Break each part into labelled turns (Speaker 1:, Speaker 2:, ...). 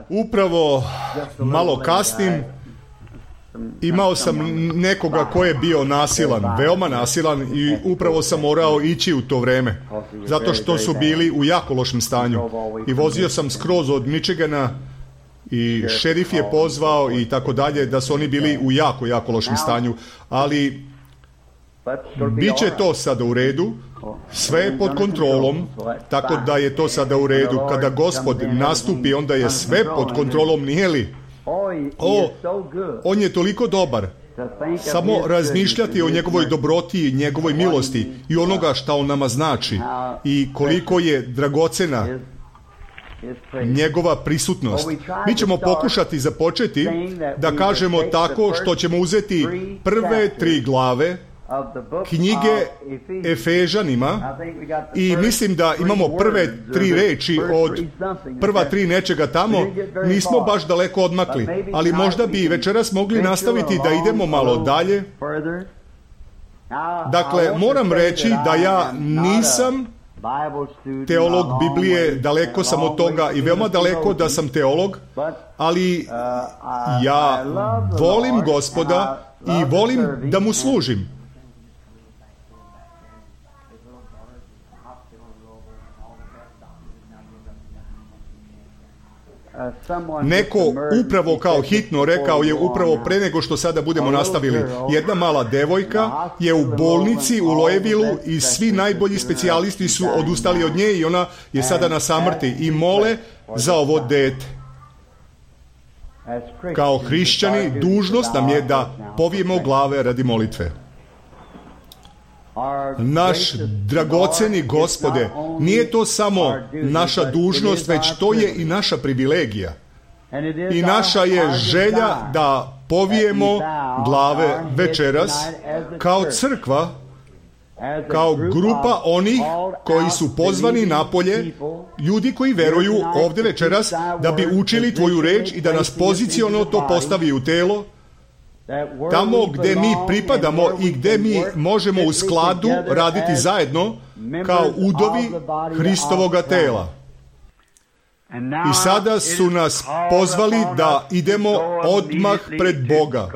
Speaker 1: Upravo malo kasnim, imao sam nekoga ko je bio nasilan, veoma nasilan, i upravo sam morao ići u to vreme, zato što su bili u jako lošem stanju. I vozio sam skroz od Michigana i šerif je pozvao i tako dalje, da su oni bili u jako, jako lošem stanju. Ali bit će to sada u redu, sve je pod kontrolom, tako da je to sada u redu. Kada Gospod nastupi, onda je sve pod kontrolom, nije li? On je toliko dobar. Samo razmišljati o njegovoj dobroti i njegovoj milosti i onoga što on nama znači i koliko je dragocena njegova prisutnost. Mi ćemo pokušati započeti da kažemo tako što ćemo uzeti prve 3 glave knjige Efežanima i mislim da imamo prve 3 reči od prva 3 nečega tamo. Nismo baš daleko odmakli, ali možda bi večeras mogli nastaviti da idemo malo dalje. Dakle, moram reći da ja nisam teolog Biblije, daleko sam od toga i veoma daleko da sam teolog, ali ja volim Gospoda i volim da mu služim. Neko upravo kao hitno rekao je upravo pre nego što sada budemo nastavili. Jedna mala devojka je u bolnici u Louisvilleu i svi najbolji specijalisti su odustali od nje i ona je sada na samrti i mole za ovo dete. Kao hrišćani dužnost nam je da povijemo glave radi molitve. Naš dragoceni Gospode, nije to samo naša dužnost, već to je i naša privilegija. I naša je želja da povijemo glave večeras kao crkva, kao grupa onih koji su pozvani napolje, ljudi koji veruju ovdje večeras da bi učili tvoju reč i da nas poziciono to postavi u telo, tamo gdje mi pripadamo i gdje mi možemo u skladu raditi zajedno kao udovi Hristovoga tela. I sada su nas pozvali da idemo odmah pred Boga.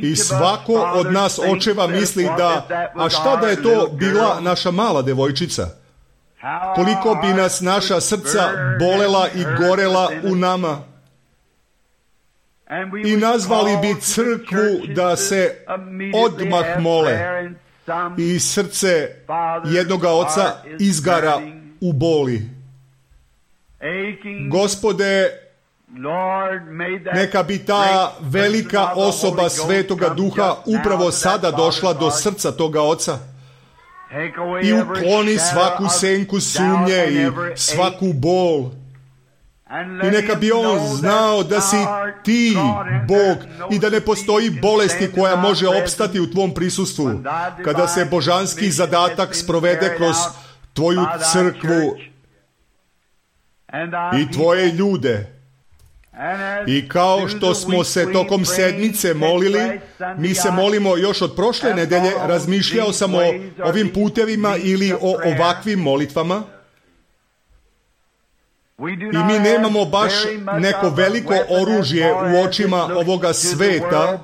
Speaker 1: I svako od nas očeva misli da, a šta da je to bila naša mala devojčica? Koliko bi nas naša srca bolela i gorela u nama? I nazvali bi crkvu da se odmah mole i srce jednoga oca izgara u boli. Gospode, neka bi ta velika osoba Svetoga Duha upravo sada došla do srca toga oca i ukloni svaku senku sumnje i svaku bol. I neka bi on znao da si ti Bog i da ne postoji bolesti koja može opstati u tvom prisustvu kada se božanski zadatak sprovede kroz tvoju crkvu i tvoje ljude. I kao što smo se tokom sedmice molili, mi se molimo još od prošle nedelje, razmišljao sam o ovim putevima ili o ovakvim molitvama. I mi nemamo baš neko veliko oružje u očima ovoga sveta,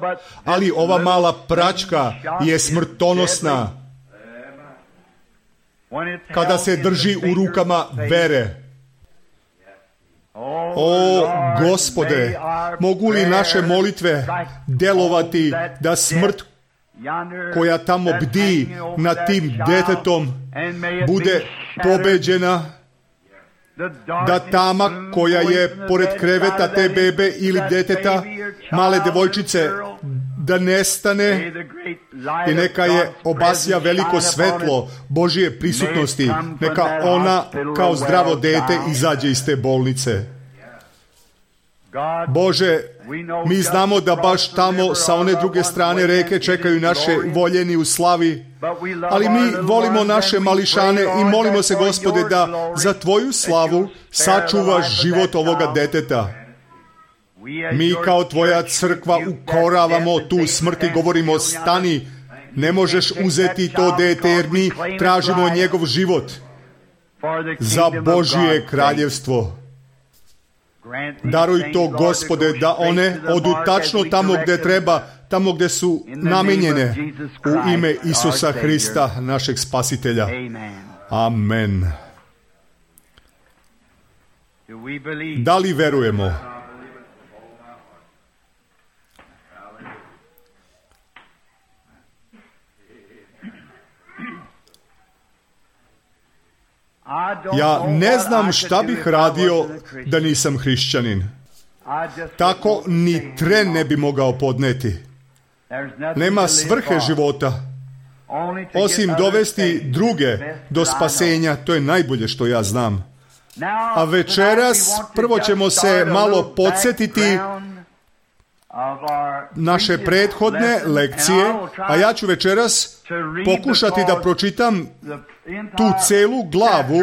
Speaker 1: ali ova mala praćka je smrtonosna kada se drži u rukama vere. O Gospode, mogu li naše molitve delovati da smrt koja tamo bdi nad tim detetom bude pobeđena, da tama koja je pored kreveta te bebe ili deteta, male devojčice, da nestane i neka je obasja veliko svetlo Božije prisutnosti, neka ona kao zdravo dete izađe iz te bolnice. Bože, mi znamo da baš tamo sa one druge strane reke čekaju naše voljeni u slavi, ali mi volimo naše mališane i molimo se, Gospode, da za tvoju slavu sačuvaš život ovoga deteta. Mi kao tvoja crkva ukoravamo tu smrt i govorimo, stani, ne možeš uzeti to dete jer mi tražimo njegov život. za Božje kraljevstvo. Daruj to, Gospode, da one odu tačno tamo gdje treba, tamo gdje su namijenjene, u ime Isusa Hrista, našeg Spasitelja. Amen. Da li verujemo? Ja ne znam šta bih radio da nisam hrišćanin. Tako ni tren ne bi mogao podneti. Nema svrhe života, osim dovesti druge do spasenja. To je najbolje što ja znam. A večeras prvo ćemo se malo podsjetiti naše prethodne lekcije, a ja ću večeras pokušati da pročitam tu celu glavu,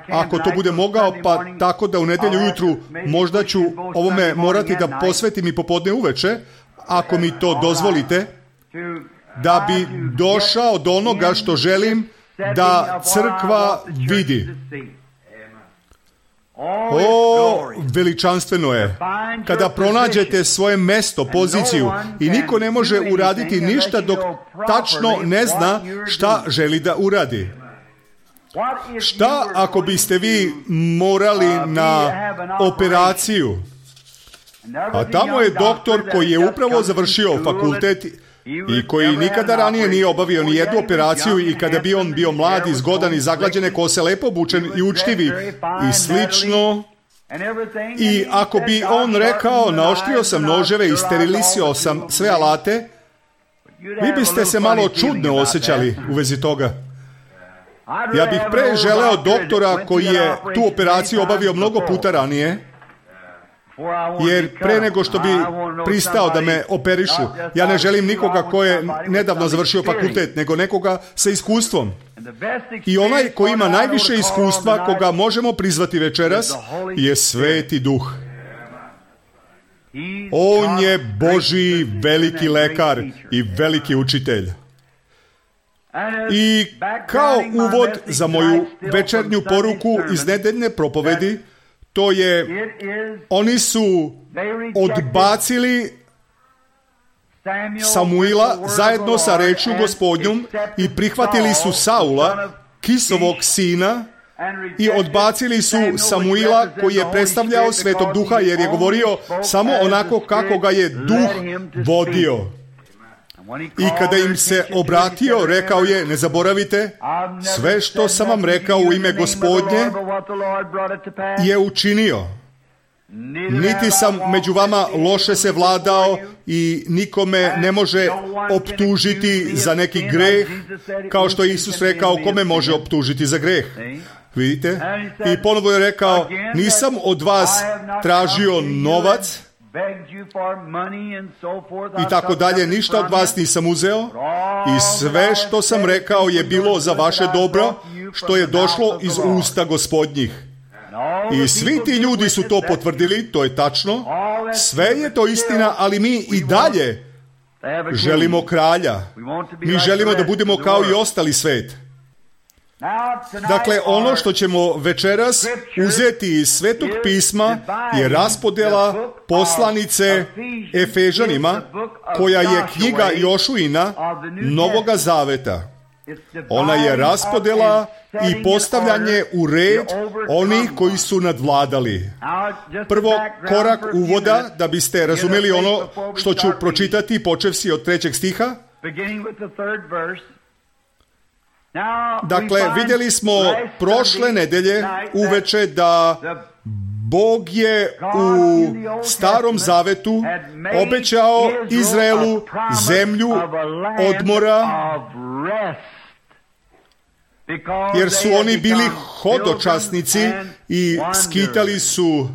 Speaker 1: ako to bude mogao, pa tako da u nedjelju ujutru možda ću ovome morati da posvetim i popodne uveče, ako mi to dozvolite, da bi došao do onoga što želim da crkva vidi. O, veličanstveno je kada pronađete svoje mesto, poziciju i niko ne može uraditi ništa dok tačno ne zna šta želi da uradi. Šta ako biste vi morali na operaciju, a tamo je doktor koji je upravo završio fakultet i koji nikada ranije nije obavio ni jednu operaciju, i kada bi on bio mlad i zgodan i zaglađene kose, lepo obučen i učtivi i slično, i ako bi on rekao naoštrio sam noževe i sterilisio sam sve alate, vi biste se malo čudno osjećali u vezi toga. Ja bih pre želeo doktora koji je tu operaciju obavio mnogo puta ranije, jer pre nego što bi pristao da me operišu, ja ne želim nikoga ko je nedavno završio fakultet, nego nekoga sa iskustvom. I onaj koji ima najviše iskustva, koga možemo prizvati večeras, je Sveti Duh. On je Božji veliki lekar i veliki učitelj. I kao uvod za moju večernju poruku iz nedeljne propovedi, to je, oni su odbacili Samuila zajedno sa rečju Gospodnjom i prihvatili su Saula, Kisovog sina, i odbacili su Samuila koji je predstavljao Svetog Duha, jer je govorio samo onako kako ga je Duh vodio. I kada im se obratio, rekao je, ne zaboravite, sve što sam vam rekao u ime Gospodnje je učinio. Niti sam među vama loše se vladao i nikome ne može optužiti za neki greh, kao što je Isus rekao, kome može optužiti za greh. Vidite? I ponovo je rekao, nisam od vas tražio novac, i tako dalje, ništa od vas nisam uzeo, i sve što sam rekao je bilo za vaše dobro, što je došlo iz usta Gospodnjih. I svi ti ljudi su to potvrdili, to je tačno, sve je to istina, ali mi i dalje želimo kralja. Mi želimo da budemo kao i ostali svet. Dakle, ono što ćemo večeras uzeti iz Svetog pisma je raspodela poslanice Efežanima, koja je knjiga Jošuina Novoga Zaveta. Ona je raspodela i postavljanje u red onih koji su nadvladali. Prvo, korak uvoda, da biste razumeli ono što ću pročitati, počevši od 3. stiha. Dakle, vidjeli smo prošle nedelje uveče da Bog je u Starom Zavetu obećao Izraelu zemlju odmora, jer su oni bili hodočasnici i skitali su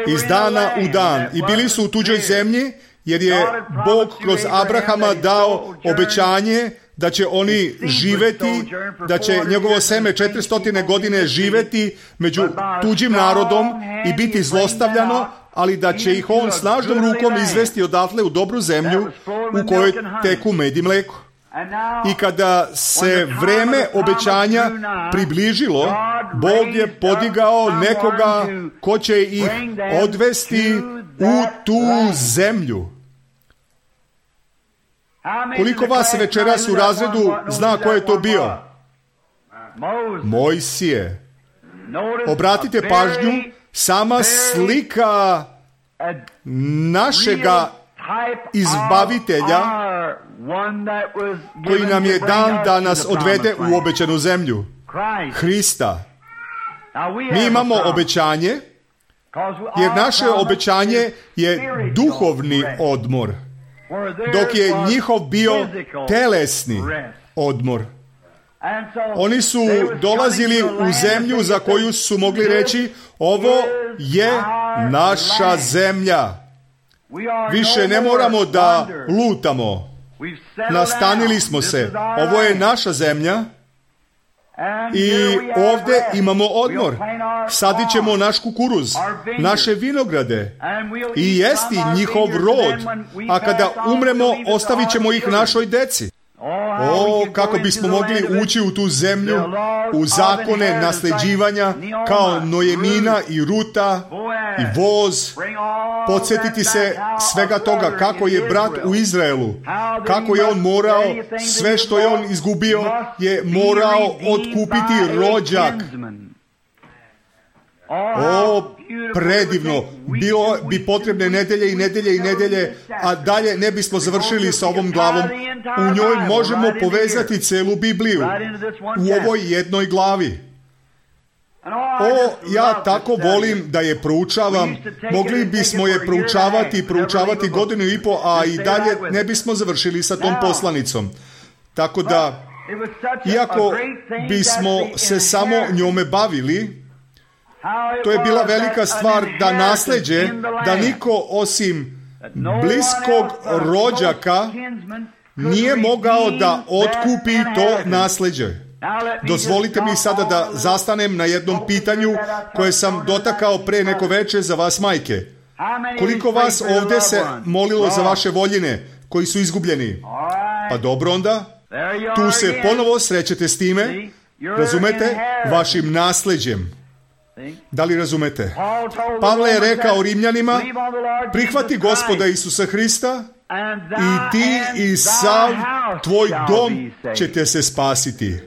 Speaker 1: iz dana u dan i bili su u tuđoj zemlji, jer je Bog kroz Abrahama dao obećanje da će oni živeti, da će njegovo seme 400 godine živeti među tuđim narodom i biti zlostavljano, ali da će ih on snažnom rukom izvesti odatle u dobru zemlju u kojoj teku med i mleko. I kada se vreme obećanja približilo, Bog je podigao nekoga ko će ih odvesti u tu zemlju. Koliko vas večeras u razredu zna ko je to bio? Mojsije. Obratite pažnju, sama slika našega izbavitelja koji nam je dan da nas odvede u obećanu zemlju. Hrista. Mi imamo obećanje, jer naše obećanje je duhovni odmor, dok je njihov bio telesni odmor. Oni su dolazili u zemlju za koju su mogli reći, ovo je naša zemlja. Više ne moramo da lutamo. Nastanili smo se. Ovo je naša zemlja i ovdje imamo odmor. Sadit ćemo naš kukuruz, naše vinograde i jesti njihov rod, a kada umremo ostavit ćemo ih našoj deci. O, kako bismo mogli ući u tu zemlju, u zakone nasljeđivanja, kao Nojemina i Ruta i voz, podsjetiti se svega toga, kako je brat u Izraelu, kako je on morao, sve što je on izgubio, je morao otkupiti rođak. O, predivno, bilo bi potrebne nedelje i nedelje i nedelje, a dalje ne bismo završili sa ovom glavom. U njoj možemo povezati celu Bibliju u ovoj jednoj glavi. O, ja tako volim da je proučavam. Mogli bismo je proučavati godinu i po, a i dalje ne bismo završili sa tom poslanicom. Tako da, iako bismo se samo njome bavili, to je bila velika stvar da nasleđe, da niko osim bliskog rođaka nije mogao da otkupi to nasleđe. Dozvolite mi sada da zastanem na jednom pitanju koje sam dotakao pre neko veče za vas majke. Koliko vas ovdje se molilo za vaše voljine koji su izgubljeni? Pa dobro onda, tu se ponovo srećete s time, razumete, vašim nasleđem. Da li razumete? Pavle je rekao Rimljanima, prihvati Gospoda Isusa Hrista i ti i sav tvoj dom ćete se spasiti.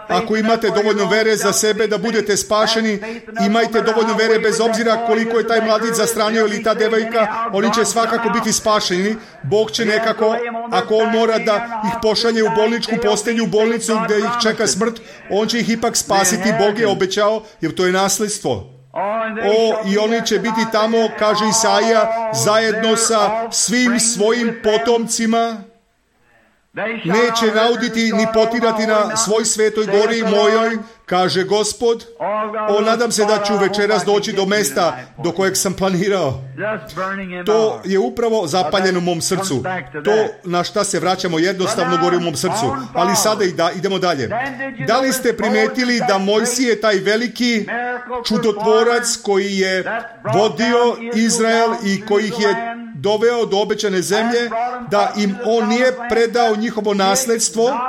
Speaker 1: Ako imate dovoljno vere za sebe da budete spašeni, imajte dovoljno vere bez obzira koliko je taj mladić zastranio ili ta devojka, oni će svakako biti spašeni. Bog će nekako, ako on mora da ih pošalje u bolničku postelju, u bolnicu gdje ih čeka smrt, on će ih ipak spasiti. Bog je obećao, jer to je nasljedstvo. O, i oni će biti tamo, kaže Isaija, zajedno sa svim svojim potomcima. Neće nauditi ni potirati na svoj svetoj gori mojoj, kaže Gospod. O, nadam se da ću večeras doći do mesta do kojeg sam planirao. To je upravo zapaljeno u mom srcu. To na šta se vraćamo jednostavno gori u mom srcu. Ali sada idemo dalje. Da li ste primetili da Mojsije, taj veliki čudotvorac koji je vodio Izrael i koji ih je doveo do obećane zemlje, da im on nije predao njihovo nasljedstvo,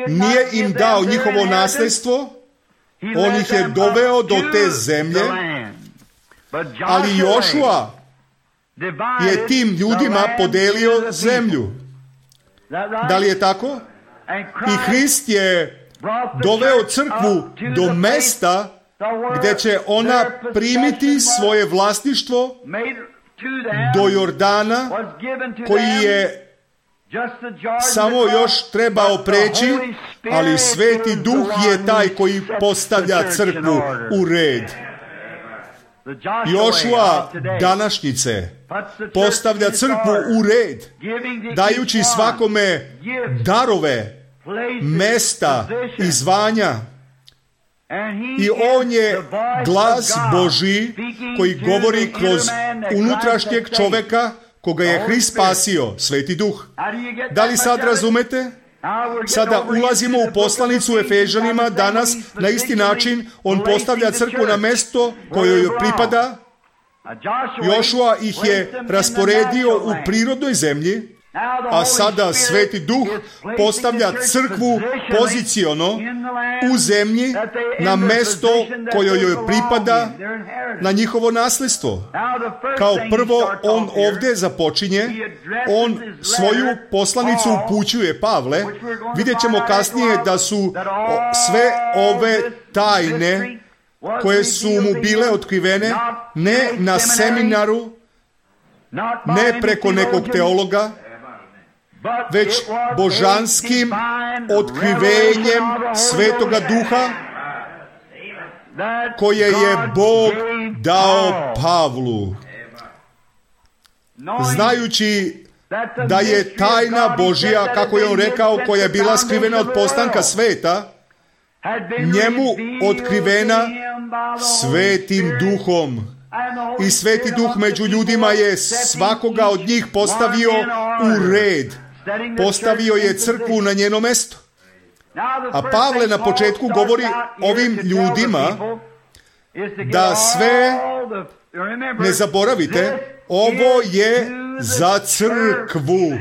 Speaker 1: nije im dao njihovo nasljedstvo, on ih je doveo do te zemlje, ali Jošua je tim ljudima podelio zemlju. Da li je tako? I Hrist je doveo crkvu do mesta gdje će ona primiti svoje vlasništvo do Jordana, koji je samo još trebao preći, ali Sveti Duh je taj koji postavlja crkvu u red. Jošua današnjice postavlja crkvu u red, dajući svakome darove, mesta i zvanja. I on je glas Božji koji govori kroz unutrašnjeg čoveka koga je Hrist spasio, Sveti Duh. Da li sad razumete? Sada ulazimo u poslanicu Efežanima danas na isti način. On postavlja crkvu na mesto kojoj pripada Jošua ih je rasporedio u prirodnoj zemlji, a sada Sveti Duh postavlja crkvu poziciono u zemlji na mesto koje joj pripada, na njihovo nasljedstvo. Kao prvo, on ovdje započinje, on svoju poslanicu upućuje Pavle. Vidjet ćemo kasnije da su sve ove tajne koje su mu bile otkrivene ne na seminaru, ne preko nekog teologa, već božanskim otkrivenjem Svetoga Duha koje je Bog dao Pavlu. Znajući da je tajna Božja, kako je on rekao, koja je bila skrivena od postanka sveta, njemu otkrivena Svetim Duhom. I Sveti Duh među ljudima je svakoga od njih postavio u red. Postavio je crkvu na njeno mesto. A Pavle na početku govori ovim ljudima da sve, ne zaboravite, ovo je za crkvu.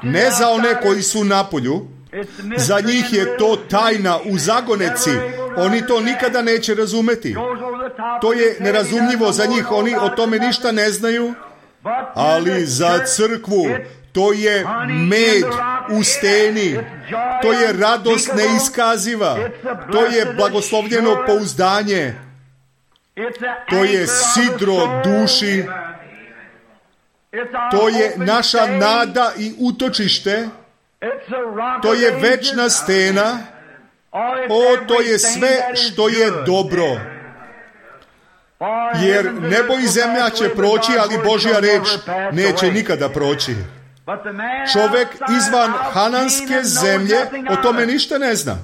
Speaker 1: Ne za one koji su napolju. Za njih je to tajna u zagoneci. Oni to nikada neće razumeti. To je nerazumljivo za njih. Oni o tome ništa ne znaju. Ali za crkvu to je med u steni. To je radost neiskaziva. To je blagoslovljeno pouzdanje. To je sidro duši. To je naša nada i utočište. To je večna stena. To je sve što je dobro. Jer nebo i zemlja će proći, ali Božja reč neće nikada proći. Čovjek izvan Hananske zemlje o tome ništa ne zna.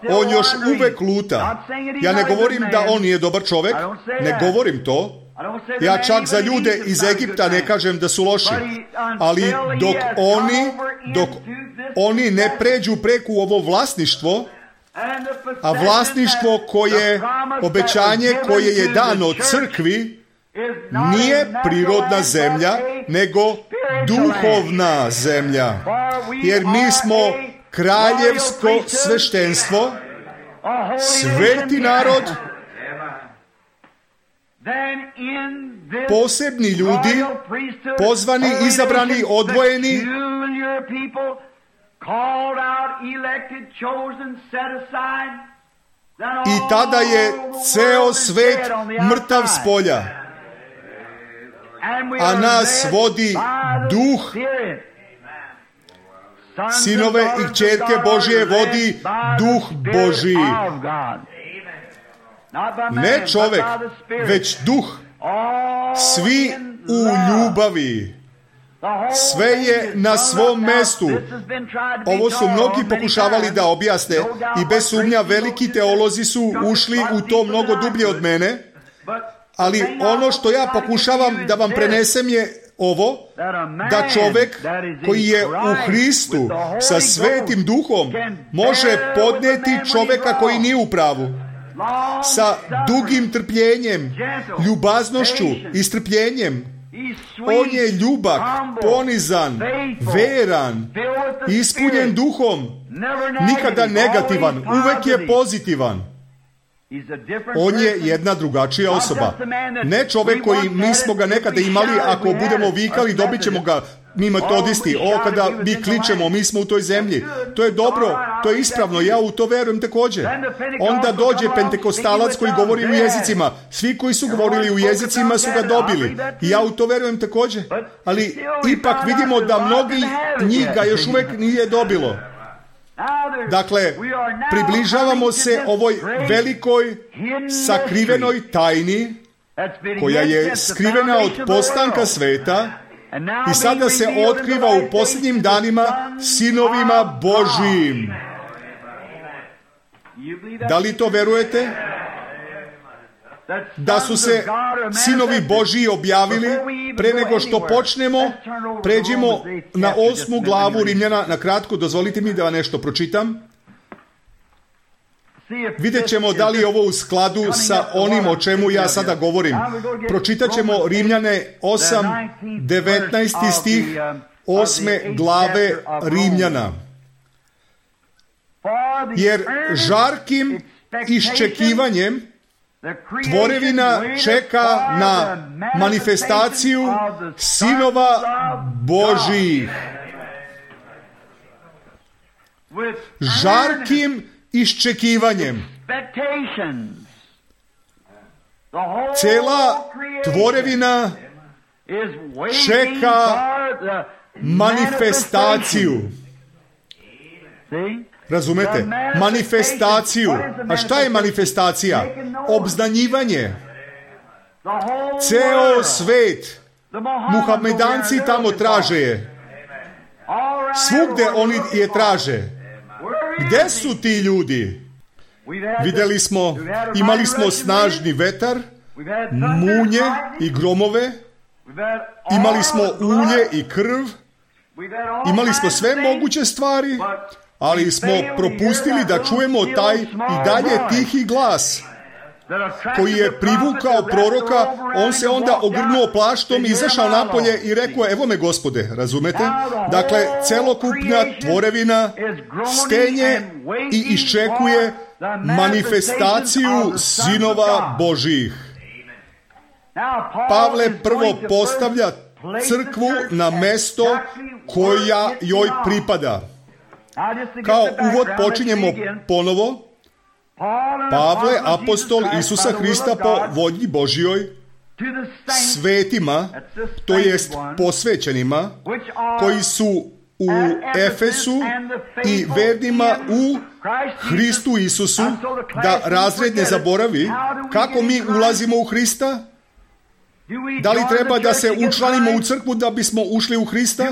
Speaker 1: On još uvek luta. Ja ne govorim da on nije dobar čovjek, ne govorim to. Ja čak za ljude iz Egipta ne kažem da su loši. Ali dok oni ne pređu preko ovo vlasništvo, a vlasništvo koje, obećanje koje je dano crkvi, nije prirodna zemlja, nego duhovna zemlja. Jer mi smo kraljevsko sveštenstvo, sveti narod, posebni ljudi, pozvani, izabrani, odvojeni, i tada je ceo svet mrtav s polja, a nas vodi Duh. Sinove i kćerke Božje vodi Duh Božji. Ne čovjek, već Duh. Svi u ljubavi. Sve je na svom mestu. Ovo su mnogi pokušavali da objasne i bez sumnja veliki teolozi su ušli u to mnogo dublje od mene, ali ono što ja pokušavam da vam prenesem je ovo, da čovjek koji je u Hristu sa Svetim Duhom može podnijeti čovjeka koji nije u pravu. Sa dugim trpljenjem, ljubaznošću i strpljenjem. On je ljubak, ponizan, veran, ispunjen duhom, nikada negativan, uvek je pozitivan. On je jedna drugačija osoba. Ne čovjek koji mi smo ga nekada imali, ako budemo vikali, dobit ćemo ga, mi metodisti, kada mi kličemo, mi smo u toj zemlji. To je dobro, to je ispravno, ja u to verujem također. Onda dođe pentekostalac koji govori u jezicima. Svi koji su govorili u jezicima su ga dobili. I ja u to verujem također. Ali ipak vidimo da mnogi njih ga još uvijek nije dobilo. Dakle, približavamo se ovoj velikoj sakrivenoj tajni koja je skrivena od postanka sveta i sada se otkriva u posljednjim danima sinovima Božjim. Da li to verujete? Da su se sinovi Božji objavili. Pre nego što počnemo, pređimo na 8. glavu Rimljana. Na kratko, dozvolite mi da vam nešto pročitam. Vidjet ćemo da li je ovo u skladu sa onim o čemu ja sada govorim. Pročitat ćemo Rimljane 8, 19. stih 8. glave Rimljana. Jer žarkim iščekivanjem tvorevina čeka na manifestaciju sinova Božijih. Žarkim iščekivanjem. Cela tvorevina čeka manifestaciju. Razumete? Manifestaciju. A šta je manifestacija? Obznanjivanje. Ceo svet. Muhamedanci tamo traže je. Svugde oni je traže. Gde su ti ljudi? Vidjeli smo, imali smo snažni vetar, munje i gromove, imali smo ulje i krv, imali smo sve moguće stvari, ali smo propustili da čujemo taj i dalje tihi glas koji je privukao proroka. On se onda ogrnuo plaštom, izašao napolje i rekao, evo me Gospode, razumete? Dakle, celokupna tvorevina stenje i iščekuje manifestaciju sinova Božijih. Pavle prvo postavlja crkvu na mesto koja joj pripada. Kao uvod počinjemo ponovo. Pavle, apostol Isusa Hrista po volji Božjoj, svetima, to jest posvećenima, koji su u Efesu i vernima u Hristu Isusu, da razred ne zaboravi, kako mi ulazimo u Hrista? Da li treba da se učlanimo u crkvu da bismo ušli u Hrista?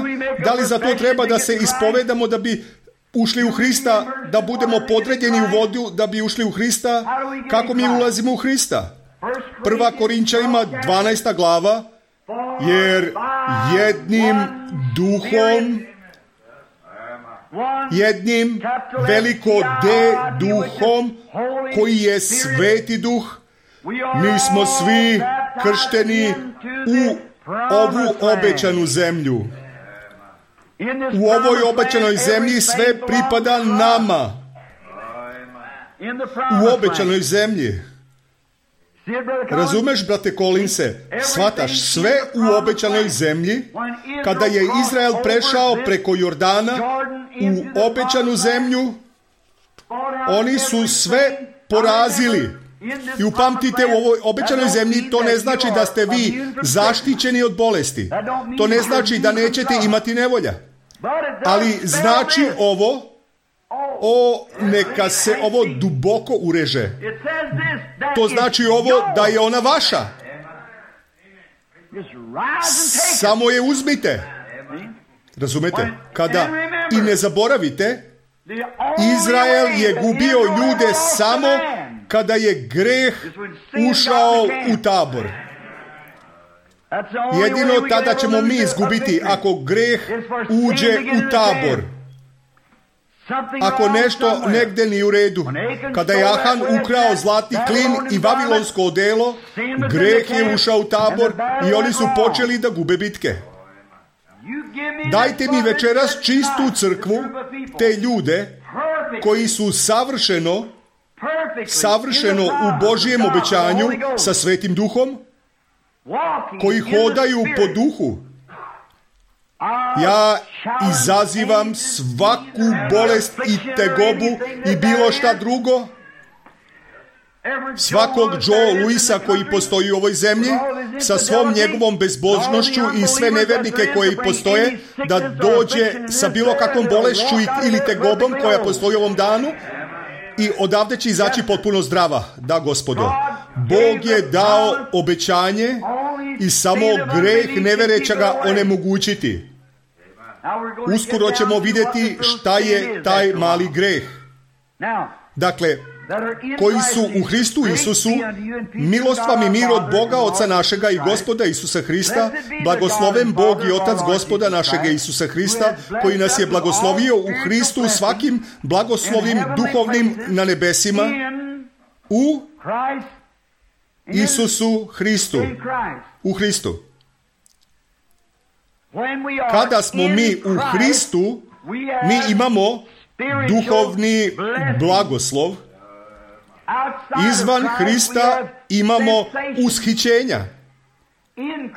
Speaker 1: Da li za to treba da se ispovedamo da bi ušli u Hrista, da budemo podređeni u vodu da bi ušli u Hrista? Kako mi ulazimo u Hrista? 1. Korinčanima 12. glava, jer jednim duhom, jednim veliko D duhom, koji je sveti duh, mi smo svi kršteni u ovu obećanu zemlju. U ovoj obećanoj zemlji sve pripada nama. U obećanoj zemlji. Razumeš, brate Collinse? Shvataš, sve u obećanoj zemlji, kada je Izrael prešao preko Jordana u obećanu zemlju, oni su sve porazili. I upamtite, u ovoj obećanoj zemlji to ne znači da ste vi zaštićeni od bolesti. To ne znači da nećete imati nevolja. Ali znači ovo, neka se ovo duboko ureže. To znači ovo da je ona vaša. Samo je uzmite. Razumete? Kada i ne zaboravite, Izrael je gubio ljude samo kada je greh ušao u tabor. Jedino tada ćemo mi izgubiti ako greh uđe u tabor. Ako nešto negdje nije u redu. Kada je Ahan ukrao zlatni klin i vavilonsko odelo, greh je ušao u tabor i oni su počeli da gube bitke. Dajte mi večeras čistu crkvu, te ljude koji su savršeno u Božijem obećanju sa Svetim Duhom, koji hodaju po duhu. Ja izazivam svaku bolest i tegobu i bilo šta drugo, svakog Joe Louisa koji postoji u ovoj zemlji, sa svom njegovom bezbožnošću i sve nevernike koji postoje, da dođe sa bilo kakvom bolešću ili tegobom koja postoji u ovom danu i odavde će izaći potpuno zdrava. Da, Gospodo. Bog je dao obećanje i samo greh nevereća ga onemogućiti. Uskoro ćemo vidjeti šta je taj mali greh. Dakle, koji su u Hristu Isusu, milost vam i mir od Boga Oca našega i Gospoda Isusa Hrista, blagosloven Bog i Otac Gospoda našega Isusa Hrista, koji nas je blagoslovio u Hristu svakim blagoslovim duhovnim na nebesima, u Isusu Hristu. U Hristu. Kada smo mi u Hristu, mi imamo duhovni blagoslov. Izvan Hrista imamo ushićenja.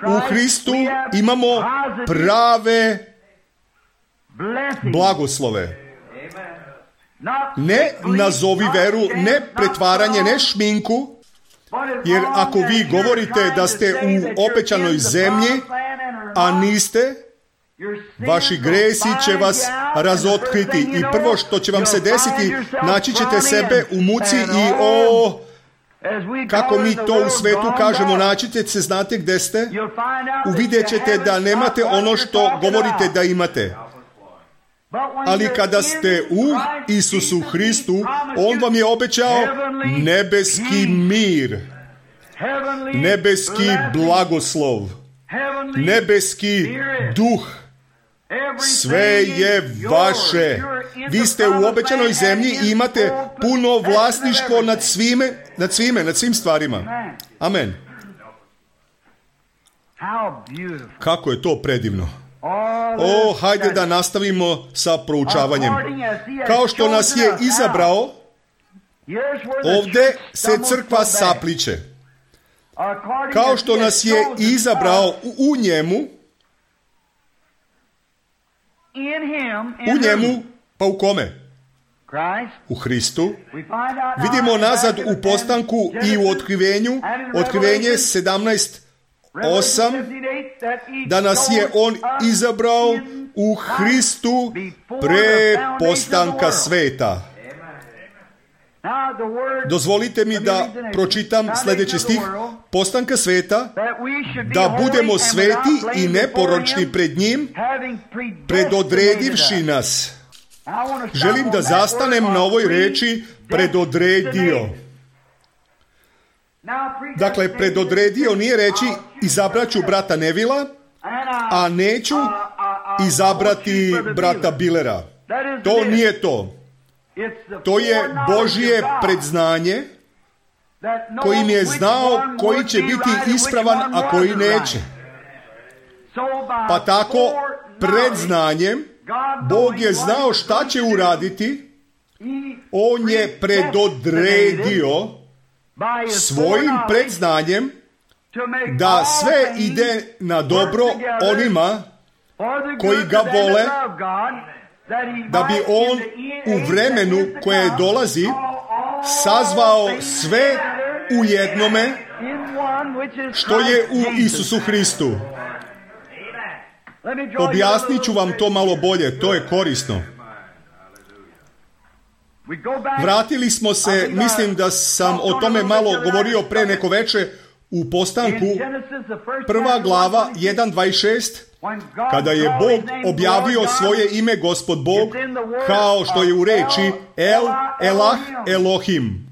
Speaker 1: U Hristu imamo prave blagoslove. Ne nazovi veru, ne pretvaranje, ne šminku, jer ako vi govorite da ste u obećanoj zemlji, a niste, vaši gresi će vas razotkriti i prvo što će vam se desiti, naći ćete sebe u muci i kako mi to u svetu kažemo, naći ćete se, znate gde ste, uvidjet ćete da nemate ono što govorite da imate. Ali kada ste u Isusu Hristu, On vam je obećao nebeski mir, nebeski blagoslov, nebeski duh. Sve je vaše. Vi ste u obećanoj zemlji i imate puno vlasništvo nad svim stvarima. Amen. Kako je to predivno. Hajde da nastavimo sa proučavanjem. Kao što nas je izabrao, ovdje se crkva sapliće. Kao što nas je izabrao u njemu, pa u kome? U Hristu. Vidimo nazad u Postanku i u Otkrivenju, Otkrivenje 17:8, da nas je On izabrao u Hristu pre postanka sveta. Dozvolite mi da pročitam sljedeći stih. Postanka sveta, da budemo sveti i neporočni pred njim, predodredivši nas. Želim da zastanem na ovoj reči predodredio. Dakle, predodredio nije reći izabraću brata Nevila, a neću izabrati brata Billera. To nije to. To je Božje predznanje kojim je znao koji će biti ispravan, a koji neće. Pa tako, predznanjem, Bog je znao šta će uraditi. On je predodredio svojim predznanjem da sve ide na dobro onima koji ga vole, da bi On u vremenu koje dolazi sazvao sve u jednome što je u Isusu Hristu. Objasnit ću vam to malo bolje, to je korisno. Vratili smo se, mislim da sam o tome malo govorio pre neko veče, u Postanku, 1. glava 1:26, kada je Bog objavio svoje ime Gospod Bog, kao što je u reči El, Elah, Elohim,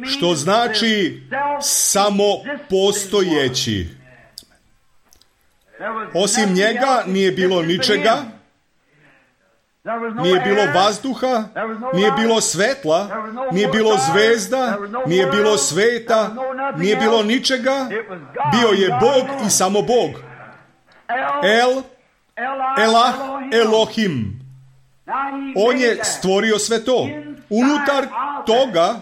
Speaker 1: što znači samo postojeći. Osim njega nije bilo ničega, nije bilo vazduha, nije bilo svetla, nije bilo zvezda, nije bilo sveta, nije bilo ničega. Bio je Bog i samo Bog. El, Elah, Elohim. On je stvorio sve to. Unutar toga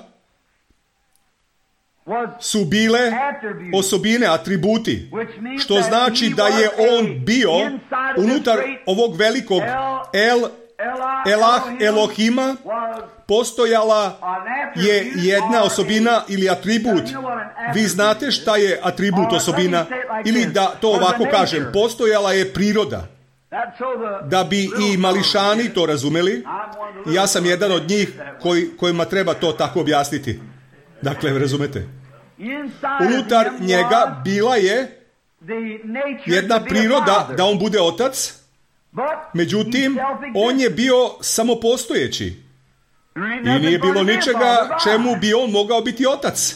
Speaker 1: su bile osobine, atributi, što znači da je On bio unutar ovog velikog El, Elah, Elohima, postojala je jedna osobina ili atribut. Vi znate šta je atribut, osobina, ili da to ovako kažem, postojala je priroda. Da bi i mališani to razumeli, ja sam jedan od njih kojima treba to tako objasniti. Dakle, razumete? Unutar njega bila je jedna priroda da on bude otac, međutim, on je bio samopostojeći. I nije bilo ničega čemu bi on mogao biti otac.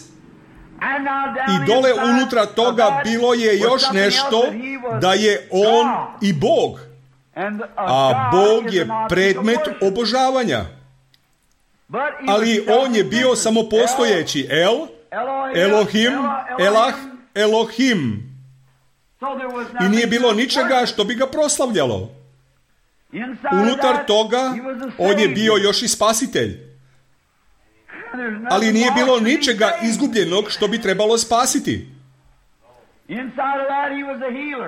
Speaker 1: I dole unutra toga bilo je još nešto, da je on i Bog. A Bog je predmet obožavanja. Ali on je bio samopostojeći. Elohim, Elah, Elohim. I nije bilo ničega što bi ga proslavljalo. Unutar toga on je bio još i spasitelj. Ali nije bilo ničega izgubljenog što bi trebalo spasiti.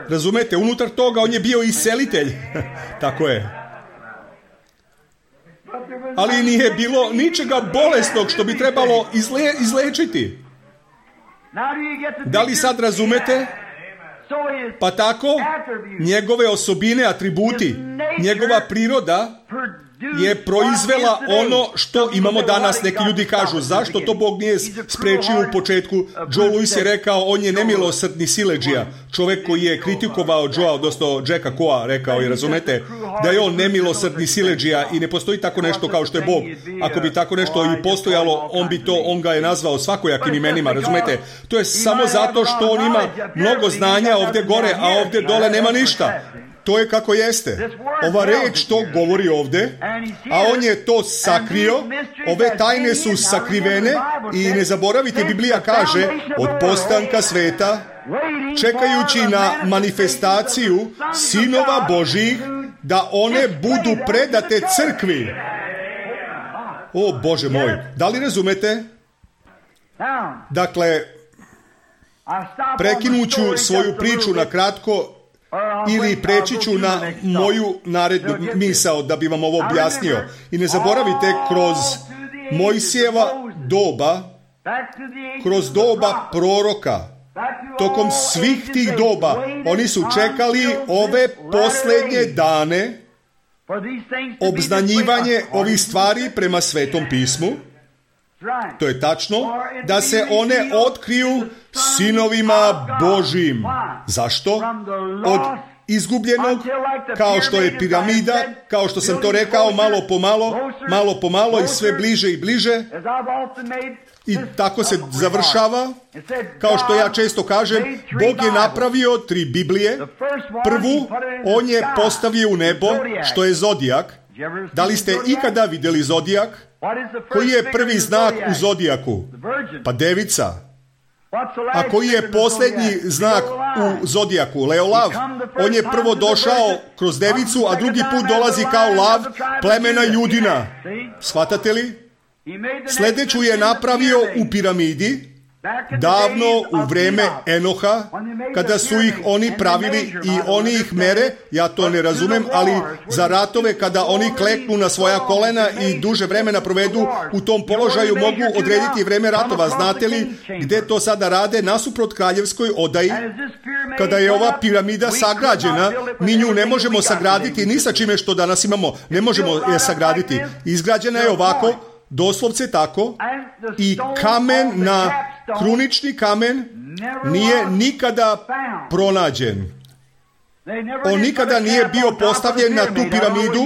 Speaker 1: Razumete, unutar toga on je bio iscelitelj. Tako je. Ali nije bilo ničega bolesnog što bi trebalo izlečiti. Da li sad razumete? Pa tako, njegove osobine, atributi, njegova priroda je proizvela ono što imamo danas. Neki ljudi kažu, zašto to Bog nije sprečio u početku? Joe Louis je rekao, on je nemilosrdni siledžija. Čovjek koji je kritikovao Joea, odnosno Jacka Coa, rekao je, razumete, da je on nemilosrdni siledžija i ne postoji tako nešto kao što je Bog. Ako bi tako nešto i postojalo, on ga je nazvao svakojakim imenima, razumete? To je samo zato što on ima mnogo znanja ovdje gore, a ovdje dole nema ništa. To je kako jeste. Ova reč to govori ovdje, a on je to sakrio. Ove tajne su sakrivene i ne zaboravite, Biblija kaže, od postanka sveta, čekajući na manifestaciju sinova Božjih, da one budu predate crkvi. O Bože moj, da li razumete? Dakle, prekinuću svoju priču na kratko ili preći ću na moju narednu misao da bi vam ovo objasnio. I ne zaboravite, kroz Mojsijeva doba, kroz doba proroka, tokom svih tih doba, oni su čekali ove posljednje dane, obznanjivanje ovih stvari prema Svetom pismu. To je tačno, da se one otkriju sinovima Božjim. Zašto? Od izgubljenog, kao što je piramida, kao što sam to rekao, malo po malo i sve bliže i bliže. I tako se završava. Kao što ja često kažem, Bog je napravio 3 Biblije. Prvu, on je postavio u nebo, što je zodijak. Da li ste ikada vidjeli zodijak? Koji je prvi znak u zodijaku? Pa devica. A koji je posljednji znak u zodijaku? Leolav. On je prvo došao kroz devicu, a drugi put dolazi kao lav plemena Judina. Shvatate li? Sljedeću je napravio u piramidi, davno u vrijeme Enoha, kada su ih oni pravili i oni ih mere, ja to ne razumem, ali za ratove kada oni kleknu na svoja kolena i duže vremena provedu u tom položaju, mogu odrediti vrijeme ratova. Znate li gdje to sada rade? Nasuprot kraljevskoj odaji. Kada je ova piramida sagrađena, mi nju ne možemo sagraditi ni sa čime što danas imamo. Ne možemo je sagraditi. Izgrađena je ovako, doslovce tako, i kamen krunični kamen nije nikada pronađen. On nikada nije bio postavljen na tu piramidu.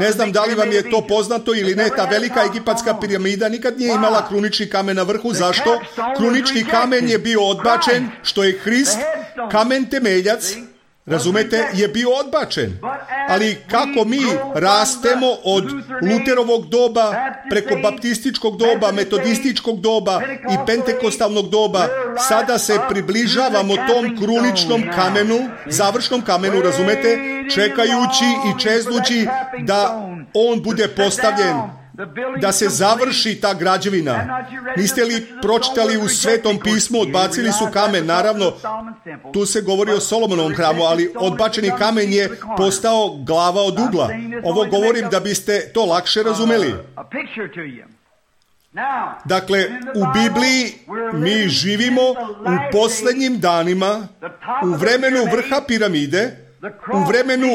Speaker 1: Ne znam da li vam je to poznato ili ne. Ta velika egipatska piramida nikad nije imala krunični kamen na vrhu. Zašto? Krunični kamen je bio odbačen, što je Hrist, kamen temeljac, razumete, je bio odbačen. Ali kako mi rastemo od Luterovog doba preko baptističkog doba, metodističkog doba i pentekostalnog doba, sada se približavamo tom kruničnom kamenu, završnom kamenu, razumete, čekajući i čeznući da on bude postavljen, da se završi ta građevina. Niste li pročitali u Svetom pismu, odbacili su kamen, naravno, tu se govori o Solomonovom hramu, ali odbačeni kamen je postao glava od ugla. Ovo govorim da biste to lakše razumeli. Dakle, u Bibliji mi živimo u posljednjim danima, u vremenu vrha piramide, u vremenu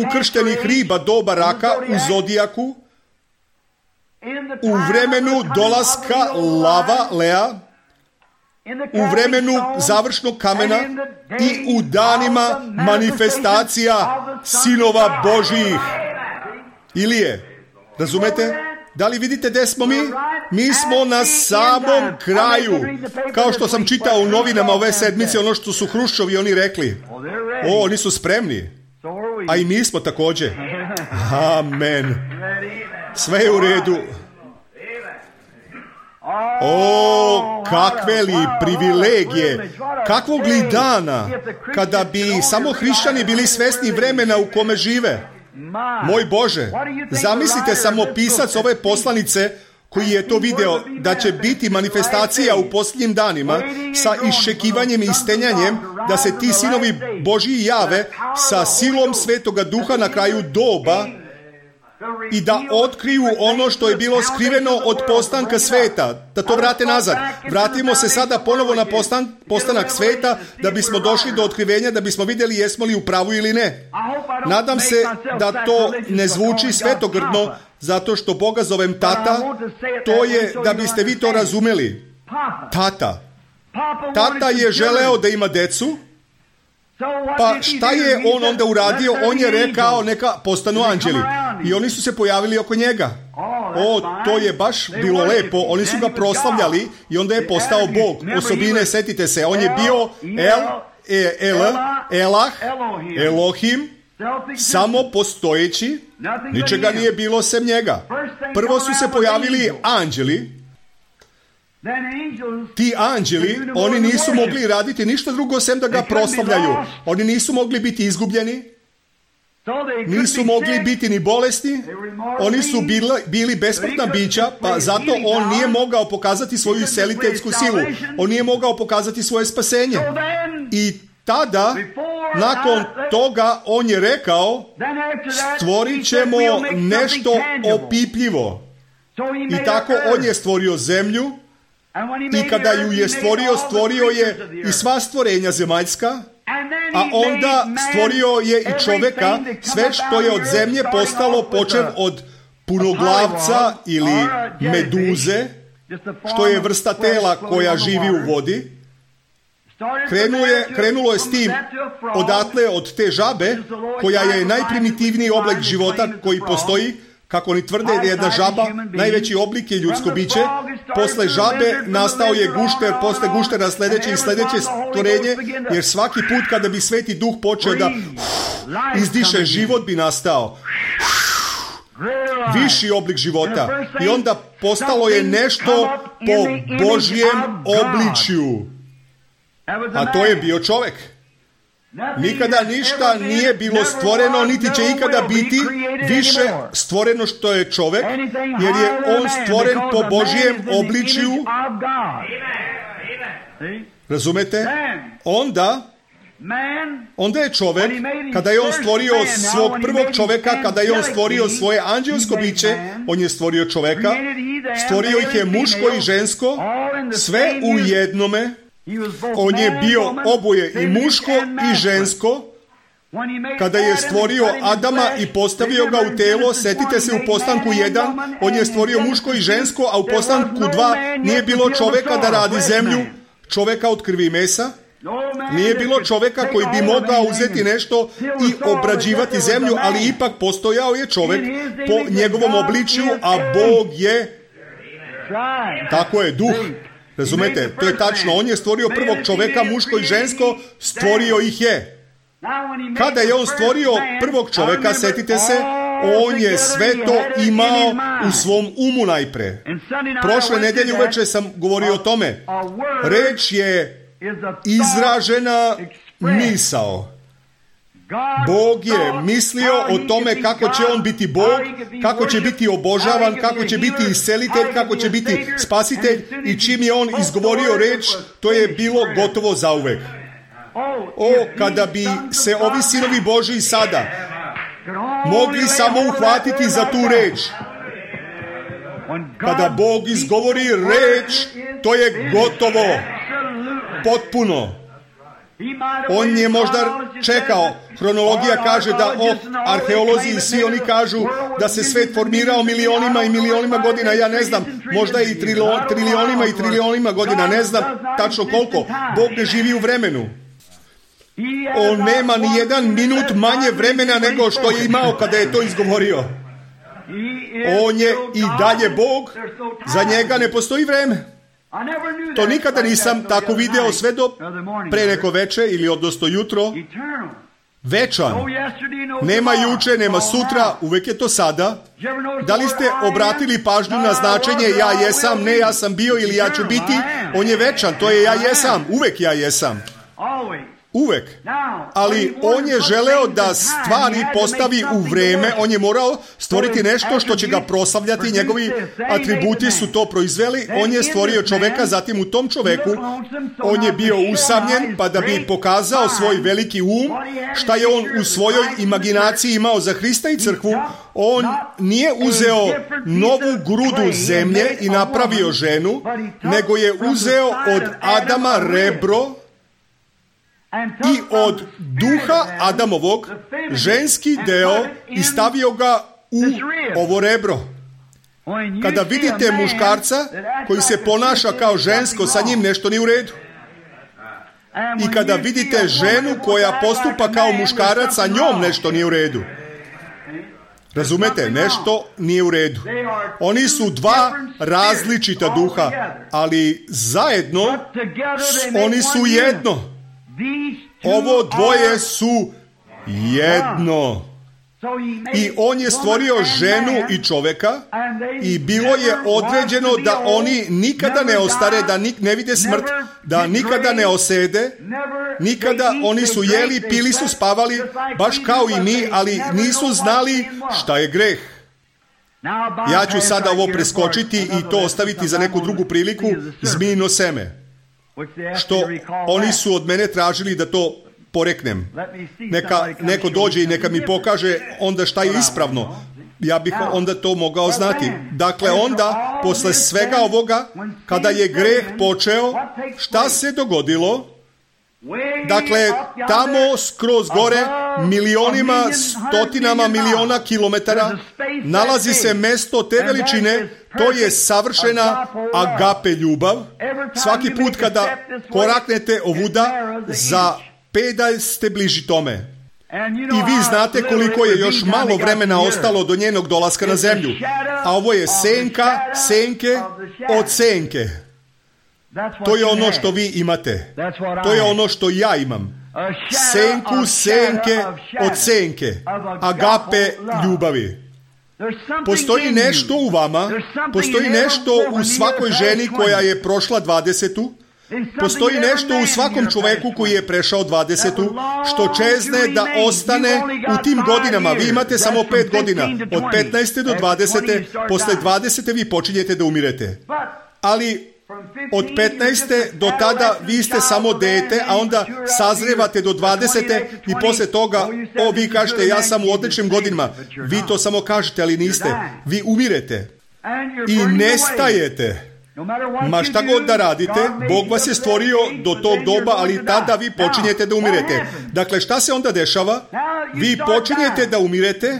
Speaker 1: ukrštenih riba doba raka u zodijaku, u vremenu dolaska lava Lea, u vremenu završnog kamena i u danima manifestacija sinova Božjih. Ilije, razumete? Da li vidite gdje smo mi? Mi smo na samom kraju. Kao što sam čitao u novinama ove sedmice, ono što su Hruščovi oni rekli. Oni su spremni. A i mi smo također. Amen. Sve je u redu. Kakve li privilegije, kakvog li dana, kada bi samo hrišćani bili svjesni vremena u kome žive. Moj Bože, zamislite samo pisac ove poslanice koji je to video, da će biti manifestacija u posljednjim danima sa iščekivanjem i stenjanjem da se ti sinovi Božji jave sa silom Svetoga Duha na kraju doba i da otkriju ono što je bilo skriveno od postanka sveta, da to vrate nazad. Vratimo se sada ponovo na postanak sveta, da bismo došli do otkrivenja, da bismo vidjeli jesmo li u pravu ili ne. Nadam se da to ne zvuči svetogrdno, zato što Boga zovem tata, to je da biste vi to razumeli. Tata. Tata je želeo da ima decu, pa šta je on onda uradio? On je rekao neka postanu anđeli. I oni su se pojavili oko njega. To je baš bilo lepo. Oni su ga proslavljali i onda je postao Bog. Osobine, setite se, on je bio Elah, Elohim, samo postojeći, ničega nije bilo sem njega. Prvo su se pojavili anđeli. Ti anđeli, oni nisu mogli raditi ništa drugo sem da ga proslavljaju. Oni nisu mogli biti izgubljeni, nisu mogli biti ni bolesni, oni su bili besmrtna bića, pa zato on nije mogao pokazati svoju isceliteljsku silu. On nije mogao pokazati svoje spasenje. I tada, nakon toga, on je rekao, stvorit ćemo nešto opipljivo. I tako on je stvorio zemlju, i kada ju je stvorio je i sva stvorenja zemaljska, a onda stvorio je i čovjeka, sve što je od zemlje postalo, počev od punoglavca ili meduze, što je vrsta tela koja živi u vodi. Krenulo je s tim odatle od te žabe, koja je najprimitivniji oblik života koji postoji. Kako oni tvrde da je jedna žaba, najveći oblik je ljudsko biće. Posle žabe nastao je gušter, posle guštera sljedeće i sljedeće stvorenje, jer svaki put kada bi Sveti Duh počeo da izdiše, život bi nastao. Viši oblik života. I onda postalo je nešto po Božjem obličju. A to je bio čovjek. Nikada ništa nije bilo stvoreno, niti će ikada biti više stvoreno što je čovjek, jer je on stvoren po Božjem obličju. Razumete? Onda je čovjek, kada je on stvorio svog prvog čovjeka, kada je on stvorio svoje anđelsko biće, on je stvorio čovjeka, stvorio ih je muško i žensko, sve u jednome. On je bio oboje i muško i žensko. Kada je stvorio Adama i postavio ga u telo, setite se u postanku 1, on je stvorio muško i žensko, a u postanku 2 nije bilo čovjeka da radi zemlju, čovjeka od krvi i mesa. Nije bilo čovjeka koji bi mogao uzeti nešto i obrađivati zemlju, ali ipak postojao je čovjek po njegovom obličju, a Bog je, tako je, duh. Razumete, to je tačno. On je stvorio prvog čovjeka, muško i žensko, stvorio ih je. Kada je on stvorio prvog čovjeka, setite se, on je sve to imao u svom umu najpre. Prošle nedjelje uveče sam govorio o tome. Reč je izražena misao. Bog je mislio o tome kako će on biti Bog, kako će biti obožavan, kako će biti iscelitelj, kako će biti spasitelj, i čim je on izgovorio reč, to je bilo gotovo zauvek. Kada bi se ovi sinovi Božji sada mogli samo uhvatiti za tu reč. Kada Bog izgovori reč, to je gotovo, potpuno. On je možda čekao, hronologija kaže da arheolozi i svi oni kažu da se svet formirao milionima i milionima godina, ja ne znam, možda i trilionima i trilionima godina, ne znam tačno koliko. Bog ne živi u vremenu. On nema ni jedan minut manje vremena nego što je imao kada je to izgovorio. On je i dalje Bog. Za njega ne postoji vreme. To nikada nisam tako video sve do pre neko veče ili odnosno jutro. Večan. Nema juče, nema sutra, uvek je to sada. Da li ste obratili pažnju na značenje ja jesam, ne ja sam bio ili ja ću biti? On je večan, to je ja jesam, uvek ja jesam. Uvek. Ali on je želeo da stvari postavi u vreme, on je morao stvoriti nešto što će ga proslavljati, njegovi atributi su to proizveli, on je stvorio čoveka, zatim u tom čoveku on je bio usamljen, pa da bi pokazao svoj veliki um, šta je on u svojoj imaginaciji imao za Hrista i crkvu, on nije uzeo novu grudu zemlje i napravio ženu, nego je uzeo od Adama rebro i od duha Adamovog ženski deo i stavio ga u ovo rebro. Kada vidite muškarca koji se ponaša kao žensko, sa njim nešto nije u redu. I kada vidite ženu koja postupa kao muškarac, sa njom nešto nije u redu. Razumete? Nešto nije u redu. Oni su dva različita duha, ali zajedno oni su jedno. Ovo dvoje su jedno. I on je stvorio ženu i čoveka i bilo je određeno da oni nikada ne ostare, da ne vide smrt, da nikada ne osede, nikada oni su jeli, pili su, spavali, baš kao i mi, ali nisu znali šta je greh. Ja ću sada ovo preskočiti i to ostaviti za neku drugu priliku, zmijino seme. Što oni su od mene tražili da to poreknem. Neka neko dođe i neka mi pokaže onda šta je ispravno. Ja bih onda to mogao znati. Dakle, onda, posle svega ovoga, kada je greh počeo, šta se dogodilo? Dakle, tamo skroz gore, milionima, stotinama miliona kilometara, nalazi se mesto te veličine, to je savršena agape ljubav. Svaki put kada koraknete ovuda, za pedalj ste bliži tome. I vi znate koliko je još malo vremena ostalo do njenog dolaska na zemlju. A ovo je senka, senke od senke. To je ono što vi imate. To je ono što ja imam. Senku, senke od senke. Agape ljubavi. Postoji nešto u vama, postoji nešto u svakoj ženi koja je prošla 20. Postoji nešto u svakom čoveku koji je prešao 20. što čezne da ostane u tim godinama. Vi imate samo 5 godina. Od 15. do 20. Posle 20. vi počinjete da umirete. Ali od 15. do tada vi ste samo dete, a onda sazrevate do 20. i posle toga, vi kažete ja sam u odličnim godinama. Vi to samo kažete, ali niste. Vi umirete i nestajete. Ma šta god da radite, Bog vas je stvorio do tog doba, ali tada vi počinjete da umirete. Dakle, šta se onda dešava? Vi počinjete da umirete,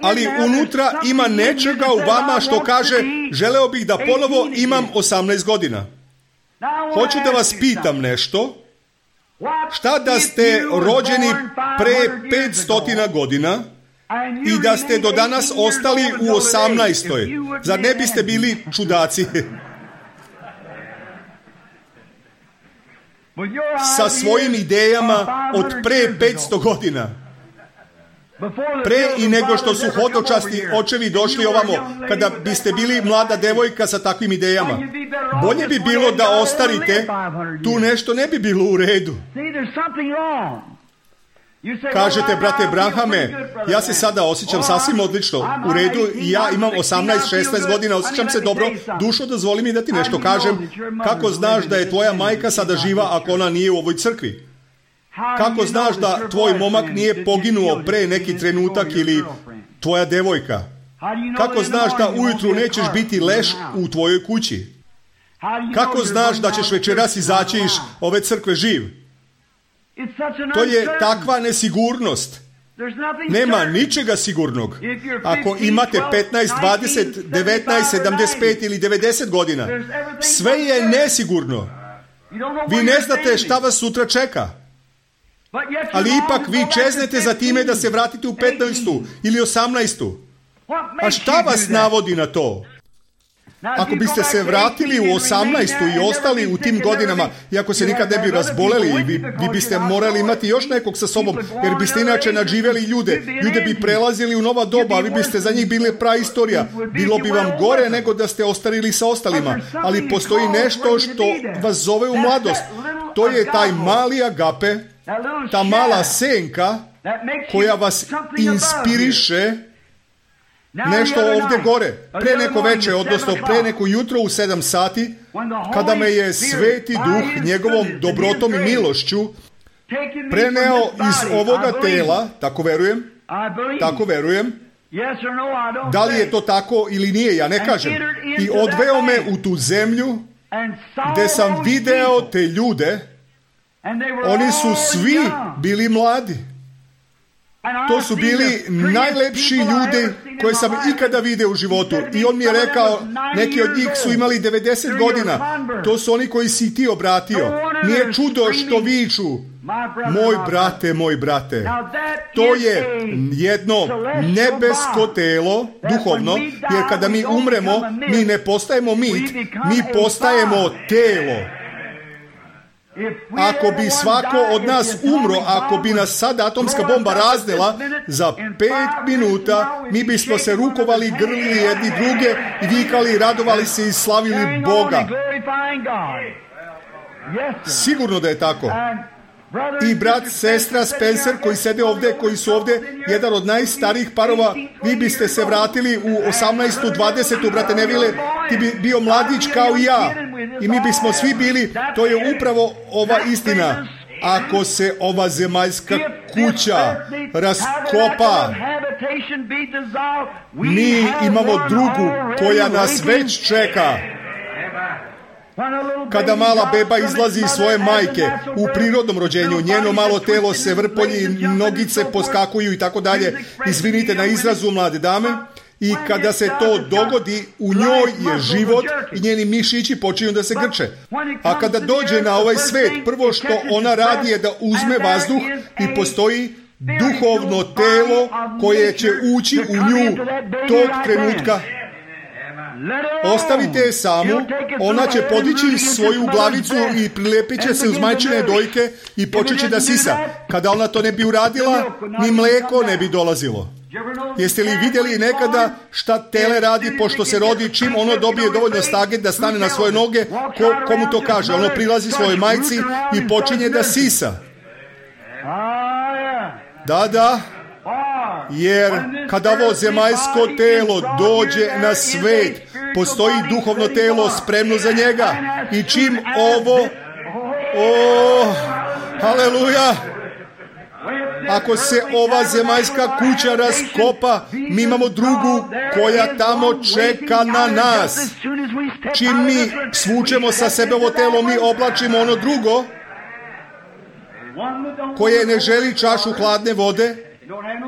Speaker 1: ali unutra ima nečega u vama što kaže želeo bih da ponovo imam 18 godina. Hoću da vas pitam nešto. Šta da ste rođeni pre 500 godina i da ste do danas ostali u 18. Zar ne biste bili čudaci? Sa svojim idejama od pre 500 godina. Pre i nego što su hodočasti očevi došli ovamo, kada biste bili mlada devojka sa takvim idejama. Bolje bi bilo da ostarite, tu nešto ne bi bilo u redu. Kažete, brate Branhame, ja se sada osjećam sasvim odlično, u redu, i ja imam 18-16 godina, osjećam se dobro, dušo, dozvoli mi da ti nešto kažem. Kako znaš da je tvoja majka sada živa ako ona nije u ovoj crkvi? Kako znaš da tvoj momak nije poginuo pre neki trenutak ili tvoja devojka? Kako znaš da ujutru nećeš biti leš u tvojoj kući? Kako znaš da ćeš večeras izaći iz ove crkve živ? To je takva nesigurnost. Nema ničega sigurnog. Ako imate 15, 20, 19, 75 ili 90 godina, sve je nesigurno. Vi ne znate šta vas sutra čeka. Ali ipak vi čeznete za time da se vratite u 15. ili 18. A šta vas navodi na to? Ako biste se vratili u 18. i ostali u tim godinama, iako se nikad ne bi razboleli, vi biste morali imati još nekog sa sobom, jer biste inače nadživjeli ljude. Ljude bi prelazili u nova doba, a vi biste za njih bili praistorija. Bilo bi vam gore nego da ste ostarili sa ostalima. Ali postoji nešto što vas zove u mladost. To je taj mali agape, ta mala senka koja vas inspiriše nešto ovdje gore. Pre neko veče, odnosno pre neko jutro u 7 sati, kada me je Sveti Duh njegovom dobrotom i milošću preneo iz ovoga tela, tako verujem, da li je to tako ili nije, ja ne kažem, i odveo me u tu zemlju gdje sam video te ljude, oni su svi bili mladi. To su bili najlepši ljudi koje sam ikada vidio u životu. I on mi je rekao, neki od njih su imali 90 godina. To su oni koji si ti obratio. Nije čudo što viču, moj brate. To je jedno nebesko telo, duhovno, jer kada mi umremo, mi ne postajemo mit, mi postajemo telo. Ako bi svako od nas umro, ako bi nas sad atomska bomba raznela, za 5 minuta mi bismo se rukovali, grlili jedni druge i vikali, radovali se i slavili Boga. Sigurno da je tako. I brat, sestra Spencer koji sede ovdje, koji su ovdje, jedan od najstarijih parova, vi biste se vratili u 18. 20. brate Neville, ti bi bio mladić kao i ja. I mi bismo svi bili, to je upravo ova istina. Ako se ova zemaljska kuća raskopa, mi imamo drugu koja nas već čeka. Kada mala beba izlazi iz svoje majke u prirodnom rođenju, njeno malo telo se vrpolji, nogice poskakuju i tako dalje. Izvinite na izrazu, mlade dame. I kada se to dogodi, u njoj je život i njeni mišići počinju da se grče. A kada dođe na ovaj svet, prvo što ona radi je da uzme vazduh i postoji duhovno telo koje će ući u nju tog trenutka. Ostavite je samu, ona će podići svoju glavicu i prilepit će se uz majčine dojke i počet će da sisa. Kada ona to ne bi uradila, ni mleko ne bi dolazilo. Jeste li vidjeli nekada šta tele radi pošto se rodi, čim ono dobije dovoljno snage da stane na svoje noge, komu to kaže? Ono prilazi svojoj majci i počinje da sisa. Da. Jer kada ovo zemaljsko telo dođe na svet, postoji duhovno telo spremno za njega. I čim ovo, haleluja, ako se ova zemaljska kuća raskopa, mi imamo drugu koja tamo čeka na nas. Čim mi svučemo sa sebe ovo telo, mi oblačimo ono drugo koje ne želi čašu hladne vode,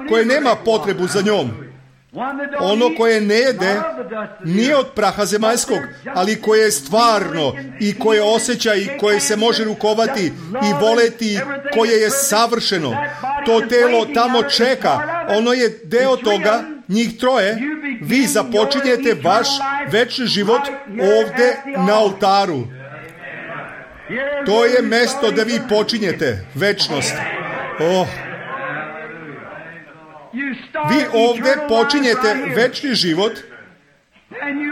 Speaker 1: koje nema potrebu za njom. Ono koje ne jede nije od praha zemaljskog, ali koje je stvarno i koje osjeća i koje se može rukovati i voleti, koje je savršeno. To telo tamo čeka, ono je deo toga, njih troje. Vi započinjete vaš večni život ovdje na oltaru. To je mjesto da vi počinjete večnost. Vi ovdje počinjete večni život.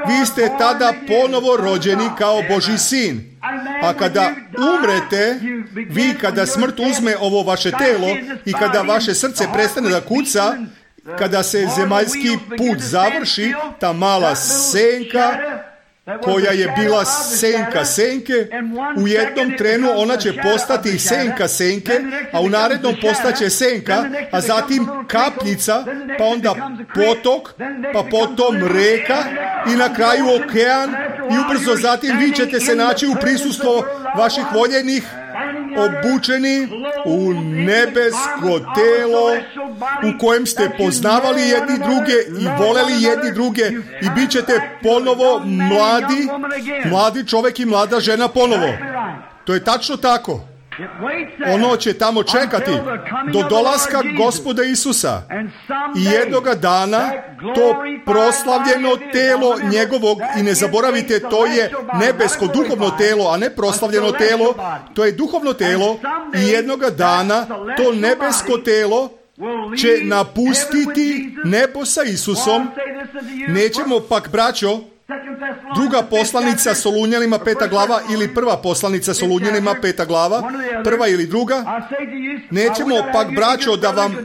Speaker 1: Vi ste tada ponovo rođeni kao Božji sin. A kada umrete, vi kada smrt uzme ovo vaše telo i kada vaše srce prestane da kuca, kada se zemaljski put završi, ta mala senka koja je bila senka senke, u jednom trenu ona će postati senka senke, a u narednom postaće senka, a zatim kapljica, pa onda potok, pa potom reka i na kraju okean i ubrzo zatim vi ćete se naći u prisustvu vaših voljenih, obučeni u nebesko telo u kojem ste poznavali jedni druge i voleli jedni druge i bit ćete ponovo mladi čovjek i mlada žena ponovo. To je tačno tako. Ono će tamo čekati do dolaska Gospoda Isusa. I jednoga dana to proslavljeno telo njegovog, i ne zaboravite, to je nebesko duhovno telo, a ne proslavljeno telo, to je duhovno telo, i jednoga dana to nebesko telo će napustiti nebo sa Isusom. Nećemo pak, braćo, druga poslanica Solunjanima 5. glava ili prva poslanica Solunjanima 5. glava, prva ili druga, nećemo pak, braćo, da vam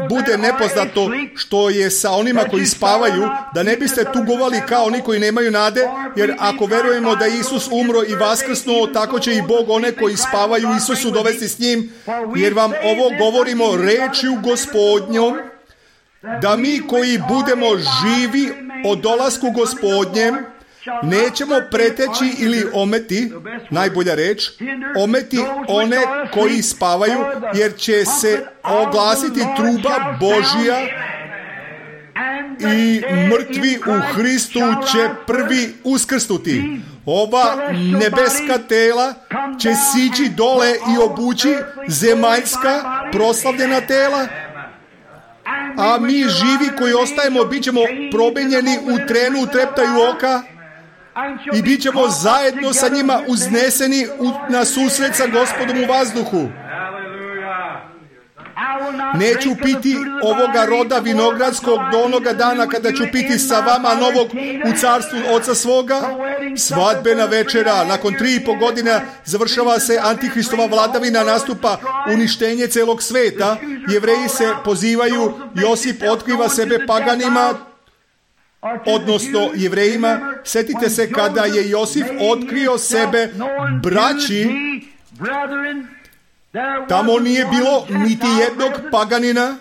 Speaker 1: bude nepoznato što je sa onima koji spavaju, da ne biste tugovali kao oni koji nemaju nade, jer ako verujemo da Isus umro i vaskrsnuo, tako će i Bog one koji spavaju Isusu dovesti s njim, jer vam ovo govorimo rečju Gospodnjom, da mi koji budemo živi o dolasku Gospodnjem nećemo preteći ili ometi, najbolja reč, ometi one koji spavaju, jer će se oglasiti truba Božja i mrtvi u Hristu će prvi uskrsnuti. Ova nebeska tela će sići dole i obući zemaljska proslavljena tela, a mi živi koji ostajemo bit ćemo promenjeni u trenu, u treptaju oka, i bit ćemo zajedno sa njima uzneseni na susret sa Gospodom u vazduhu. Neću piti ovoga roda vinogradskog do onoga dana kada ću piti sa vama novog u carstvu Oca svoga. Svadbena večera, nakon 3,5 godina završava se Antihristova vladavina, nastupa uništenje celog sveta. Jevreji se pozivaju, Josip otkriva sebe paganima, odnosno Jevrejima. Sjetite se kada je Josip otkrio sebe braći, tamo nije bilo niti jednog paganina.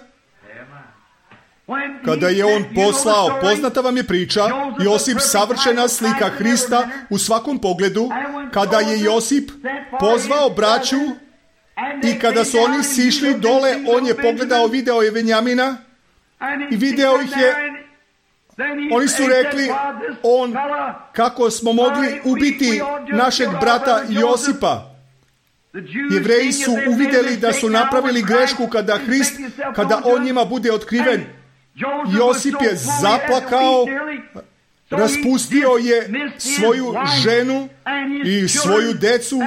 Speaker 1: Kada je on poslao, poznata vam je priča, Josip savršena slika Hrista u svakom pogledu, kada je Josip pozvao braću i kada su oni sišli dole, on je pogledao, video je Benjamina i video ih je. Oni su rekli, kako smo mogli ubiti našeg brata Josipa. Jevreji su uvidjeli da su napravili grešku kada on njima bude otkriven. Josip je zaplakao, raspustio je svoju ženu i svoju decu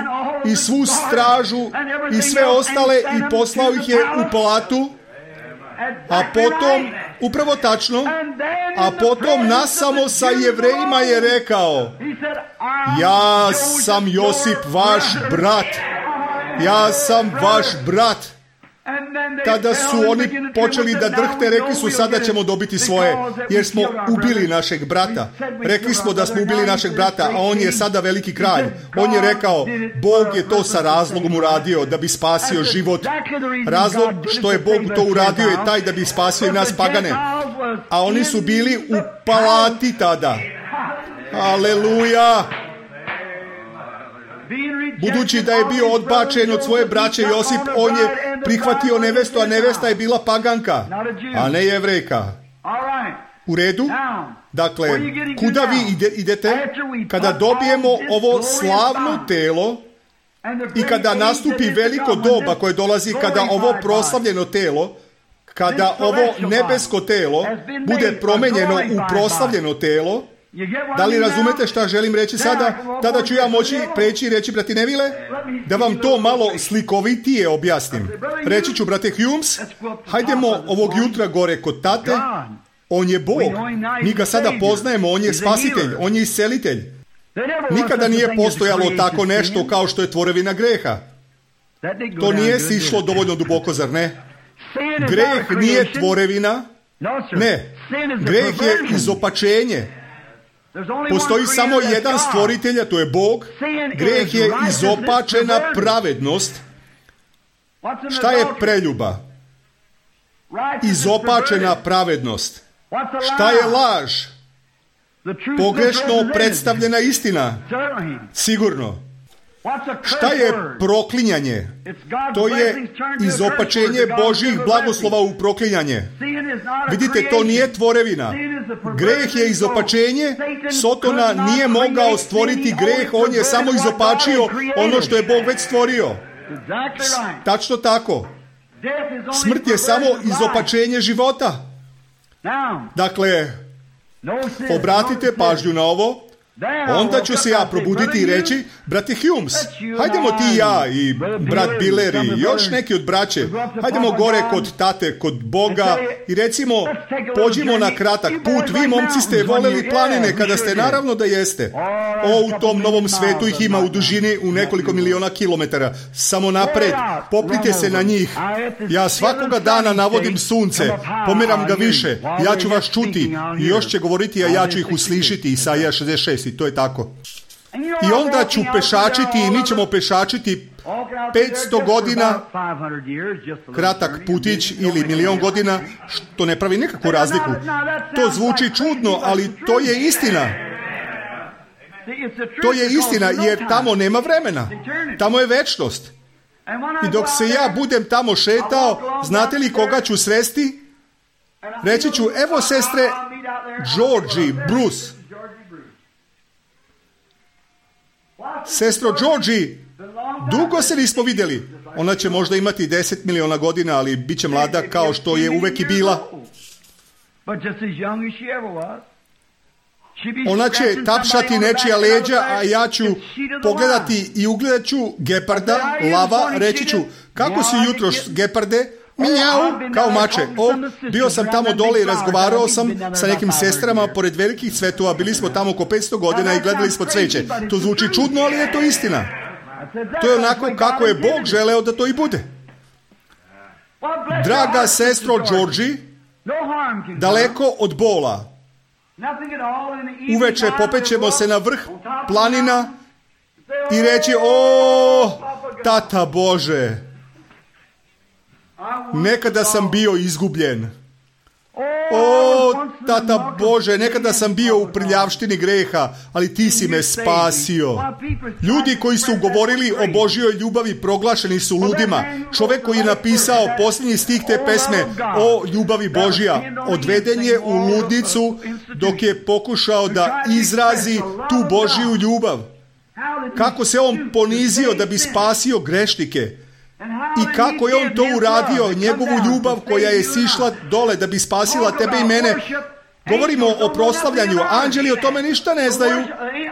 Speaker 1: i svu stražu i sve ostale i poslao ih je u palatu, a potom, upravo tačno, a potom nasamo sa Jevrejima je rekao, ja sam Josip vaš brat. Ja sam vaš brat. Tada su oni počeli da drhte, rekli su, sada ćemo dobiti svoje, jer smo ubili našeg brata. Rekli smo da smo ubili našeg brata, a on je sada veliki kralj. On je rekao, Bog je to sa razlogom uradio, da bi spasio život. Razlog što je Bog to uradio je taj da bi spasio i nas pagane. A oni su bili u palati tada. Aleluja! Budući da je bio odbačen od svoje braće Josip, on je prihvatio nevestu, a nevesta je bila paganka, a ne Jevrejka. U redu? Dakle, kuda vi idete? Kada dobijemo ovo slavno telo i kada nastupi veliko doba koje dolazi, kada ovo proslavljeno telo, kada ovo nebesko telo bude promenjeno u proslavljeno telo, da li razumete šta želim reći sada? Tada ću ja moći preći i reći, brati Neville, da vam to malo slikovitije objasnim. Reći ću, brate Humes, hajdemo ovog jutra gore kod tate. On je Bog. Mi ga sada poznajemo, on je spasitelj, on je iscelitelj. Nikada nije postojalo tako nešto kao što je tvorevina greha. To nije sišlo dovoljno duboko, zar ne? Greh nije tvorevina. Ne. Greh je izopačenje. Postoji samo jedan stvoritelj, a to je Bog. Greh je izopačena pravednost. Šta je preljuba? Izopačena pravednost. Šta je laž? Pogrešno predstavljena istina. Sigurno. Šta je proklinjanje? To je izopačenje Božjih blagoslova u proklinjanje. Vidite, to nije tvorevina. Greh je izopačenje. Sotona nije mogao stvoriti greh, on je samo izopačio ono što je Bog već stvorio. Tačno tako. Smrt je samo izopačenje života. Dakle, obratite pažnju na ovo. Onda ću se ja probuditi i reći, brate Humes, hajdemo ti i ja i brat Biller i još neki od braće, hajdemo gore kod tate, kod Boga i recimo, pođimo na kratak put. Vi momci ste voljeli planine kada ste, naravno da jeste. U tom novom svetu ih ima u dužini u nekoliko miliona kilometara. Samo napred, poplite se na njih. Ja svakoga dana navodim sunce, pomeram ga više, ja ću vas čuti i još će govoriti, a ja ću ih uslišiti. Isaija 66. I to je tako. I onda ću pešačiti i mi ćemo pešačiti 500 godina, kratak putić ili milion godina, što ne pravi nikakvu razliku. To zvuči čudno, ali to je istina. To je istina, jer tamo nema vremena. Tamo je večnost. I dok se ja budem tamo šetao, znate li koga ću sresti? Reći ću, evo sestre Georgie Bruce. Sestro Georgie, dugo se nismo vidjeli. Ona će možda imati 10 miliona godina, ali bit će mlada kao što je uvek i bila. Ona će tapšati nečija leđa, a ja ću pogledati i ugledat ću geparda, lava, reći ću, kako si jutros, geparde? Mijau, kao mače. Bio sam tamo dole i razgovarao sam sa nekim sestrama pored velikih cvetova. Bili smo tamo oko 500 godina i gledali smo cveće. To zvuči čudno, ali je to istina. To je onako kako je Bog želeo da to i bude. Draga sestro Georgie, daleko od bola, uveče popećemo se na vrh planina i reći, tata Bože, nekada sam bio izgubljen. Tata Bože, nekada sam bio u prljavštini greha, ali ti si me spasio. Ljudi koji su govorili o Božjoj ljubavi proglašeni su ludima. Čovjek koji je napisao posljednji stih te pesme, o ljubavi Božja, odveden je u ludnicu dok je pokušao da izrazi tu Božju ljubav. Kako se on ponizio da bi spasio grešnike. I kako je on to uradio, njegovu ljubav koja je sišla dole da bi spasila tebe i mene. Govorimo o proslavljanju. Anđeli o tome ništa ne znaju.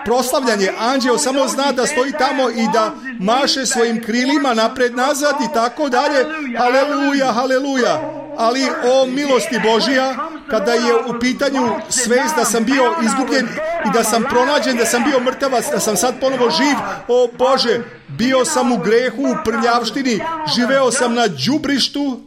Speaker 1: Proslavljanje. Anđeo samo zna da stoji tamo i da maše svojim krilima napred, nazad i tako dalje. Haleluja, haleluja. Ali o milosti Božija, kada je u pitanju svest da sam bio izgubljen i da sam pronađen, da sam bio mrtavac, da sam sad ponovo živ, o Bože, bio sam u grehu, u prljavštini, živeo sam na đubrištu.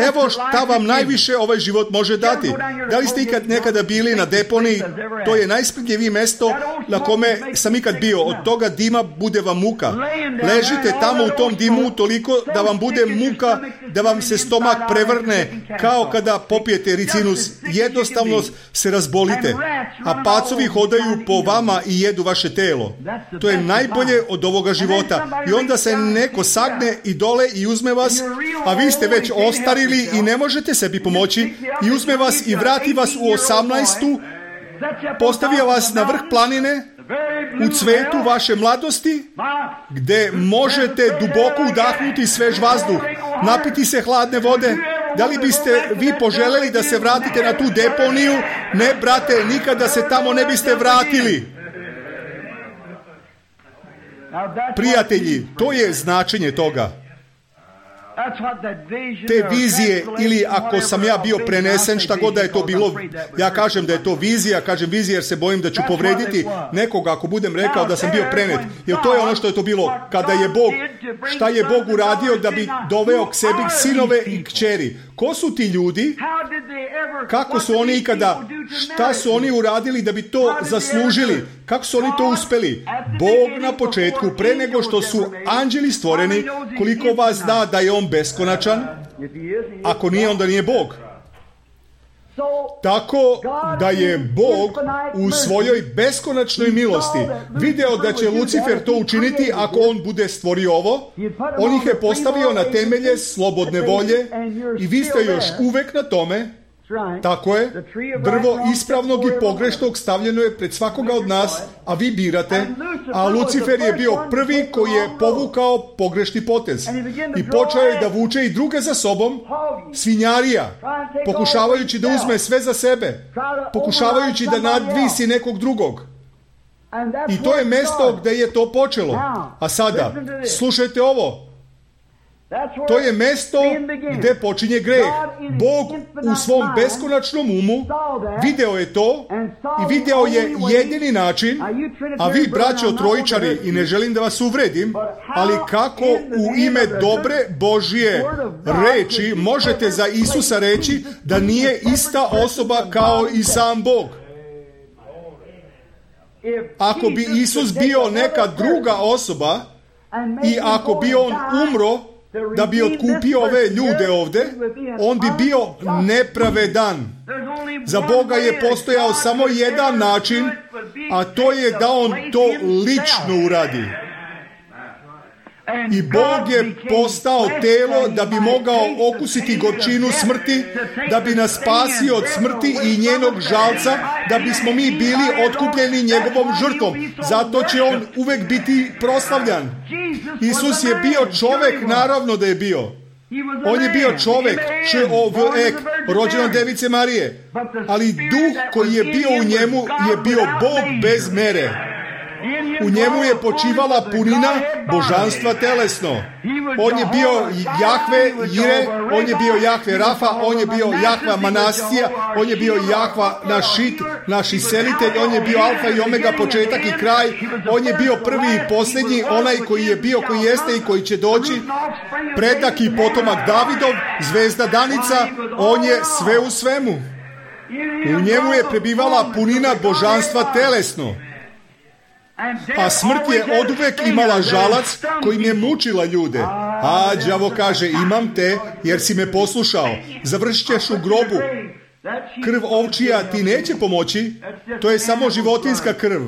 Speaker 1: Evo šta vam najviše ovaj život može dati. Da li ste ikad nekada bili na deponiji? To je najsprdljivije mesto na kome sam ikad bio. Od toga dima bude vam muka. Ležite tamo u tom dimu toliko da vam bude muka, da vam se stomak prevrne, kao kada popijete ricinus. Jednostavno se razbolite, a pacovi hodaju po vama i jedu vaše telo. To je najbolje od ovoga života. I onda se neko sagne i dole i uzme vas, a vi ste već ostarili i ne možete sebi pomoći, i uzme vas i vrati vas u 18. Postavi vas na vrh planine, u cvetu vaše mladosti, gde možete duboko udahnuti svež vazduh, napiti se hladne vode. Da li biste vi poželjeli da se vratite na tu deponiju? Ne, brate, nikada se tamo ne biste vratili. Prijatelji, to je značenje toga. Te vizije, ili ako sam ja bio prenesen, šta god da je to bilo, ja kažem da je to vizija, kažem vizija jer se bojim da ću povrediti nekoga ako budem rekao da sam bio prenet. Jer to je ono što je to bilo. Kada je Bog, šta je Bog uradio da bi doveo k sebi sinove i kćeri? Ko su ti ljudi? Kako su oni ikada, šta su oni uradili da bi to zaslužili? Kako su oni to uspeli? Bog na početku, pre nego što su anđeli stvoreni, koliko vas zna da je on beskonačan? Ako nije, onda nije Bog. Tako da je Bog u svojoj beskonačnoj milosti video da će Lucifer to učiniti ako on bude stvorio ovo. On ih je postavio na temelje slobodne volje i vi ste još uvek na tome. Tako je, drvo ispravnog i pogrešnog stavljeno je pred svakoga od nas, a vi birate, a Lucifer je bio prvi koji je povukao pogrešni potez i počeo je da vuče i druge za sobom, svinjarija, pokušavajući da uzme sve za sebe, pokušavajući da nadvisi nekog drugog. I to je mesto gdje je to počelo. A sada, slušajte ovo. To je mesto gdje počinje greh. Bog u svom beskonačnom umu video je to i video je jedini način, a vi, braćo trojičari, i ne želim da vas uvredim, ali kako u ime dobre Božje reči možete za Isusa reći da nije ista osoba kao i sam Bog? Ako bi Isus bio neka druga osoba i ako bi on umro da bi otkupio ove ljude ovdje, on bi bio nepravedan. Za Boga je postojao samo jedan način, a to je da on to lično uradi. I Bog je postao telo da bi mogao okusiti gorčinu smrti, da bi nas spasio od smrti i njenog žalca, da bismo mi bili otkupljeni njegovom žrtvom. Zato će on uvek biti proslavljan. Isus je bio čovjek, naravno da je bio. On je bio čovjek, čovjek, rođen od Device Marije. Ali duh koji je bio u njemu je bio Bog bez mere. U njemu je počivala punina božanstva telesno. On je bio Jahve Jire, on je bio Jahve Rafa, on je bio Jahva Manasija, on je bio Jahva Našit, naš iselitelj, on je bio Alfa i Omega, početak i kraj, on je bio prvi i posljednji, onaj koji je bio, koji jeste i koji će doći, predak i potomak Davidov, zvezda Danica, on je sve u svemu. U njemu je prebivala punina božanstva telesno. A smrt je oduvek imala žalac kojim je mučila ljude. A đavo kaže, imam te jer si me poslušao. Završit ćeš u grobu. Krv ovčija ti neće pomoći. To je samo životinjska krv.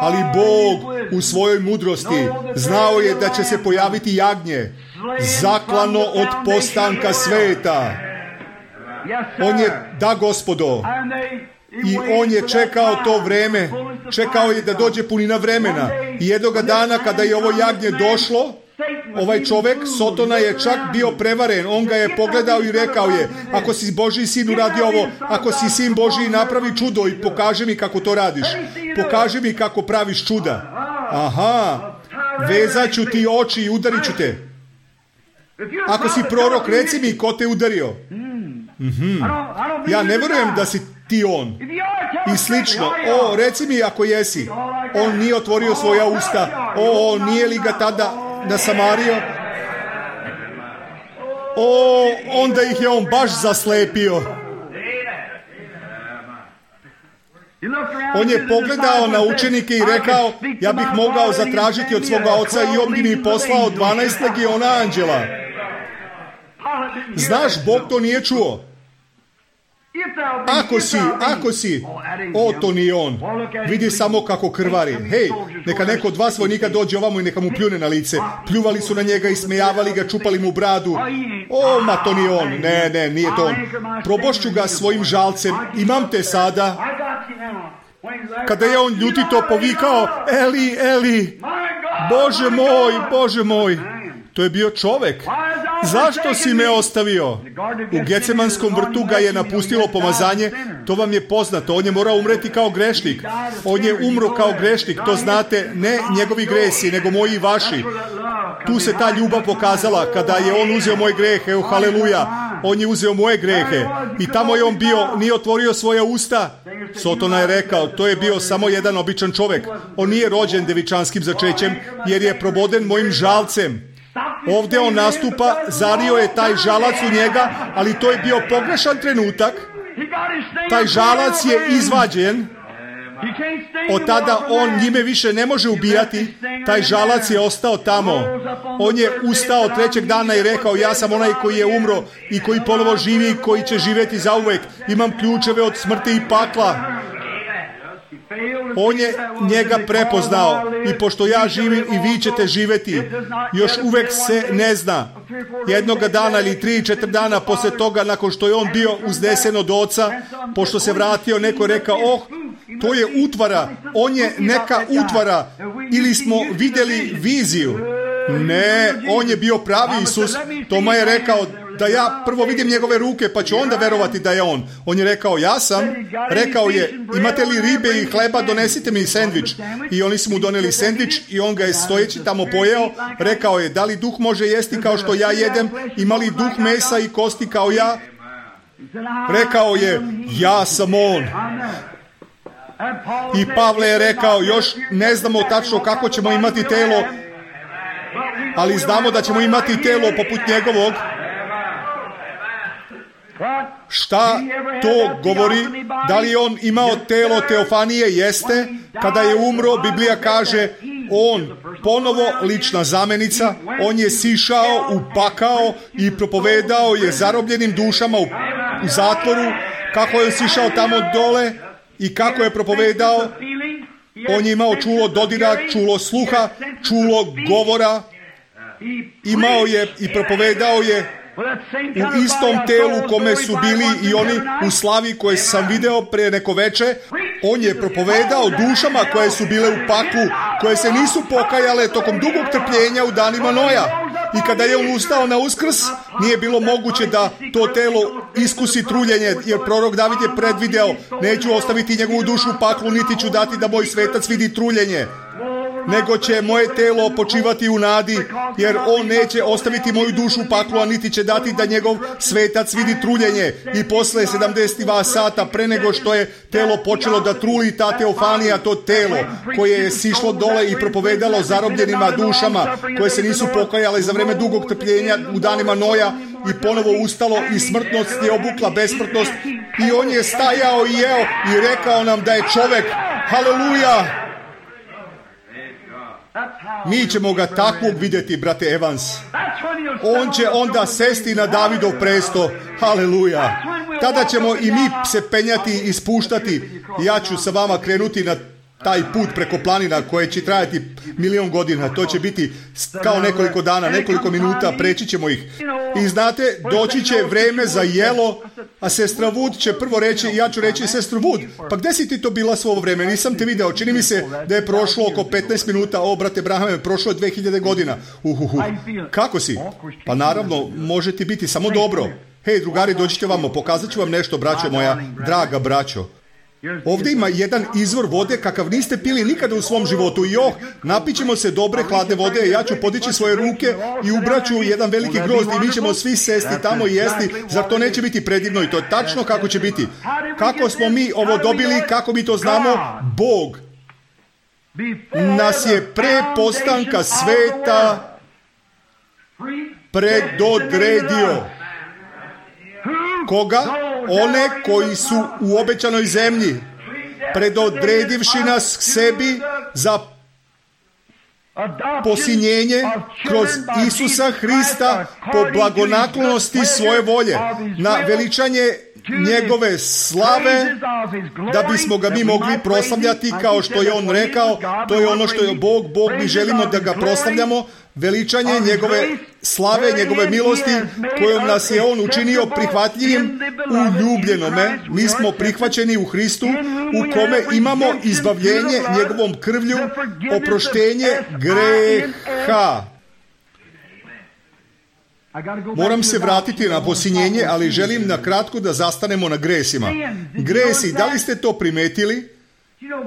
Speaker 1: Ali Bog u svojoj mudrosti znao je da će se pojaviti jagnje, zaklano od postanka sveta. On je, da Gospodo, i on je čekao to vreme, čekao je da dođe punina vremena. I jednoga dana kada je ovo jagnje došlo, ovaj čovjek, Sotona, je čak bio prevaren. On ga je pogledao i rekao je, ako si Božji sin uradi ovo, ako si sin Božji napravi čudo i pokaži mi kako to radiš. Pokaži mi kako praviš čuda. Aha, vezat ću ti oči i udarit ću te. Ako si prorok, reci mi ko te udario. Ja ne vjerujem da si ti on. I slično. O, reci mi ako jesi. On nije otvorio svoja usta. O, nije li ga tada nasamario? O, onda ih je on baš zaslepio. On je pogledao na učenike i rekao, ja bih mogao zatražiti od svoga oca i on bi mi poslao 12 legiona anđela. Znaš, Bog to nije čuo. Ako si, o, to nije on. Vidi samo kako krvari. Hej, neka neko od vas vojnika dođe ovamo i neka mu pljune na lice. Pljuvali su na njega i smejavali ga, čupali mu bradu. O, ma to nije on. Ne, nije to on. Probošću ga svojim žalcem. Imam te sada. Kada je on ljutito povikao, Eli, Eli, Bože moj. To je bio čovjek. Zašto si me ostavio? U Gecemanskom vrtu ga je napustilo pomazanje. To vam je poznato. On je morao umreti kao grešnik. On je umro kao grešnik. To znate, ne njegovi gresi, nego moji i vaši. Tu se ta ljubav pokazala kada je on uzeo moje grehe. Haleluja. On je uzeo moje grehe. I tamo je on bio, nije otvorio svoja usta. Sotona je rekao, to je bio samo jedan običan čovjek. On nije rođen devičanskim začećem, jer je proboden mojim žalcem. Ovdje on nastupa, zario je taj žalac u njega, ali to je bio pogrešan trenutak. Taj žalac je izvađen. Od tada on njime više ne može ubijati. Taj žalac je ostao tamo. On je ustao trećeg dana i rekao, ja sam onaj koji je umro i koji ponovo živi i koji će živjeti zauvek. Imam ključeve od smrti i pakla. On je njega prepoznao i pošto ja živim i vi ćete živjeti, još uvek se ne zna. jednoga dana ili 3-4 dana posle toga, nakon što je on bio uznesen od oca, pošto se vratio, neko je rekao, to je utvara, on je neka utvara, ili smo vidjeli viziju. Ne, on je bio pravi Isus. Toma je rekao da ja prvo vidim njegove ruke, pa ću onda verovati da je on. On je rekao, ja sam. Rekao je, imate li ribe i hleba, donesite mi sendvič. I oni su mu doneli sendvič i on ga je stojeći tamo pojeo. Rekao je, da li duh može jesti kao što ja jedem? Ima li duh mesa i kosti kao ja? Rekao je, ja sam on. I Pavle je rekao, još ne znamo tačno kako ćemo imati telo, ali znamo da ćemo imati telo poput njegovog. Šta to govori? Da li je on imao telo teofanije? Jeste. Kada je umro, Biblija kaže, on ponovo lična zamenica, on je sišao u pakao i propovedao je zarobljenim dušama u zatvoru, kako je sišao tamo dole i kako je propovedao. On je imao čulo dodira, čulo sluha, čulo govora, imao je i propovedao je u istom telu kome su bili i oni u slavi koje sam video pre neko veče. On je propovedao dušama koje su bile u paklu, koje se nisu pokajale tokom dugog trpljenja u danima Noja. I kada je on ustao na Uskrs, nije bilo moguće da to telo iskusi truljenje, jer prorok David je predvideo, neću ostaviti njegovu dušu u paklu, niti ću dati da moj svetac vidi truljenje, nego će moje telo počivati u nadi, jer on neće ostaviti moju dušu u paklu, a niti će dati da njegov svetac vidi truljenje. I posle 72 sata pre nego što je telo počelo da truli, ta teofanija, to telo koje je sišlo dole i propovedalo zarobljenima dušama koje se nisu pokajale za vreme dugog trpljenja u danima Noja, i ponovo ustalo i smrtnost je obukla besmrtnost i on je stajao i jeo i rekao nam da je čovek. Haleluja! Mi ćemo ga takvog vidjeti, brate Evans. On će onda sesti na Davidov presto. Haleluja. Tada ćemo i mi se penjati i spuštati. Ja ću sa vama krenuti na taj put preko planina koje će trajati 1.000.000 godina. To će biti kao nekoliko dana, nekoliko minuta, preći ćemo ih. I znate, doći će vreme za jelo, a sestra Wood će prvo reći, ja ću reći, sestru Wood, pa gde si ti to bila svo ovo vreme? Nisam te video, čini mi se da je prošlo oko 15 minuta, brate Brahame, prošlo je 2000 godina. Kako si? Pa naravno, može ti biti samo dobro. Hej, drugari, dođite vamo, pokazat ću vam nešto, braćo moja, draga braćo. Ovdje ima jedan izvor vode kakav niste pili nikada u svom životu. I napićemo se dobre hladne vode. Ja ću podići svoje ruke i ubraću jedan veliki grozd i mi ćemo svi sesti tamo i jesti. Zar to neće biti predivno? I to je tačno kako će biti. Kako smo mi ovo dobili, kako mi to znamo? Bog nas je pre postanka sveta predodredio. Koga? One koji su u obećanoj zemlji, predodredivši nas sebi za posinjenje kroz Isusa Hrista po blagonaklonosti svoje volje, na veličanje njegove slave, da bismo ga mi mogli proslavljati kao što je on rekao. To je ono što je Bog. Mi želimo da ga proslavljamo, veličanje njegove slave, njegove milosti kojom nas je on učinio prihvatljivim u ljubljenome. Mi smo prihvaćeni u Hristu, u kome imamo izbavljenje njegovom krvlju, oproštenje greha. Moram se vratiti na posinjenje, ali želim na kratko da zastanemo na gresima. Gresi, da li ste to primetili?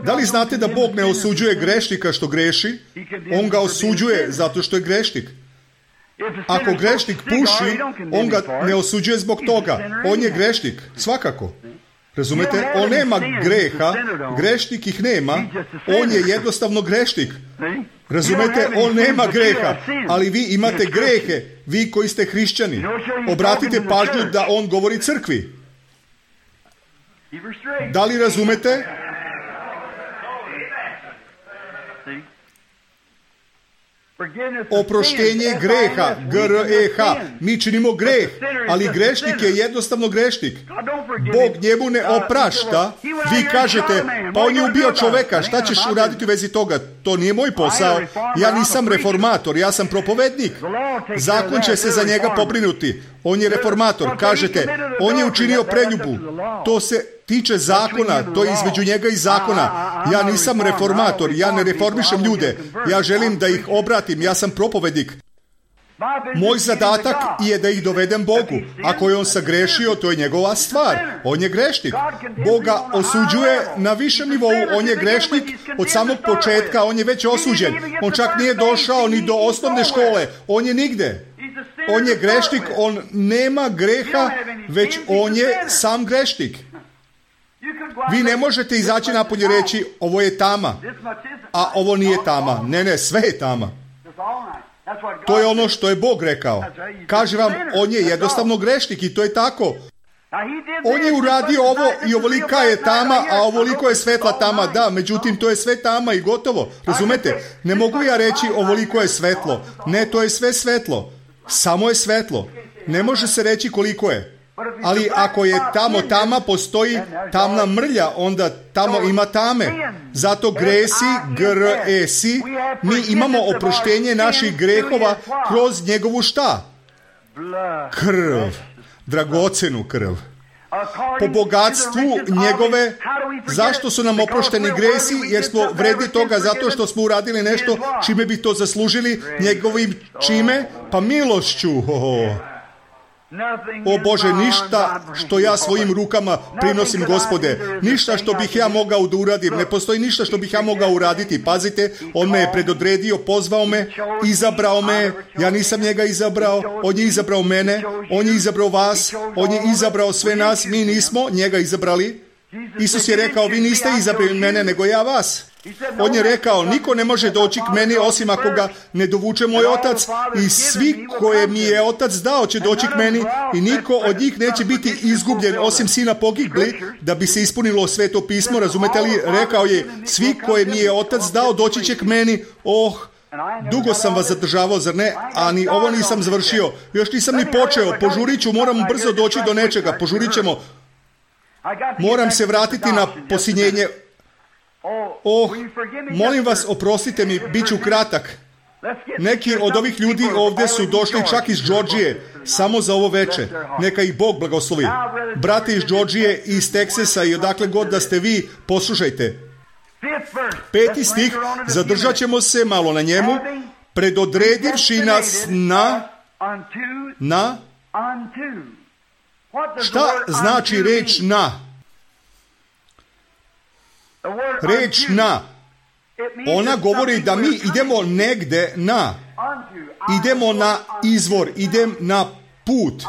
Speaker 1: Da li znate da Bog ne osuđuje grešnika što greši? On ga osuđuje zato što je grešnik. Ako grešnik puši, on ga ne osuđuje zbog toga. On je grešnik, svakako. Razumete? On nema greha, grešnik ih nema, on je jednostavno grešnik. Razumete? On nema greha, ali vi imate grehe, vi koji ste hrišćani. Obratite pažnju da on govori crkvi. Da li razumete? Oproštenje greha, G-R-E-H. Mi činimo greh, ali grešnik je jednostavno grešnik. Bog njemu ne oprašta. Vi kažete, pa on je ubio čoveka, šta ćeš uraditi u vezi toga? To nije moj posao. Ja nisam reformator, ja sam propovednik. Zakon će se za njega pobrinuti. On je reformator. Kažete, on je učinio preljubu. To se tiče zakona, to je između njega i zakona. Ja nisam reformator, ja ne reformišem ljude. Ja želim da ih obratim, ja sam propovednik. Moj zadatak je da ih dovedem Bogu. Ako je on sagrešio, to je njegova stvar. On je grešnik. Bog ga osuđuje na višem nivou. On je grešnik od samog početka. On je već osuđen. On čak nije došao ni do osnovne škole. On je nigde. On je grešnik. On nema greha, već on je sam grešnik. Vi ne možete izaći napolje i reći, ovo je tama, a ovo nije tama. Ne, sve je tama. To je ono što je Bog rekao. Kaže vam, on je jednostavno grešnik i to je tako. On je uradio ovo i ovolika je tama, a ovoliko je svetla tama. Da, međutim, to je sve tama i gotovo. Razumete? Ne mogu ja reći ovoliko je svetlo. Ne, to je sve svetlo. Samo je svetlo. Ne može se reći koliko je. Ali ako je tamo tama, postoji tamna mrlja, onda tamo ima tame. Zato gresi, G-R-E-S-I, mi imamo oproštenje naših grehova kroz njegovu šta? Krv. Dragocenu krv. Po bogatstvu njegove, zašto su nam oprošteni gresi? Jer smo vredni toga zato što smo uradili nešto čime bi to zaslužili, njegovim čime? Pa milošću. O Bože, ništa što ja svojim rukama prinosim, Gospode, ništa što bih ja mogao da uradim, ne postoji ništa što bih ja mogao uraditi. Pazite, on me je predodredio, pozvao me, izabrao me, ja nisam njega izabrao, on je izabrao mene, on je izabrao vas, on je izabrao sve nas, mi nismo njega izabrali. Isus je rekao, vi niste izabrali mene, nego ja vas. On je rekao, niko ne može doći k meni osim ako ga ne dovuče moj otac, i svi koje mi je otac dao će doći k meni i niko od njih neće biti izgubljen osim sina pogibli, da bi se ispunilo Sveto pismo. Razumete li? Rekao je, svi koje mi je otac dao doći će k meni. Dugo sam vas zadržavao, zar ne? A ni ovo nisam završio. Još nisam ni počeo. Požurit ću, moram brzo doći do nečega. Požurit ćemo. Moram se vratiti na posinjenje. Molim vas, oprostite mi, bit ću kratak. Neki od ovih ljudi ovdje su došli čak iz Džordžije, samo za ovo veče. Neka ih Bog blagoslovi. Brate iz Džordžije i iz Teksasa i odakle god da ste vi, poslušajte. 5. stih, zadržat ćemo se malo na njemu. Predodredivši nas na šta znači reč na? Reč na. Ona govori da mi idemo negde na. Idemo na izvor, idem na put.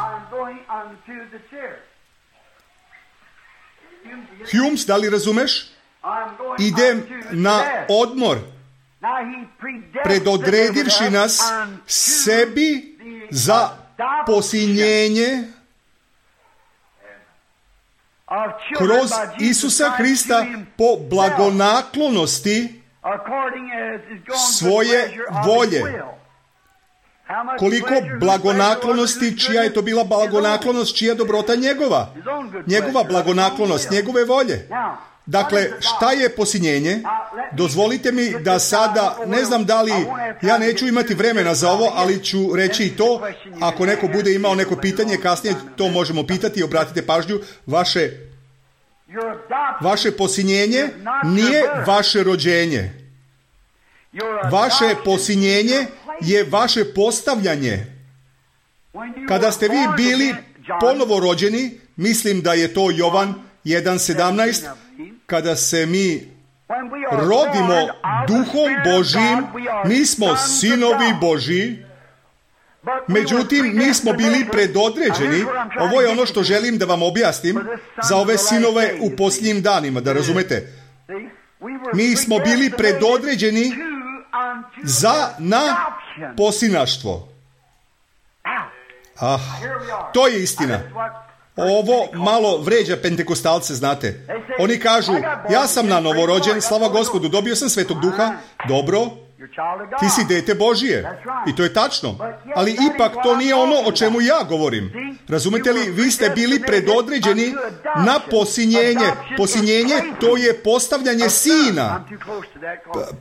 Speaker 1: Humes, da li razumeš? Idem na odmor. Predodredivši nas sebi za posinjenje kroz Isusa Hrista po blagonaklonosti svoje volje. Koliko blagonaklonosti, čija je to bila blagonaklonost, čija dobrota njegova? Njegova blagonaklonost, njegove volje. Dakle, šta je posinjenje? Dozvolite mi da sada, ne znam da li, ja neću imati vremena za ovo, ali ću reći i to. Ako neko bude imao neko pitanje, kasnije to možemo pitati, obratite pažnju. Vaše posinjenje nije vaše rođenje. Vaše posinjenje je vaše postavljanje. Kada ste vi bili ponovo rođeni, mislim da je to Jovan 1:17, kada se mi rodimo Duhom Božjim, mi smo sinovi Božji. Međutim, mi smo bili predodređeni. Ovo je ono što želim da vam objasnim za ove sinove u posljednjim danima, da razumete. Mi smo bili predodređeni na posinaštvo. To je istina. Ovo malo vređa pentekostalce, znate. Oni kažu, ja sam na novorođen, slava Gospodu, dobio sam Svetog Duha. Dobro, Ti si dete Božije. I to je tačno. Ali ipak to nije ono o čemu ja govorim. Razumete li? Vi ste bili predodređeni na posinjenje. Posinjenje, to je postavljanje sina.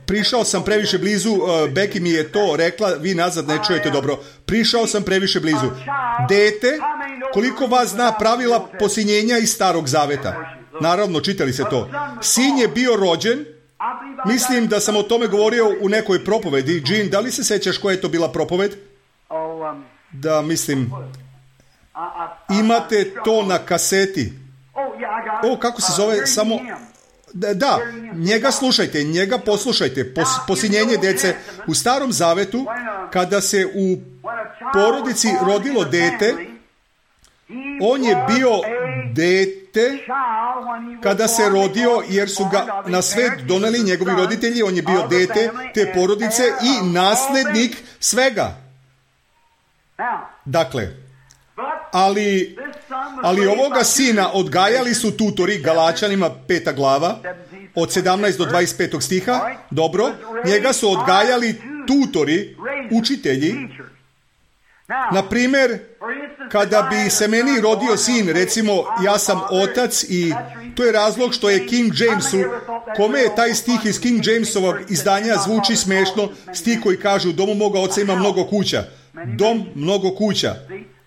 Speaker 1: Prišao sam previše blizu, Becky mi je to rekla, vi nazad ne čujete dobro. Prišao sam previše blizu. Dete, koliko vas zna pravila posinjenja iz Starog Zaveta? Naravno, čitali se to. Sin je bio rođen. Mislim da sam o tome govorio u nekoj propovedi. Jean, da li se sećaš koja je to bila propoved? Da, mislim. Imate to na kaseti. Kako se zove? Samo... Da, njega slušajte, njega poslušajte. Posinjenje dece. U Starom Zavetu, kada se u porodici rodilo dete, on je bio dete kada se rodio, jer su ga na svet doneli njegovi roditelji. On je bio dete te porodice i naslednik svega. Dakle, ali ovoga sina odgajali su tutori, Galačanima 5. glava, od 17 do 25. stiha. Dobro, njega su odgajali tutori, učitelji. Na primjer, kada bi se meni rodio sin, recimo ja sam otac i to je razlog što je King Jamesu, kome je taj stih iz King Jamesovog izdanja zvuči smešno, stih koji kaže u domu moga oca ima mnogo kuća. Dom, mnogo kuća.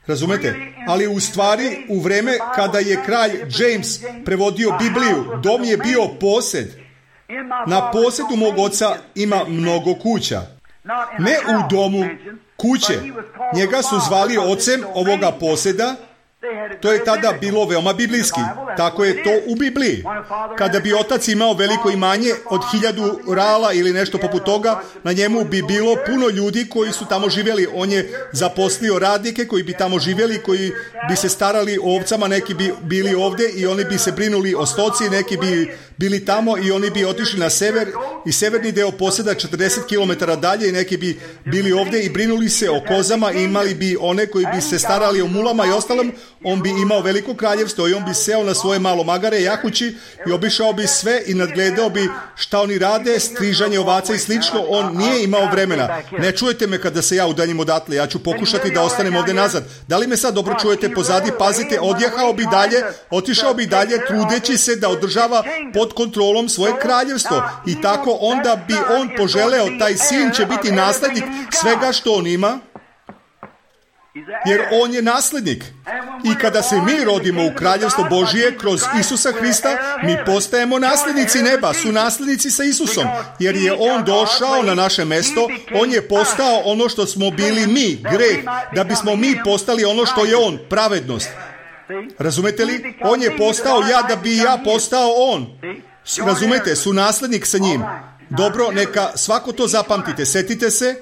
Speaker 1: Razumete? Ali u stvari, u vreme kada je kralj James prevodio Bibliju, dom je bio posed. Na posedu mog oca ima mnogo kuća. Ne u domu, kuće. Njega su zvali ocem ovoga poseda. To je tada bilo veoma biblijski. Tako je to u Bibliji. Kada bi otac imao veliko imanje od 1000 rala ili nešto poput toga, na njemu bi bilo puno ljudi koji su tamo živjeli. On je zaposlio radnike koji bi tamo živjeli, koji bi se starali o ovcama, neki bi bili ovdje i oni bi se brinuli o stoci, neki bi bili tamo i oni bi otišli na sever i severni deo poseda 40 km dalje i neki bi bili ovdje i brinuli se o kozama i imali bi one koji bi se starali o mulama i ostalom. On bi imao veliko kraljevstvo i on bi seo na svoje malo magare, jakući i obišao bi sve i nadgledao bi šta oni rade, strižanje ovaca i slično. On nije imao vremena. Ne čujete me kada se ja udaljim odatle, ja ću pokušati da ostanem ovdje nazad. Da li me sad dobro čujete pozadi? Pazite, odjehao bi dalje, otišao bi dalje, trudeći se da održava pod kontrolom svoje kraljevstvo. I tako onda bi on poželeo, taj sin će biti naslednik svega što on ima, jer on je naslednik. I kada se mi rodimo u kraljevstvo Božije kroz Isusa Hrista, mi postajemo naslednici neba, su naslednici sa Isusom, jer je on došao na naše mesto, on je postao ono što smo bili mi, greh, da bismo mi postali ono što je on, pravednost. Razumete li? On je postao ja da bi ja postao on. Razumete? Su naslednik sa njim. Dobro, neka svako to zapamtite, setite se.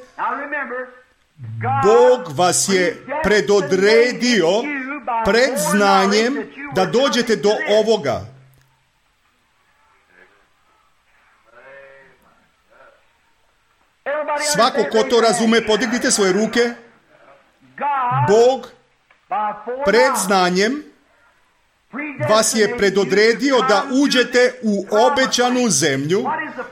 Speaker 1: Bog vas je predodredio pred znanjem da dođete do ovoga. Svako ko to razume, podignite svoje ruke. Bog pred znanjem vas je predodredio da uđete u obećanu zemlju.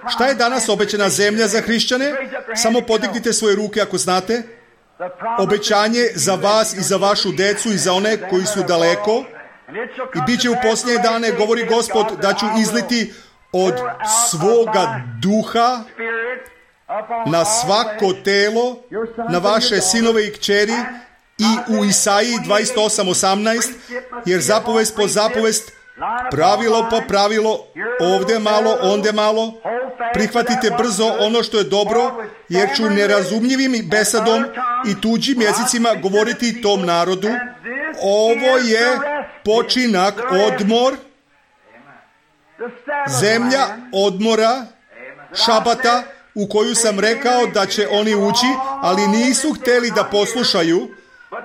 Speaker 1: Šta je danas obećana zemlja za hrišćane? Samo podignite svoje ruke ako znate. Obećanje za vas i za vašu decu i za one koji su daleko. I bit će u posljednje dane, govori Gospod, da ću izliti od svoga duha na svako telo, na vaše sinove i kćeri, i u Isaiji 28:18, jer zapovest po zapovest, pravilo po pravilo, ovdje malo, ondje malo, prihvatite brzo ono što je dobro, jer ću nerazumljivim besadom i tuđim jezicima govoriti tom narodu. Ovo je počinak, odmor, zemlja odmora, šabata, u koju sam rekao da će oni ući, ali nisu htjeli da poslušaju,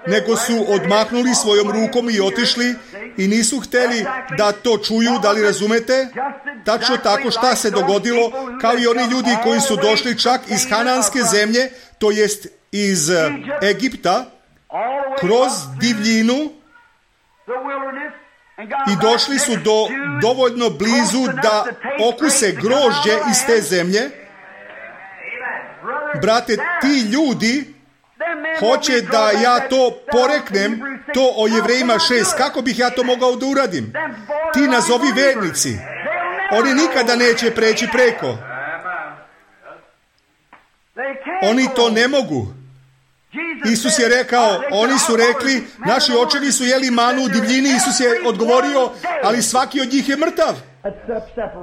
Speaker 1: nego su odmahnuli svojom rukom i otišli i nisu htjeli da to čuju. Da li razumete? Tačno tako šta se dogodilo, kao i oni ljudi koji su došli čak iz Hananske zemlje, to jest iz Egipta, kroz divljinu, i došli su dovoljno blizu da okuse grožđe iz te zemlje. brate, ti ljudi hoće da ja to poreknem, to o Jevrejima 6. Kako bih ja to mogao da uradim? Ti nazovi vernici. Oni nikada neće preći preko. Oni to ne mogu. Isus je rekao, oni su rekli, naši očevi su jeli manu u divljini. Isus je odgovorio, ali svaki od njih je mrtav.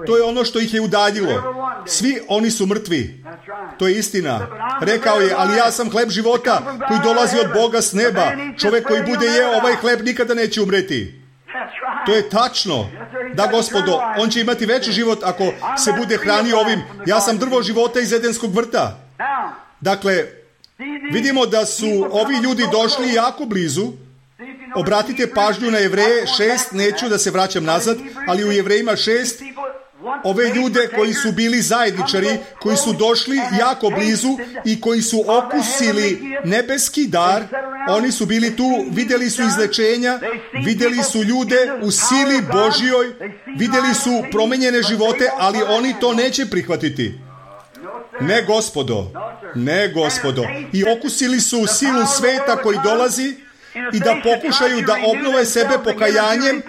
Speaker 1: To je ono što ih je udaljilo. Svi oni su mrtvi. To je istina. Rekao je, ali ja sam hleb života koji dolazi od Boga s neba. Čovjek koji bude jeo ovaj hleb nikada neće umreti. To je tačno. Da, Gospodo, on će imati veći život ako se bude hranio ovim. Ja sam drvo života iz Edenskog vrta. Dakle, vidimo da su ovi ljudi došli jako blizu. Obratite pažnju na Jevreje 6, neću da se vraćam nazad, ali u Jevrejima 6, ove ljude koji su bili zajedničari, koji su došli jako blizu i koji su okusili nebeski dar, oni su bili tu, vidjeli su izlečenja, vidjeli su ljude u sili Božjoj, vidjeli su promenjene živote, ali oni to neće prihvatiti. Ne, Gospodo, ne, Gospodo. I okusili su silu sveta koji dolazi i da pokušaju da obnove sebe pokajanjem,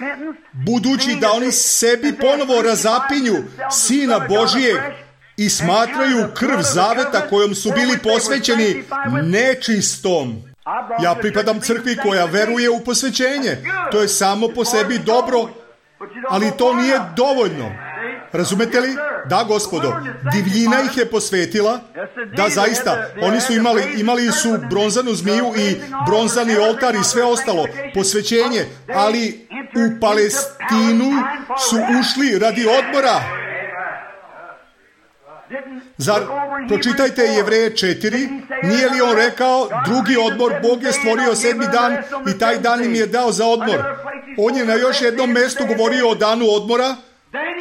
Speaker 1: budući da oni sebi ponovo razapinju Sina Božijeg i smatraju krv zaveta kojom su bili posvećeni nečistom. Ja pripadam crkvi koja veruje u posvećenje. To je samo po sebi dobro, ali to nije dovoljno. Razumete li? Da, Gospodo. Divljina ih je posvetila. Da, zaista. Oni su imali su bronzanu zmiju i bronzani oltar i sve ostalo. Posvećenje. Ali u Palestinu su ušli radi odmora. Zar, pročitajte Jevreje 4, nije li on rekao, drugi odmor, Bog je stvorio 7. dan i taj dan im je dao za odmor. On je na još jednom mjestu govorio o danu odmora.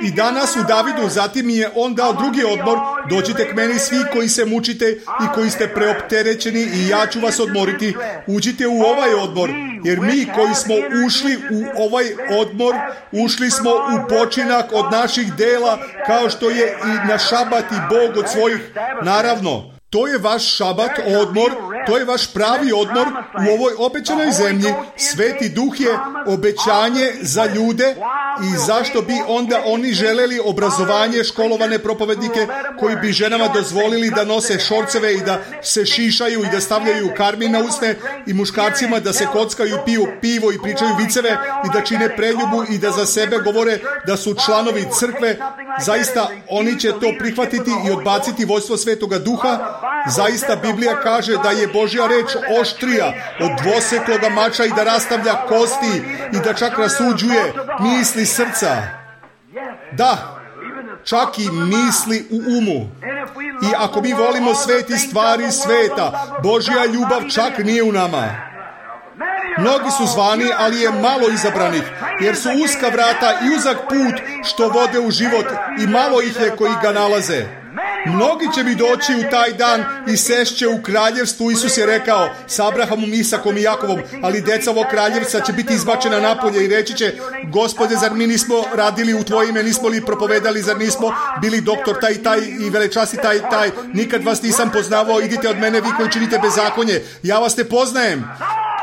Speaker 1: I danas u Davidu, zatim je on dao drugi odmor, dođite k meni svi koji se mučite i koji ste preopterećeni i ja ću vas odmoriti. Uđite u ovaj odmor, jer mi koji smo ušli u ovaj odmor, ušli smo u počinak od naših dela, kao što je i na šabat i Bog od svojih. Naravno, to je vaš šabat, odmor, to je vaš pravi odmor u ovoj obećanoj zemlji. Sveti Duh je obećanje za ljude i zašto bi onda oni želeli obrazovanje, školovane propovednike koji bi ženama dozvolili da nose šorceve i da se šišaju i da stavljaju karmin na usne i muškarcima da se kockaju i piju pivo i pričaju viceve i da čine preljubu i da za sebe govore da su članovi crkve. Zaista oni će to prihvatiti i odbaciti vojstvo Svetoga Duha. Zaista Biblija kaže da je Božja reč oštrija od dvosekloga mača i da rastavlja kosti i da čak rasuđuje misli srca. Da, čak i misli u umu. I ako mi volimo sveti stvari sveta, Božja ljubav čak nije u nama. Mnogi su zvani, ali je malo izabranih, jer su uska vrata i uzak put što vode u život i malo ih je koji ga nalaze. Mnogi će mi doći u taj dan i sešće u kraljevstvu. Isus je rekao s Abrahamom, Isakom i Jakovom, ali deca ovog kraljevstva će biti izbačena napolje i reći će, Gospode, zar mi nismo radili u tvoje ime, nismo li propovedali, zar nismo bili doktor taj i taj i velečasti taj i taj, nikad vas nisam poznavao, idite od mene vi koji činite bezakonje, ja vas ne poznajem.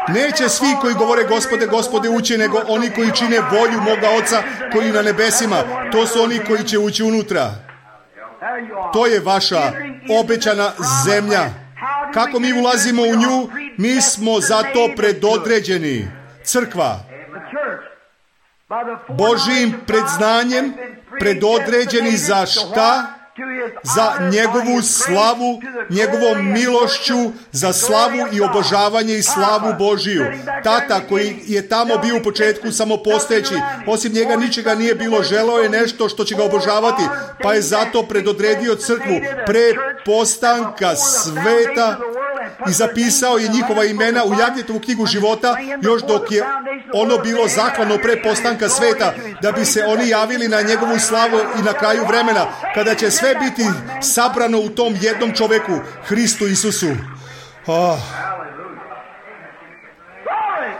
Speaker 1: Neće svi koji govore Gospode, Gospode ući, nego oni koji čine volju moga Oca koji na nebesima. To su oni koji će ući unutra. To je vaša obećana zemlja. Kako mi ulazimo u nju? Mi smo za to predodređeni. Crkva. Božjim predznanjem predodređeni za šta? Za njegovu slavu, njegovom milošću, za slavu i obožavanje i slavu Božiju. Tata koji je tamo bio u početku samopostojeći, osim njega ničega nije bilo, želeo je nešto što će ga obožavati, pa je zato predodredio crkvu pre postanka sveta i zapisao je njihova imena u Jagnjetovu knjigu života, još dok je ono bilo zaklano pre postanka sveta, da bi se oni javili na njegovu slavu i na kraju vremena, kada će sve biti sabrano u tom jednom čoveku, Hristu Isusu.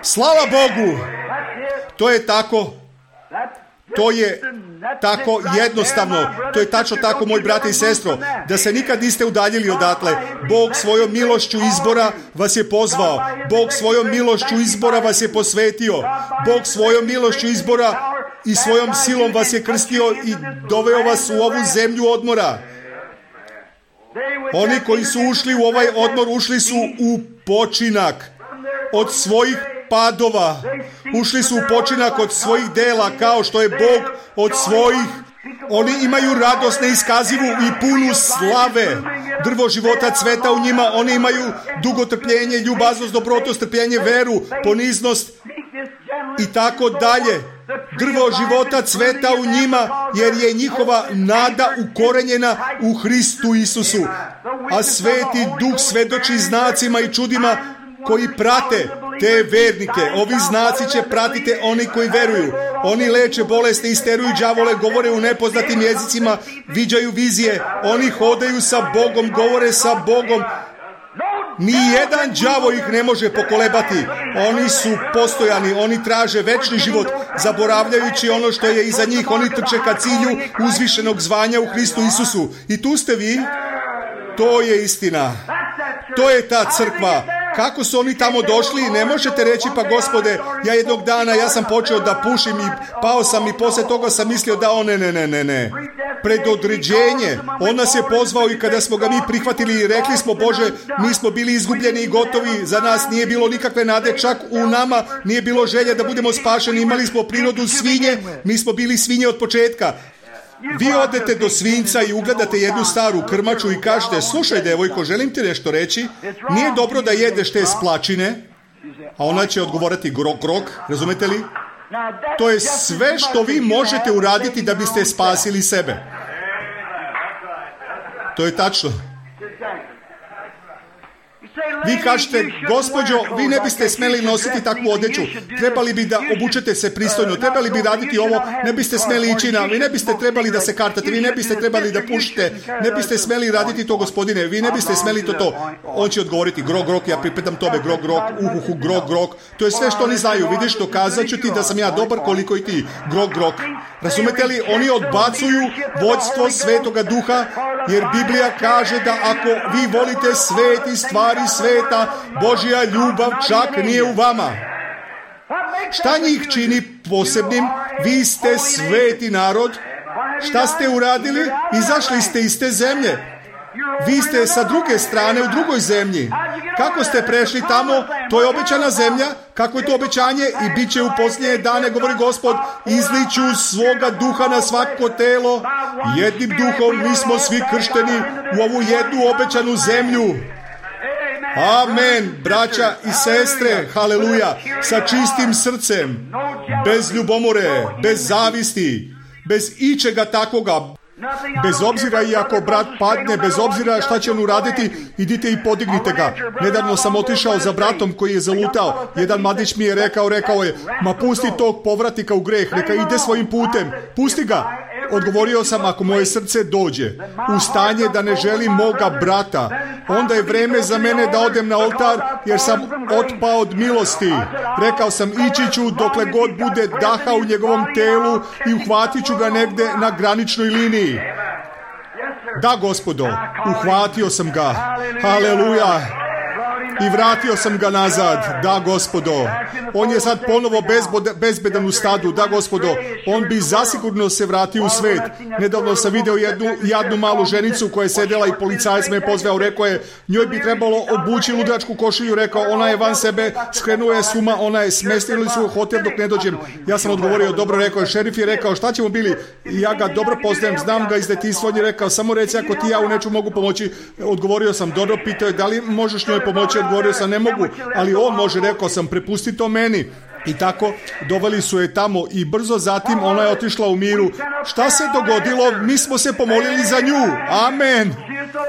Speaker 1: Slava Bogu! To je tako. To je tako jednostavno, to je tačno tako, moj brate i sestro, da se nikad niste udaljili odatle. Bog svojom milošću izbora vas je pozvao. Bog svojom milošću izbora vas je posvetio. Bog svojom milošću izbora i svojom silom vas je krstio i doveo vas u ovu zemlju odmora. Oni koji su ušli u ovaj odmor, ušli su u počinak od svojih padova. Ušli su u počinak od svojih dela, kao što je Bog od svojih. Oni imaju radost neiskazivu i punu slave. Drvo života cveta u njima. Oni imaju dugotrpljenje, ljubaznost, dobrotu, strpljenje, veru, poniznost i tako dalje. Drvo života cveta u njima, jer je njihova nada ukorenjena u Hristu Isusu. A Sveti Duh svedoči znacima i čudima koji prate te vernike. Ovi znaci će pratiti oni koji veruju. Oni leče bolesti, isteruju đavole, govore u nepoznatim jezicima, viđaju vizije. Oni hodaju sa Bogom, govore sa Bogom. Nijedan đavo ih ne može pokolebati. Oni su postojani, oni traže večni život, zaboravljajući ono što je iza njih. Oni trče ka cilju uzvišenog zvanja u Hristu Isusu. I tu ste vi. To je istina. To je ta crkva. Kako su oni tamo došli? Ne možete reći, pa Gospode, ja sam počeo da pušim i pao sam i poslije toga sam mislio da ne. Predodređenje. On nas je pozvao i kada smo ga mi prihvatili i rekli smo, Bože, mi smo bili izgubljeni i gotovi, za nas nije bilo nikakve nade, čak u nama nije bilo želje da budemo spašeni, imali smo prirodu svinje, mi smo bili svinje od početka. Vi odete do svinjca i ugledate jednu staru krmaču i kažete, slušaj devojko, želim ti nešto reći, nije dobro da jedeš te splačine, a ona će odgovoriti grok, razumete li? To je sve što vi možete uraditi da biste spasili sebe. To je tačno. Vi kažete, gospođo, vi ne biste smeli nositi takvu odjeću, trebali bi da obučete se pristojno, trebali bi raditi ovo, ne biste smeli ići vi ne biste trebali da se kartate, vi ne biste trebali da pušite, ne biste smeli raditi to, gospodine, vi ne biste smeli to. On će odgovoriti, grok, ja pripadam tome, grok, to je sve što oni znaju, vidiš, dokazat ću ti da sam ja dobar koliko i ti, grok. Razumete li, oni odbacuju vođstvo Svetoga Duha, jer Biblija kaže da ako vi volite svet i stvari sveta, Božja ljubav čak nije u vama. Šta njih čini posebnim? Vi ste sveti narod. Šta ste uradili? Izašli ste iz te zemlje. Vi ste sa druge strane u drugoj zemlji. Kako ste prešli tamo? To je obećana zemlja. Kako je to obećanje? I bit će u posljednje dane, govori Gospod, izliću svoga duha na svako telo. Jednim duhom mi smo svi kršteni u ovu jednu obećanu zemlju. Amen, braća i sestre, haleluja, sa čistim srcem, bez ljubomore, bez zavisti, bez ičega takoga, bez obzira i ako brat padne, bez obzira šta će on uraditi, idite i podignite ga. Nedavno sam otišao za bratom koji je zalutao. Jedan mladić mi je rekao je, ma pusti tog povratnika u greh, neka ide svojim putem, pusti ga. Odgovorio sam, ako moje srce dođe u stanje da ne želim moga brata, onda je vreme za mene da odem na oltar, jer sam otpao od milosti. Rekao sam, ići ću dokle god bude daha u njegovom telu i uhvatit ću ga negde na graničnoj liniji. Da, Gospodo, uhvatio sam ga. Haleluja. I vratio sam ga nazad. Da, Gospodo. On je sad ponovo bezbedan u stadu. Da, Gospodo. On bi zasigurno se vratio u svet. Nedavno sam video jednu jadnu malu ženicu koja je sedela i policajac me pozvao. Rekao je, njoj bi trebalo obući ludačku košulju. Rekao, ona je van sebe, skrenuo je s uma, ona je smestili su u hotel dok ne dođem. Ja sam odgovorio, dobro, rekao je, šerif je rekao, šta ćemo bili? Ja ga dobro poznajem, znam ga iz detinjstva. On je rekao, samo reci ako ti ja u nečemu mogu pomoći. Odgovorio sam, dobro, pitao je, da li možeš njoj pomoći? Odgovorio sam, ne mogu, ali on može, rekao sam, prepusti to meni. I tako, doveli su je tamo i brzo zatim ona je otišla u miru. Šta se dogodilo? Mi smo se pomolili za nju. Amen.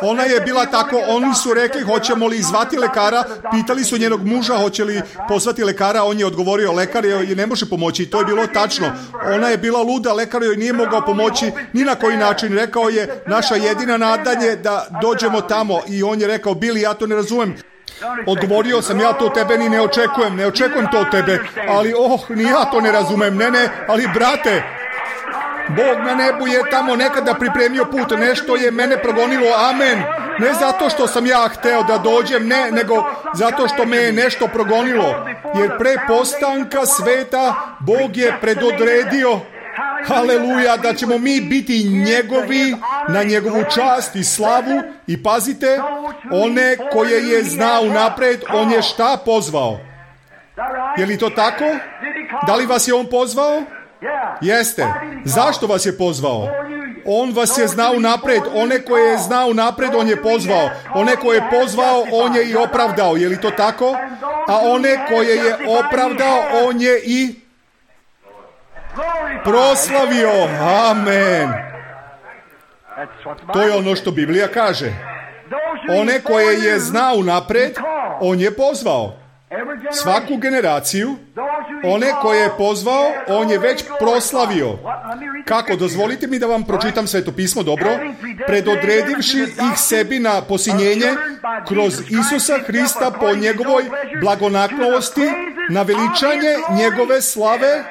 Speaker 1: Ona je bila tako, oni su rekli, hoćemo li zvati lekara, pitali su njenog muža, hoće li pozvati lekara, on je odgovorio, lekar joj ne može pomoći. To je bilo tačno. Ona je bila luda, lekar joj nije mogao pomoći ni na koji način. Rekao je, naša jedina nadanje da dođemo tamo. I on je rekao, Bili, ja to ne razumem. Odgovorio sam, ja to tebe ni ne očekujem to od tebe, ali ni ja to ne razumem, ne, ali brate, Bog na nebu je tamo nekada pripremio put, nešto je mene progonilo, amen. Ne zato što sam ja hteo da dođem, ne, nego zato što me je nešto progonilo. Jer pre postanka sveta Bog je predodredio, haleluja, da ćemo mi biti njegovi na njegovu čast i slavu. I pazite, one koje je znao unapred, on je šta pozvao? Je li to tako? Da li vas je on pozvao? Jeste. Zašto vas je pozvao? On vas je znao unapred. One koje je znao unapred, on je pozvao. One koje je pozvao, on je i opravdao. Je li to tako? A one koje je opravdao, on je i proslavio. Amen. To je ono što Biblija kaže. One koje je znao unapred, on je pozvao. Svaku generaciju, one koje je pozvao, on je već proslavio. Kako? Dozvolite mi da vam pročitam Sveto pismo, dobro? Predodredivši ih sebi na posinjenje kroz Isusa Hrista po njegovoj blagonaklonosti, na veličanje njegove slave.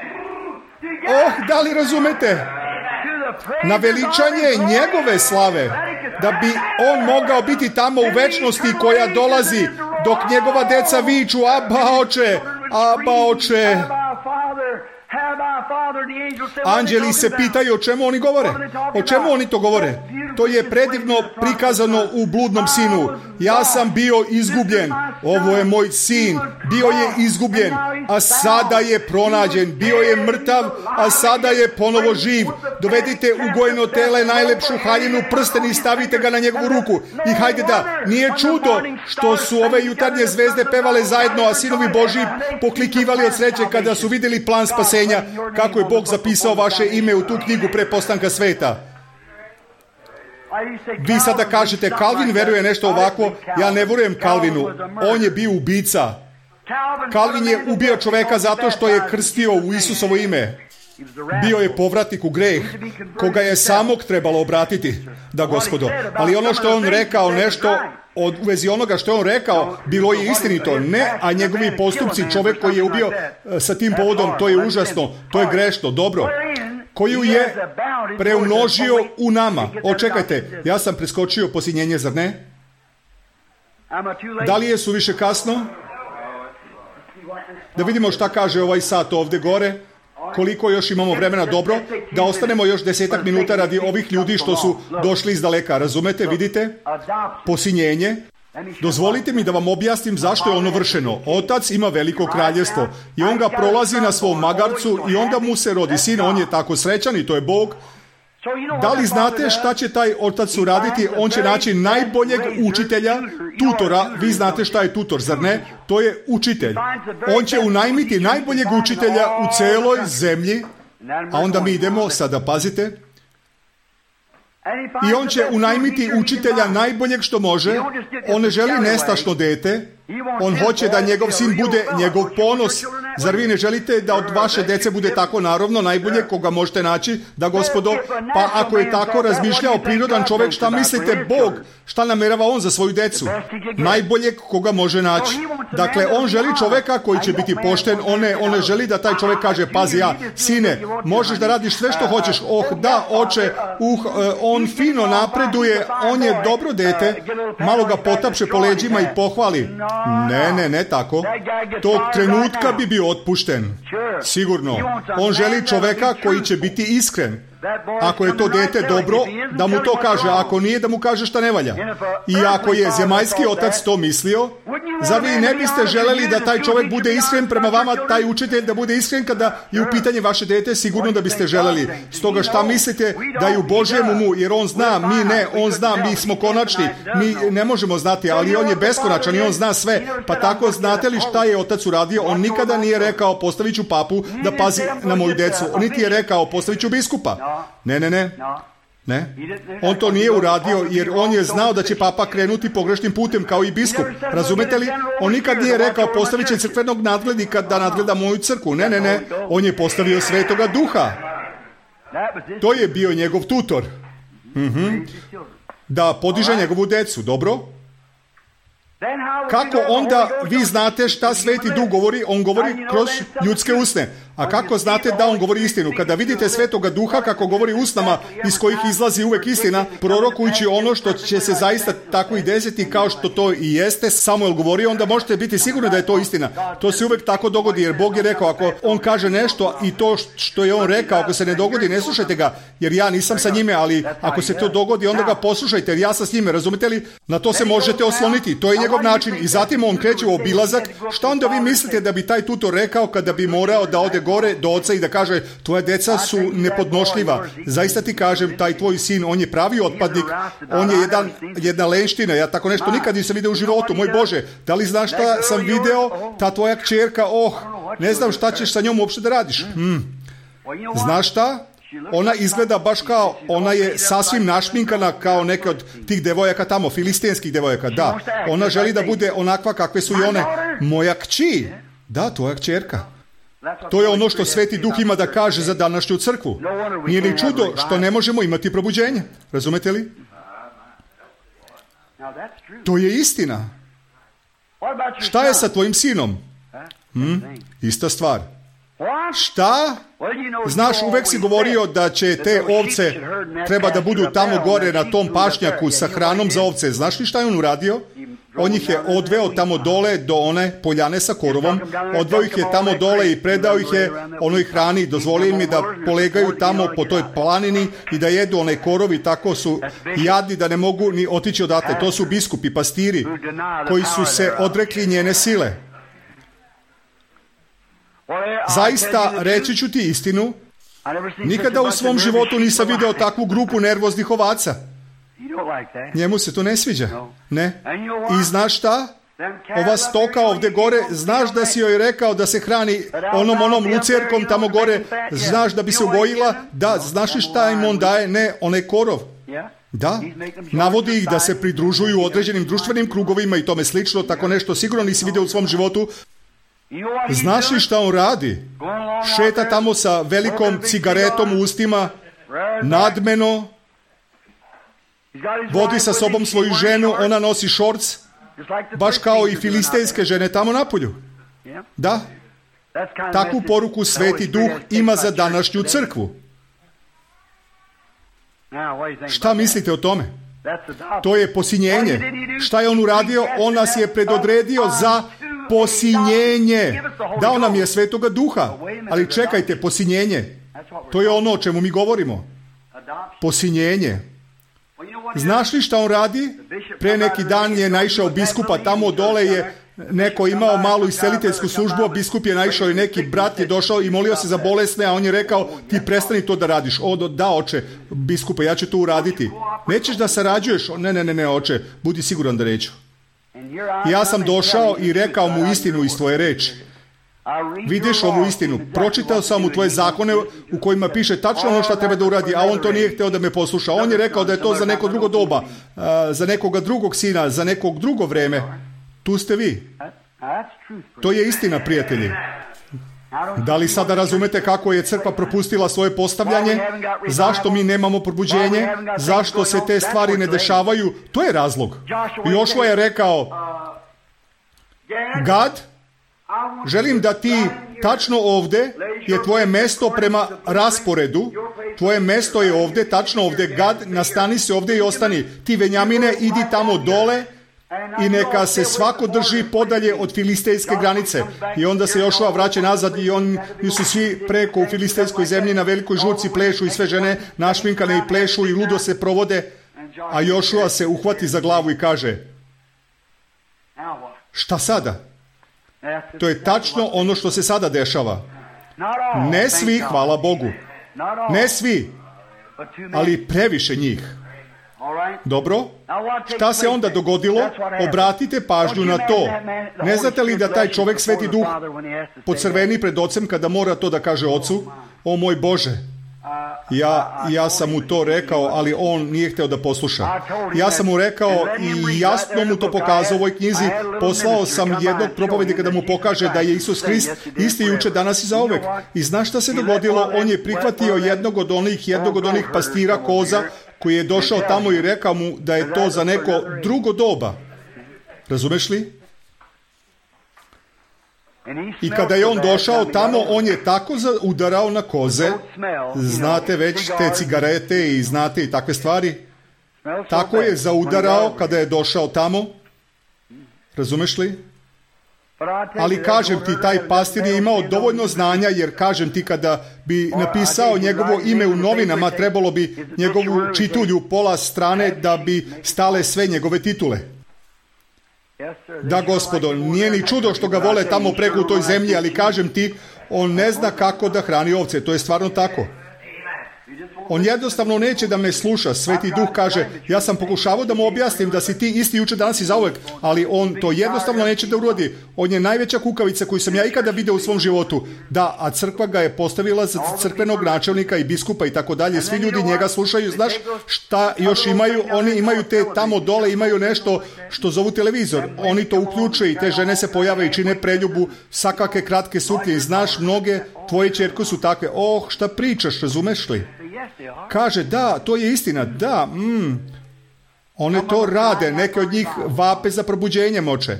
Speaker 1: Da li razumete? Na veličanje njegove slave, da bi on mogao biti tamo u večnosti koja dolazi, dok njegova deca viču, Aba oče, Aba oče. Anđeli se pitaju o čemu oni govore. O čemu oni to govore? To je predivno prikazano u bludnom sinu. Ja sam bio izgubljen. Ovo je moj sin. Bio je izgubljen, a sada je pronađen. Bio je mrtav, a sada je ponovo živ. Dovedite u gojeno tele najlepšu haljinu, prsten i stavite ga na njegovu ruku. I hajde da, nije čudo što su ove jutarnje zvezde pevale zajedno, a sinovi Božji poklikivali od sreće kada su vidjeli plan spasenja, kako je Bog zapisao vaše ime u tu knjigu pre postanka sveta. Vi sada kažete, Calvin veruje nešto ovako. Ja ne verujem Calvinu. On je bio ubica. Calvin je ubio čoveka zato što je krstio u Isusovo ime. Bio je povratnik u greh, koga je samog trebalo obratiti. Da, gospodo. Ali ono što je on rekao, nešto u vezi onoga što je on rekao, bilo je istinito. Ne, a njegovi postupci, čovjek koji je ubio sa tim povodom, to je užasno, to je grešno, dobro. Koju je preumnožio u nama. Očekajte, ja sam preskočio posinjenje, zar ne? Da li je suviše kasno? Da vidimo šta kaže ovaj sat ovdje gore. Koliko još imamo vremena, dobro, da ostanemo još 10 minuta radi ovih ljudi što su došli iz daleka, razumete, vidite? Posinjenje. Dozvolite mi da vam objasnim zašto je ono vršeno. Otac ima veliko kraljevstvo i on ga prolazi na svom magarcu i onda mu se rodi sin, on je tako srećan i to je Bog. Da li znate šta će taj otac uraditi? On će naći najboljeg učitelja, tutora. Vi znate šta je tutor, zar ne? To je učitelj. On će unajmiti najboljeg učitelja u celoj zemlji, a onda mi idemo, sada pazite, i on će unajmiti učitelja najboljeg što može. On ne želi nestašno dete. On hoće da njegov sin bude njegov ponos. Zar vi ne želite da od vaše dece bude tako naravno najbolje koga možete naći? Da, gospodo, pa ako je tako razmišljao prirodan čovjek, šta mislite Bog? Šta namerava on za svoju decu? Najboljeg koga može naći. Dakle, on želi čovjeka koji će biti pošten. On ne želi da taj čovjek kaže, pazi ja, sine, možeš da radiš sve što hoćeš. Da, oče, on fino napreduje, on je dobro dete, malo ga potapše po leđima i pohvali. Ne tako. Tog trenutka bi bio otpušten. Sigurno. On želi čoveka koji će biti iskren. Ako je to dete dobro, da mu to kaže. Ako nije, da mu kaže šta ne valja. I ako je zemaljski otac to mislio, zar vi ne biste želeli da taj čovjek bude iskren prema vama, taj učitelj da bude iskren kada je u pitanje vaše dete? Sigurno da biste želeli. Stoga šta mislite da je u Božjem umu, jer on zna, mi ne, on zna, mi smo konačni, mi ne možemo znati, ali on je beskonačan i on zna sve. Pa tako, znate li šta je otac uradio? On nikada nije rekao, postavit ću papu da pazi na moju decu. On niti je rekao, postavit ću biskupa. Ne. On to nije uradio jer on je znao da će papa krenuti pogrešnim putem kao i biskup. Razumete li? On nikad nije rekao, postavit će crkvenog nadglednika da nadgleda moju crkvu. Ne. On je postavio Svetoga Duha. To je bio njegov tutor. Da podiže njegovu decu. Dobro? Kako onda vi znate šta Sveti Duh govori? On govori kroz ljudske usne. A kako znate da on govori istinu? Kada vidite Svetoga Duha kako govori usnama iz kojih izlazi uvek istina, prorokujući ono što će se zaista tako i desiti kao što to i jeste, Samuel govori, onda možete biti sigurni da je to istina. To se uvek tako dogodi, jer Bog je rekao, ako on kaže nešto i to što je on rekao, ako se ne dogodi, ne slušajte ga, jer ja nisam sa njime, ali ako se to dogodi, onda ga poslušajte, jer ja sam s njime, razumite li? Na to se možete osloniti, to je njegov način. I zatim on kreće u obilazak. Šta onda vi mislite da bi taj tutor rekao kada bi morao da ode gore do oca i da kaže, tvoja deca su nepodnošljiva. Zaista ti kažem, taj tvoj sin, on je pravi otpadnik, on je jedna lenština, ja tako nešto nikad nisam video u životu, moj Bože, da li znaš šta sam video, ta tvoja kćerka, ne znam šta ćeš sa njom uopšte da radiš. Znaš šta? Ona izgleda baš kao, ona je sasvim našminkana kao neke od tih devojaka tamo, filistenskih devojaka, da. Ona želi da bude onakva kakve su i one. Moja kći, da, tvoja kćerka. To je ono što Sveti Duh ima da kaže za današnju crkvu. Nije ni čudo što ne možemo imati probuđenje. Razumete li? To je istina. Šta je sa tvojim sinom? Ista stvar. Šta? Znaš, uvek si govorio da će te ovce treba da budu tamo gore na tom pašnjaku sa hranom za ovce. Znaš li šta je on uradio? On ih je odveo tamo dole do one poljane sa korovom, odveo ih je tamo dole i predao ih je onoj hrani, dozvolio im je da polegaju tamo po toj planini i da jedu onaj korov i tako su jadni da ne mogu ni otići odatle. To su biskupi, pastiri koji su se odrekli njene sile. Zaista, reći ću ti istinu, nikada u svom životu nisam video takvu grupu nervoznih ovaca. Njemu se to ne sviđa. Ne. I znaš šta? Ova stoka ovde gore, znaš da si joj rekao da se hrani onom lucerkom tamo gore, znaš da bi se ugojila? Da, znaš li šta im on daje? Ne, onaj korov. Da, navodi ih da se pridružuju određenim društvenim krugovima i tome slično, tako nešto sigurno nisi video u svom životu. Znaš li šta on radi? Šeta tamo sa velikom cigaretom u ustima, nadmeno, vodi sa sobom svoju ženu, ona nosi šorc, baš kao i filistejske žene tamo napolju. Da, takvu poruku Sveti Duh ima za današnju crkvu. Šta mislite o tome? To je posinjenje. Šta je on uradio? On nas je predodredio za posinjenje. Dao nam je Svetoga Duha. Ali čekajte, posinjenje. To je ono o čemu mi govorimo. Posinjenje. Znaš li šta on radi? Pre neki dan je naišao biskupa, tamo dole je neko imao malu isceliteljsku službu, a biskup je naišao i neki brat je došao i molio se za bolesne, a on je rekao, ti prestani to da radiš. Da, oče, biskupa, ja ću to uraditi. Nećeš da sarađuješ? Ne, oče, budi siguran da neću. Ja sam došao i rekao mu istinu iz tvoje reči. Vidiš ovu istinu, pročitao sam mu tvoje zakone u kojima piše tačno ono što treba da uradi, a on to nije hteo da me posluša. On je rekao da je to za neko drugo doba, za nekoga drugog sina, za nekog drugo vreme. Tu ste vi. To je istina, prijatelji. Da li sada razumete kako je crkva propustila svoje postavljanje? Zašto mi nemamo probuđenje? Zašto se te stvari ne dešavaju? To je razlog. Jošua je rekao, Gad, želim da ti tačno ovde je tvoje mesto prema rasporedu. Tvoje mesto je ovde, tačno ovde. Gad, nastani se ovde i ostani. Ti, Venjamine, idi tamo dole i neka se svako drži podalje od filistejske granice. I onda se Jošua vraća nazad i oni su svi preko u filistejskoj zemlji na velikoj žurci plešu i sve žene našminkane i plešu i ludo se provode. A Jošua se uhvati za glavu i kaže, šta sada? To je tačno ono što se sada dešava. Ne svi, hvala Bogu. Ne svi, ali previše njih. Dobro? Šta se onda dogodilo? Obratite pažnju na to. Ne znate li da taj čovek, Sveti Duh, pocrveni pred ocem kada mora to da kaže ocu? O moj Bože, ja sam mu to rekao, ali on nije hteo da posluša. Ja sam mu rekao i jasno mu to pokazao u ovoj knjizi. Poslao sam jednog propovednika da mu pokaže da je Isus Hrist isti juče, danas i zauvek. I znaš šta se dogodilo? On je prihvatio jednog od onih pastira koza koji je došao tamo i rekao mu da je to za neko drugo doba. Razumeš li? I kada je on došao tamo, on je tako udarao na koze, znate već te cigarete i znate i takve stvari, tako je zaudarao kada je došao tamo, razumeš li? Ali kažem ti, taj pastir je imao dovoljno znanja, jer kažem ti, kada bi napisao njegovo ime u novinama, trebalo bi njegovu čitulju pola strane da bi stale sve njegove titule. Da, gospodo, nije ni čudo što ga vole tamo preko u toj zemlji, ali kažem ti, on ne zna kako da hrani ovce, to je stvarno tako. On jednostavno neće da me sluša. Sveti Duh kaže, ja sam pokušavao da mu objasnim da si ti isti juče, danas i zauvek, ali on to jednostavno neće da urodi. On je najveća kukavica koju sam ja ikada video u svom životu. Da, a crkva ga je postavila za crkvenog načelnika i biskupa i tako dalje. Svi ljudi njega slušaju. Znaš šta još imaju? Oni imaju te tamo dole, imaju nešto što zovu televizor. Oni to uključuju i te žene se pojave i čine preljubu, sakake kratke suknje. I znaš, mnoge tvoje ćerke su takve. Šta pričaš, razumeš li? Kaže, da, to je istina, da, one to rade, neke od njih vape za probuđenjem oče.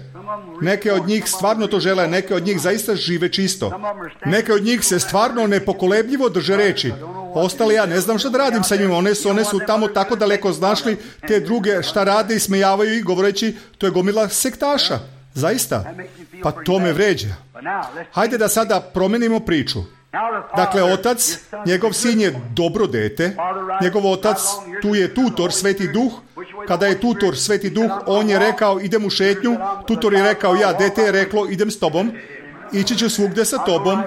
Speaker 1: Neke od njih stvarno to žele, neke od njih zaista žive čisto. Neke od njih se stvarno nepokolebljivo drže reči. Ostale ja ne znam šta da radim sa njima, one su tamo tako daleko, znaš li, te druge šta rade i smejavaju i govoreći, to je gomila sektaša. Zaista? Pa to me vređa. Hajde da sada promenimo priču. Dakle, otac, njegov sin je dobro dete, njegov otac, tu je tutor, Sveti Duh. Kada je tutor, Sveti Duh, on je rekao, idem u šetnju, tutor je rekao, ja, dete je reklo, idem s tobom, ići ću svugde sa tobom.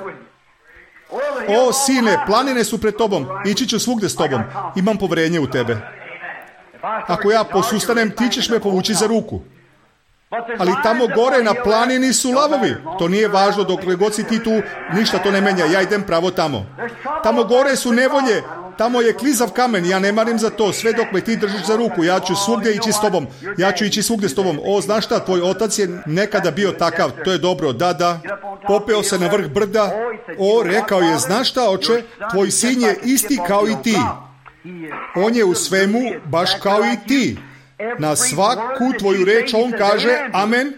Speaker 1: O, sine, planine su pred tobom, ići ću svugde s tobom, imam poverenje u tebe. Ako ja posustanem, ti ćeš me povući za ruku. Ali tamo gore na planini su lavovi. To nije važno, dokle god si ti tu, ništa to ne menja, ja idem pravo tamo. Tamo gore su nevolje, tamo je klizav kamen, ja ne marim za to, sve dok me ti držiš za ruku, ja ću svugdje ići s tobom, ja ću ići svugdje s tobom. O, znaš šta, tvoj otac je nekada bio takav, to je dobro, da, popeo se na vrh brda, rekao je, znaš šta, oče, tvoj sin je isti kao i ti. On je u svemu baš kao i ti. Na svaku tvoju reč on kaže amen.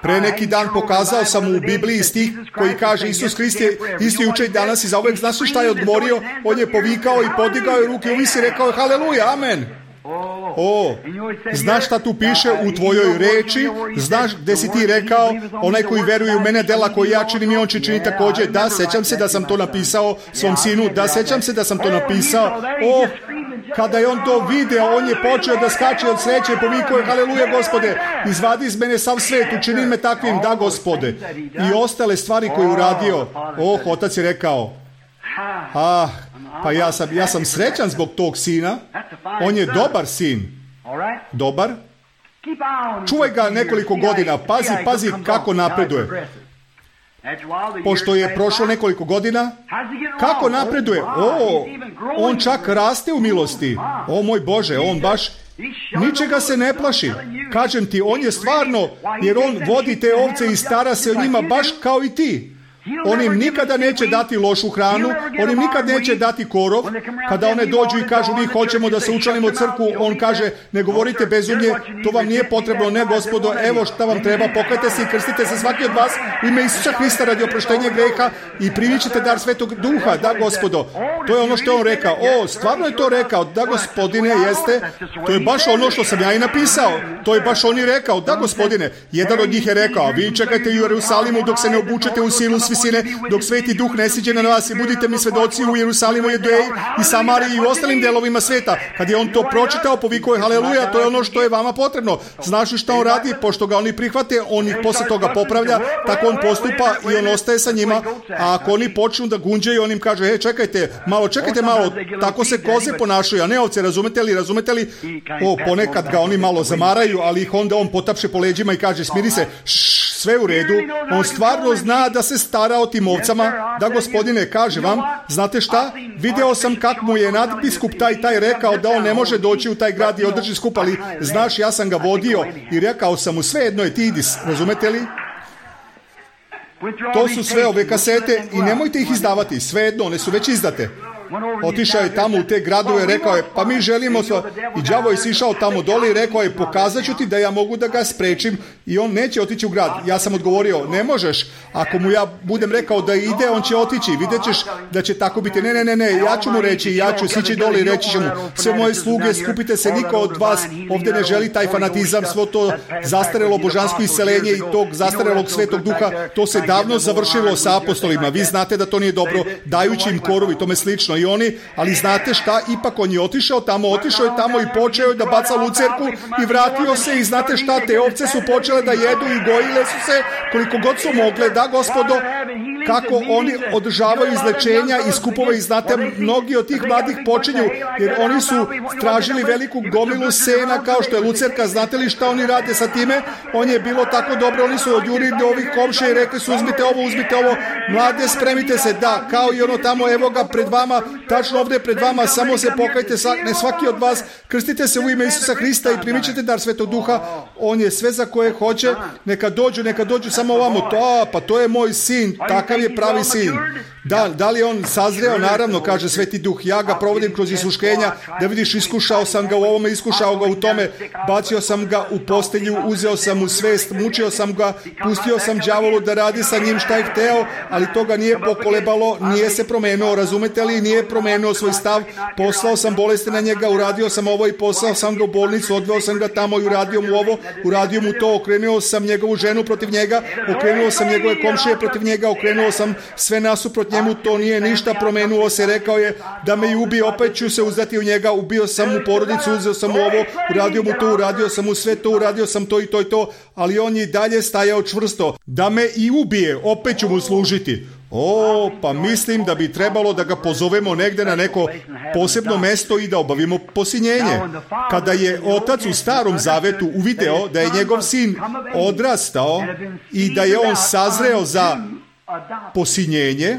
Speaker 1: Pre neki dan pokazao sam u Bibliji stih koji kaže Isus Hrist je isti juče i danas i zauvek. Znaš li šta je odgovorio? On je povikao i podigao je ruke uvisi i rekao haleluja, amen. Znaš šta tu piše u tvojoj reči? Znaš gde si ti rekao, onaj koji veruje u mene, dela koji ja činim i on će čini također. Da, sećam se da sam to napisao svom sinu. Da, sećam se da sam to napisao. Kada je on to video, on je počeo da skače od sreće i povikao je haleluja, Gospode, izvadi iz mene sav svet, učini me takvim, da, Gospode. I ostale stvari koje je uradio. Otac je rekao, pa ja sam srećan zbog tog sina. On je dobar sin. Dobar. Čuvaj ga nekoliko godina. Pazi kako napreduje. Pošto je prošlo nekoliko godina, kako napreduje? On čak raste u milosti. Moj Bože, on baš ničega se ne plaši. Kažem ti, on je stvarno, jer on vodi te ovce i stara se o njima baš kao i ti. On im nikada neće dati lošu hranu, on im nikad neće dati korov. Kada one dođu i kažu mi hoćemo da se učlanimo u crkvu, on kaže ne govorite bezumlje, to vam nije potrebno, ne Gospodo, evo šta vam treba, pokajte se i krstite se svaki od vas u ime Isusa Hrista radi oproštenja greha i primit ćete dar Svetog Duha, da Gospodo. To je ono što je on rekao. Stvarno je to rekao, da Gospodine, jeste, to je baš ono što sam ja i napisao, to je baš on i rekao, da Gospodine. Jedan od njih je rekao, vi čekajte u Jerusalimu dok se ne obučete u silu svisine, dok Sveti Duh ne siđe na vas i budite mi svedoci u Jerusalimu, Judeji i Samariji i u ostalim delovima sveta. Kad je on to pročitao, povikao je haleluja, to je ono što je vama potrebno. Znaš li šta on radi? Pošto ga oni prihvate, on ih posle toga popravlja, tako on postupa i on ostaje sa njima. A ako oni počnu da gunđaju, on im kaže, čekajte malo, tako se koze ponašaju, a ne ovce, razumete li? Ponekad ga oni malo zamaraju, ali ih onda on potapše po leđima i kaže, smiri se, sve u redu. On stvarno zna da se stara o tim ovcama. Da Gospodine, kaže vam, znate šta? Video sam kako mu je nadbiskup taj rekao da on ne može doći u taj grad i održi skup, ali znaš, ja sam ga vodio i rekao sam mu, sve jedno je, ti idi, razumete li? To su sve ove kasete i nemojte ih izdavati, sve jedno, one su već izdate. Otišao je tamo u te gradove, rekao je, pa mi želimo i đavo je sišao tamo dole i rekao je, pokazat ću ti da ja mogu da ga sprečim i on neće otići u grad. Ja sam odgovorio, ne možeš, ako mu ja budem rekao da ide, on će otići, vidjet ćeš da će tako biti. Ne, ja ću mu reći, ja ću sići dole i reći ću mu, sve moje sluge, skupite se, niko od vas ovdje ne želi taj fanatizam, svo to zastarelo božansko isceljenje i tog zastarelog Svetog Duha, to se davno završilo sa apostolima. Vi znate da to nije dobro, dajući im koru i tome slično i oni, ali znate šta, ipak on je otišao je tamo i počeo je da baca lucerku i vratio se i znate šta, te ovce su počele da jedu i gojile su se koliko god su mogle, da Gospodo, kako oni održavaju izlečenja i skupove i znate, mnogi od tih mladih počinju, jer oni su tražili veliku gomilu sena kao što je lucerka, znate li šta oni rade sa time? On je bilo tako dobro, oni su odjurili do ovih komšija i rekli su uzmite ovo, mlade spremite se, da, kao i ono tamo, evo ga pred vama, tačno ovdje pred vama, samo se pokajte, ne svaki od vas, krstite se u ime Isusa Hrista i primit ćete dar Svetog Duha, on je sve za koje hoće, neka dođu samo ovamo, pa to je moj sin, takav je pravi sin. Da li je on sazreo? Naravno, kaže Sveti Duh, ja ga provodim kroz iskušenja, da vidiš, iskušao sam ga u ovome, iskušao ga u tome, bacio sam ga u postelju, uzeo sam mu svest, mučio sam ga, pustio sam đavolu da radi sa njim šta je hteo, ali to ga nije pokolebalo, nije se promenio, razumete li, nije promenio svoj stav, poslao sam bolesti na njega, uradio sam ovo i poslao sam ga u bolnicu, odveo sam ga tamo i uradio mu ovo, uradio mu to, okrenuo sam njegovu ženu protiv njega, okrenuo sam njegove komšije protiv njega, okrenuo sam sve nasuprot njemu, to nije ništa promenuo se, rekao je da me i ubije, opet ću se uzdati u njega, ubio sam mu porodicu, uzeo sam mu ovo, uradio mu to, uradio sam mu sve to, uradio sam to i to, ali on je dalje stajao čvrsto, da me i ubije, opet ću mu služiti. Pa mislim da bi trebalo da ga pozovemo negde na neko posebno mesto i da obavimo posinjenje. Kada je otac u Starom Zavetu uvideo da je njegov sin odrastao i da je on sazreo za posinjenje,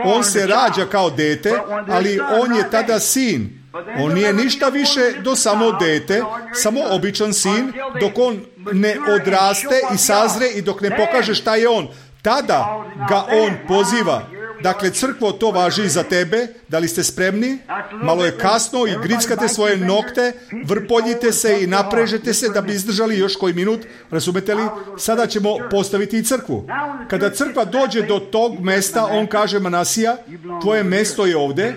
Speaker 1: on se rađa kao dete, ali on je tada sin. On nije ništa više do samo dete, samo običan sin, dok on ne odraste i sazre i dok ne pokaže šta je on. Tada ga on poziva. Dakle, crkvo, to važi i za tebe. Da li ste spremni? Malo je kasno i grickate svoje nokte, vrpoljite se i naprežete se da bi izdržali još koji minut. Razumete li? Sada ćemo postaviti i crkvu. Kada crkva dođe do tog mesta, on kaže, Manasija, tvoje mesto je ovde.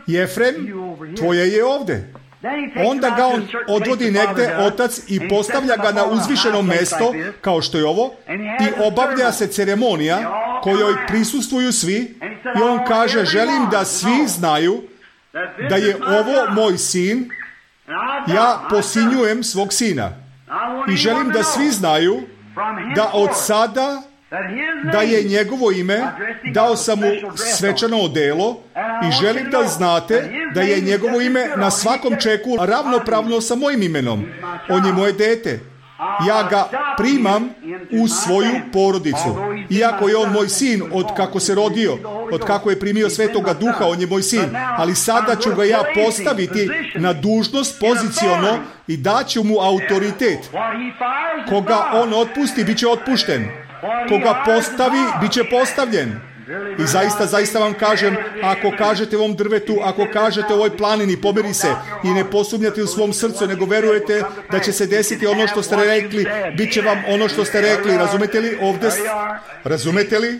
Speaker 1: Jefrem, tvoje je ovde. Onda ga on odvodi negde, otac, i postavlja ga na uzvišeno mesto, kao što je ovo, i obavlja se ceremonija kojoj prisustvuju svi, i on kaže, želim da svi znaju da je ovo moj sin, ja posinjujem svog sina. I želim da svi znaju da od sada da je njegovo ime, dao sam mu svečano odelo i želim da znate da je njegovo ime na svakom čeku ravnopravno sa mojim imenom. On je moje dete. Ja ga primam u svoju porodicu. Iako je on moj sin od kako se rodio, od kako je primio Svetoga Duha, on je moj sin. Ali sada ću ga ja postaviti na dužnost poziciono i daću mu autoritet. Koga on otpusti, bit će otpušten. Koga postavi, bit će postavljen. I zaista vam kažem, ako kažete ovom drvetu, ako kažete ovoj planini, pomeri se i ne posumnjate u svom srcu, nego verujete da će se desiti ono što ste rekli, bit će vam ono što ste rekli. Razumete li? Ovdje, razumete li?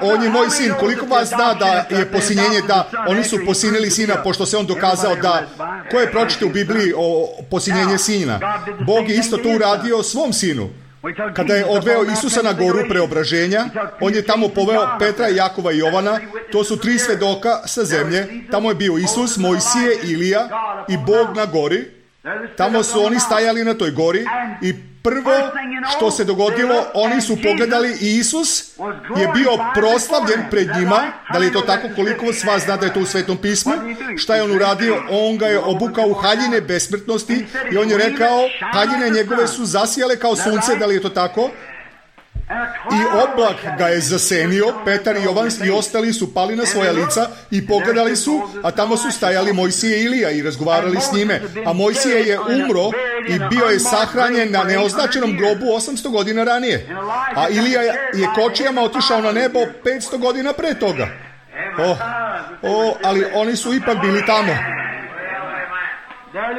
Speaker 1: On je moj sin. Koliko vas zna da je posinjenje, da oni su posinili sina, pošto se on dokazao da, ko je pročite u Bibliji o posinjenje sina? Bog je isto to uradio svom sinu. Kada je odveo Isusa na goru preobraženja, on je tamo poveo Petra, Jakova i Jovana, to su 3 svedoka sa zemlje, tamo je bio Isus, Mojsije, Ilija i Bog na gori, tamo su oni stajali na toj gori i prvo što se dogodilo, oni su pogledali i Isus je bio proslavljen pred njima. Da li je to tako? Koliko s vas zna da je to u Svetom pismu? Šta je on uradio? On ga je obukao u haljine besmrtnosti i on je rekao, haljine njegove su zasijale kao sunce. Da li je to tako? I oblak ga je zasenio, Petar i Jovan i ostali su pali na svoja lica i pogledali su, a tamo su stajali Mojsije i Ilija i razgovarali s njime. A Mojsije je umro i bio je sahranjen na neoznačenom grobu 800 godina ranije. A Ilija je kočijama otišao na nebo 500 godina pre toga. Ali oni su ipak bili tamo.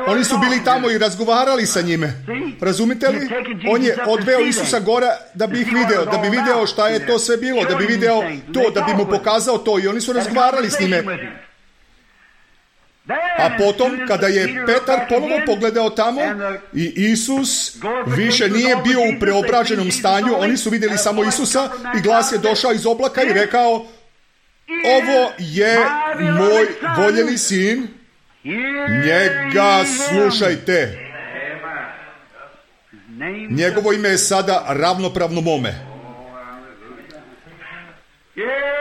Speaker 1: Oni su bili tamo i razgovarali sa njime. Razumite li? On je odveo Isusa gora da bi ih video, da bi video šta je to sve bilo, da bi video to, da bi mu pokazao to, i oni su razgovarali s njime. A potom, kada je Petar ponovo pogledao tamo i Isus više nije bio u preobraženom stanju, oni su vidjeli samo Isusa i glas je došao iz oblaka i rekao: ovo je moj voljeni sin, njega slušajte. Njegovo ime je sada ravnopravno mome.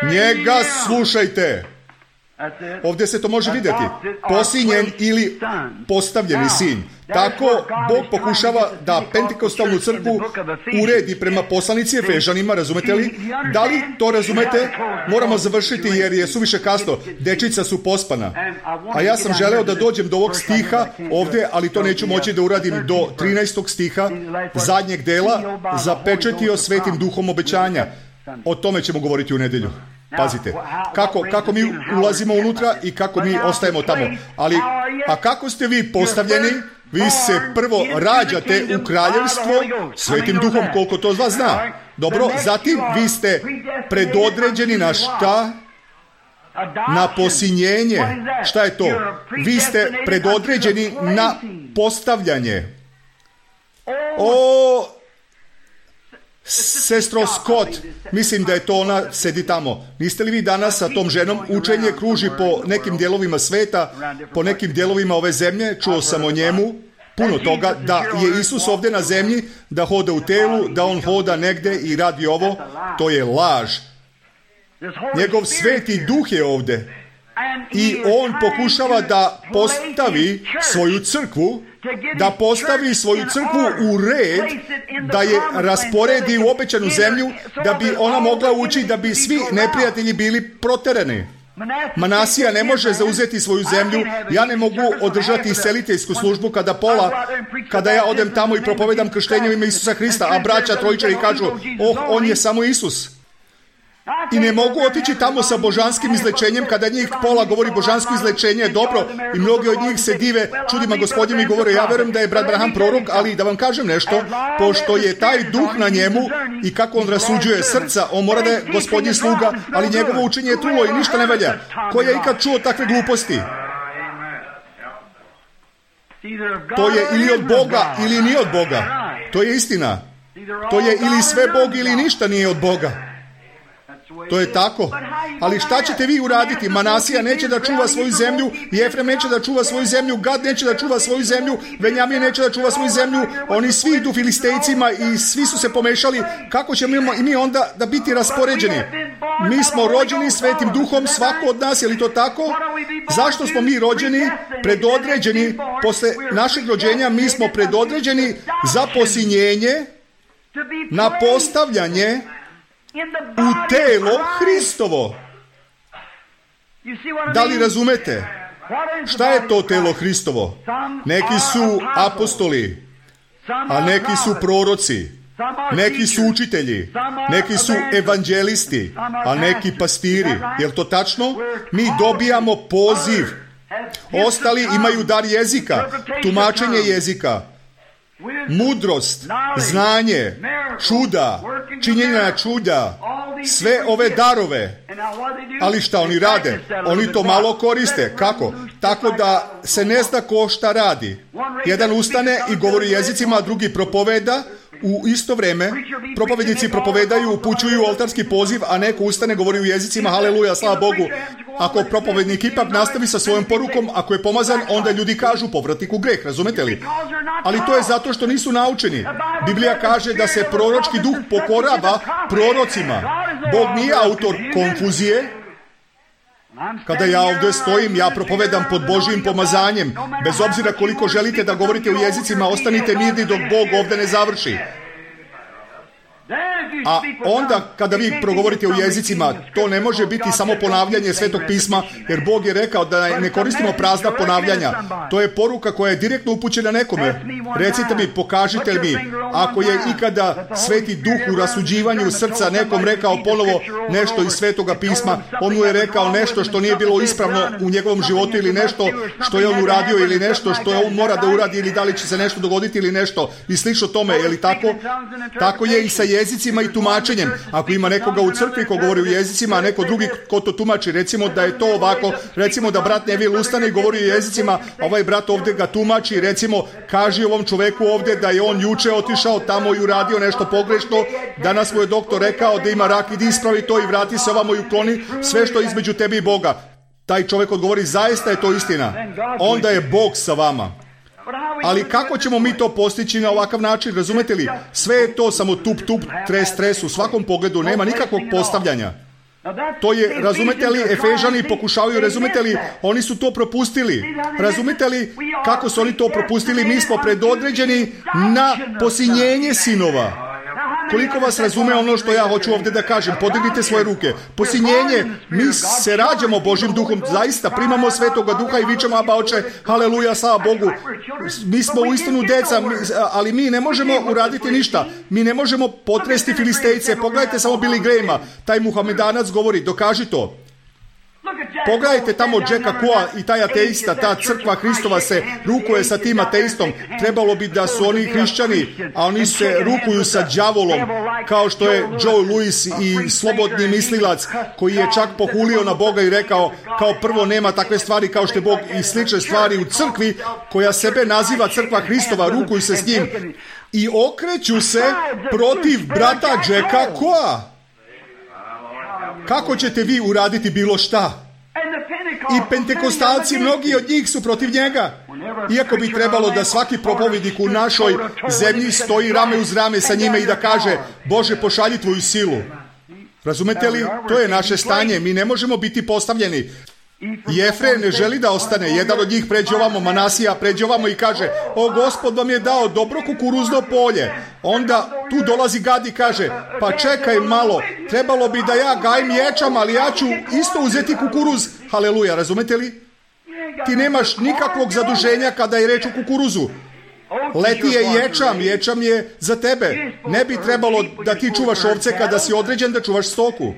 Speaker 1: Njega slušajte. Ovdje se to može vidjeti. Posinjen ili postavljeni sin. Tako Bog pokušava da Pentekostalnu crkvu uredi prema poslanici Efežanima, razumete li? Da li to razumete? Moramo završiti jer je suviše kasno. Dečica su pospana. A ja sam želeo da dođem do ovog stiha ovdje, ali to neću moći da uradim do 13. stiha zadnjeg dela, zapečetio Svetim Duhom obećanja. O tome ćemo govoriti u nedjelju. Pazite, kako mi ulazimo unutra i kako mi ostajemo tamo. A kako ste vi postavljeni? Vi se prvo rađate u kraljevstvo Svetim Duhom, koliko to od vas zna. Dobro, zatim vi ste predodređeni na šta? Na posinjenje. Šta je to? Vi ste predodređeni na postavljanje. Sestro Scott, mislim da je to ona, sedi tamo. Niste li vi danas sa tom ženom? Učenje kruži po nekim dijelovima sveta, po nekim dijelovima ove zemlje. Čuo sam o njemu puno toga, da je Isus ovdje na zemlji, da hoda u telu, da on hoda negdje i radi ovo. To je laž. Njegov Sveti Duh je ovdje i on pokušava da postavi svoju crkvu, da postavi svoju crkvu u red, da je rasporedi u obećanu zemlju, da bi ona mogla ući, da bi svi neprijatelji bili proterani. Manasija ne može zauzeti svoju zemlju. Ja ne mogu održati iseliteljsku službu kada ja odem tamo i propovedam krštenje u ime Isusa Hrista, a braća trojičari kažu: on je samo Isus. I ne mogu otići tamo sa božanskim izlečenjem kada njih pola govori božansko izlečenje je dobro i mnogi od njih se dive čudima Gospodnjem i govore: ja verujem da je brat Branham prorok, ali da vam kažem nešto, pošto je taj duh na njemu i kako on rasuđuje srca, on mora da je Gospodnji sluga, ali njegovo učenje je trulo i ništa ne valja. Ko je ikad čuo takve gluposti? To je ili od Boga ili nije od Boga. To je istina. To je ili sve Bog ili ništa nije od Boga. To je tako. Ali šta ćete vi uraditi? Manasija neće da čuva svoju zemlju, Jefrem neće da čuva svoju zemlju, Gad neće da čuva svoju zemlju, Benjamin neće da čuva svoju zemlju, oni svi idu Filistejcima i svi su se pomešali. Kako ćemo i mi onda da biti raspoređeni? Mi smo rođeni Svetim Duhom, svako od nas, je li to tako? Zašto smo mi rođeni? Predodređeni, posle našeg rođenja mi smo predodređeni za posinjenje, na postavljanje u telo Hristovo. Da li razumete? Šta je to telo Hristovo? Neki su apostoli, a neki su proroci, neki su učitelji, neki su evanđelisti, a neki pastiri. Je li to tačno? Mi dobijamo poziv. Ostali imaju dar jezika, tumačenje jezika, mudrost, znanje, čuda, činjenja čuda, sve ove darove. Ali šta oni rade? Oni to malo koriste. Kako? Tako da se ne zna ko šta radi. Jedan ustane i govori jezicima, a drugi propoveda. U isto vrijeme propovednici propovedaju, upućuju oltarski poziv, a neko ustane, govori u jezicima, haleluja, slava Bogu. Ako propovednik ipak nastavi sa svojom porukom, ako je pomazan, onda ljudi kažu povratnik u greh, razumete li? Ali to je zato što nisu naučeni. Biblija kaže da se proročki duh pokorava prorocima. Bog nije autor konfuzije. Kada ja ovdje stojim, ja propovedam pod Božjim pomazanjem. Bez obzira koliko želite da govorite u jezicima, ostanite mirni dok Bog ovdje ne završi. A onda kada vi progovorite u jezicima, to ne može biti samo ponavljanje Svetog pisma, jer Bog je rekao da ne koristimo prazna ponavljanja. To je poruka koja je direktno upućena nekome. Recite mi, pokažite mi, ako je ikada Sveti Duh u rasuđivanju srca nekom rekao ponovo nešto iz Svetoga pisma, on mu je rekao nešto što nije bilo ispravno u njegovom životu ili nešto što je on uradio ili nešto što je on mora da uradi ili da li će se nešto dogoditi ili nešto i slično tome, je li tako? Tako je i sa jezicima i tumačenjem. Ako ima nekoga u crkvi ko govori u jezicima, a neko drugi ko to tumači, recimo da je to ovako, recimo da brat Neville ustane i govori u jezicima, ovaj brat ovdje ga tumači, recimo kaži ovom čoveku ovdje da je on juče otišao tamo i uradio nešto pogrešno, danas mu je doktor rekao da ima rak, idi ispravi to i vrati se ovamo i ukloni sve što je između tebi i Boga. Taj čovjek odgovori, zaista je to istina. Onda je Bog sa vama. Ali kako ćemo mi to postići na ovakav način, razumete li? Sve je to samo tup, stres, u svakom pogledu, nema nikakvog postavljanja. To je, razumete li, Efežani pokušavaju, razumete li, oni su to propustili. Razumete li kako su oni to propustili? Mi smo predodređeni na posinjenje sinova. Koliko vas razume ono što ja hoću ovdje da kažem? Podignite svoje ruke. Posinjenje, mi se rađamo Božim duhom, zaista primamo Svetoga duha i vičemo Aba Oče, haleluja, slava Bogu. Mi smo uistinu deca, ali mi ne možemo uraditi ništa. Mi ne možemo potresti Filistejce. Pogledajte samo Billy Grahama, taj Muhamedanac govori, dokaži to. Pogledajte tamo Jacka Coa i taj ateista, ta crkva Hristova se rukuje sa tim ateistom. Trebalo bi da su oni hrišćani, a oni se rukuju sa đavolom, kao što je Joe Louis i slobodni mislilac koji je čak pohulio na Boga i rekao kao prvo nema takve stvari kao što je Bog i slične stvari u crkvi koja sebe naziva crkva Hristova, rukuju se s njim i okreću se protiv brata Jacka Coa. Kako ćete vi uraditi bilo šta? I pentekostalci, mnogi od njih su protiv njega. Iako bi trebalo da svaki propovednik u našoj zemlji stoji rame uz rame sa njime i da kaže, Bože, pošalji tvoju silu. Razumete li? To je naše stanje. Mi ne možemo biti postavljeni. Jefre ne želi da ostane. Jedan od njih pređe ovamo, Manasija pređe ovamo i kaže, o, Gospod vam je dao dobro kukuruzno polje. Onda tu dolazi Gad i kaže, pa čekaj malo, trebalo bi da ja gajim ječam, ali ja ću isto uzeti kukuruz. Haleluja, razumete li? Ti nemaš nikakvog zaduženja kada je reč o kukuruzu. Leti je ječam je za tebe. Ne bi trebalo da ti čuvaš ovce kada si određen da čuvaš stoku.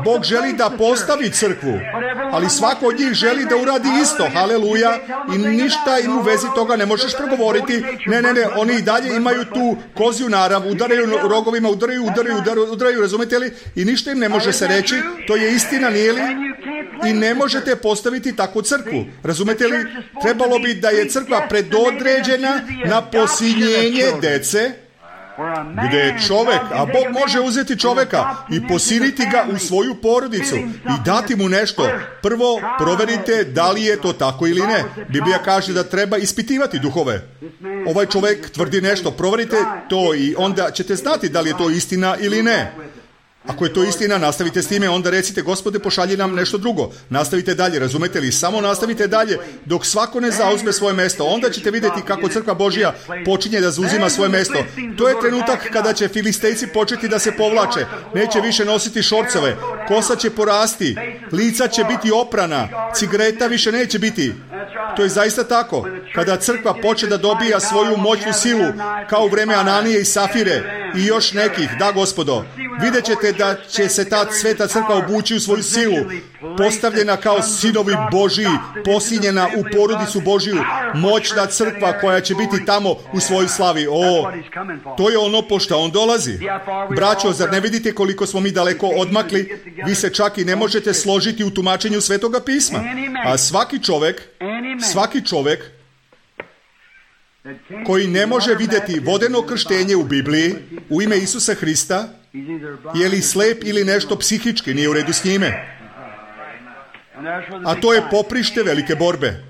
Speaker 1: Bog želi da postavi crkvu, ali svako od njih želi da uradi isto, haleluja, i ništa im u vezi toga ne možeš progovoriti. Ne, oni i dalje imaju tu kozju narav, udaraju rogovima, udaraju, razumete li? I ništa im ne može se reći, to je istina, nije li? I ne možete postaviti takvu crkvu, razumete li? Trebalo bi da je crkva predodređena na posinjenje dece, gdje je čovjek, a Bog može uzeti čovjeka i posiliti ga u svoju porodicu i dati mu nešto. Prvo proverite da li je to tako ili ne. Biblija kaže da treba ispitivati duhove. Ovaj čovjek tvrdi nešto, proverite to i onda ćete znati da li je to istina ili ne. Ako je to istina, nastavite s time, onda recite, Gospode, pošalji nam nešto drugo. Nastavite dalje, razumete li? Samo nastavite dalje dok svako ne zauzme svoje mesto. Onda ćete vidjeti kako crkva Božja počinje da zauzima svoje mesto. To je trenutak kada će Filistejci početi da se povlače. Neće više nositi šorcove. Kosa će porasti. Lica će biti oprana. Cigareta više neće biti. To je zaista tako. Kada crkva počne da dobija svoju moćnu silu, kao u vreme Ananije i Safire i još nekih, da, Gospodo, vidjet ćete da će se ta sveta crkva obući u svoju silu, postavljena kao sinovi Božiji, posinjena u porodicu Božiju, moćna crkva koja će biti tamo u svojoj slavi. O, to je ono pošto on dolazi. Braćo, zar ne vidite koliko smo mi daleko odmakli? Vi se čak i ne možete složiti u tumačenju Svetoga pisma. A svaki čovjek koji ne može vidjeti vodeno krštenje u Bibliji u ime Isusa Hrista, je li slep ili nešto psihički nije u redu s njime. A to je poprište velike borbe.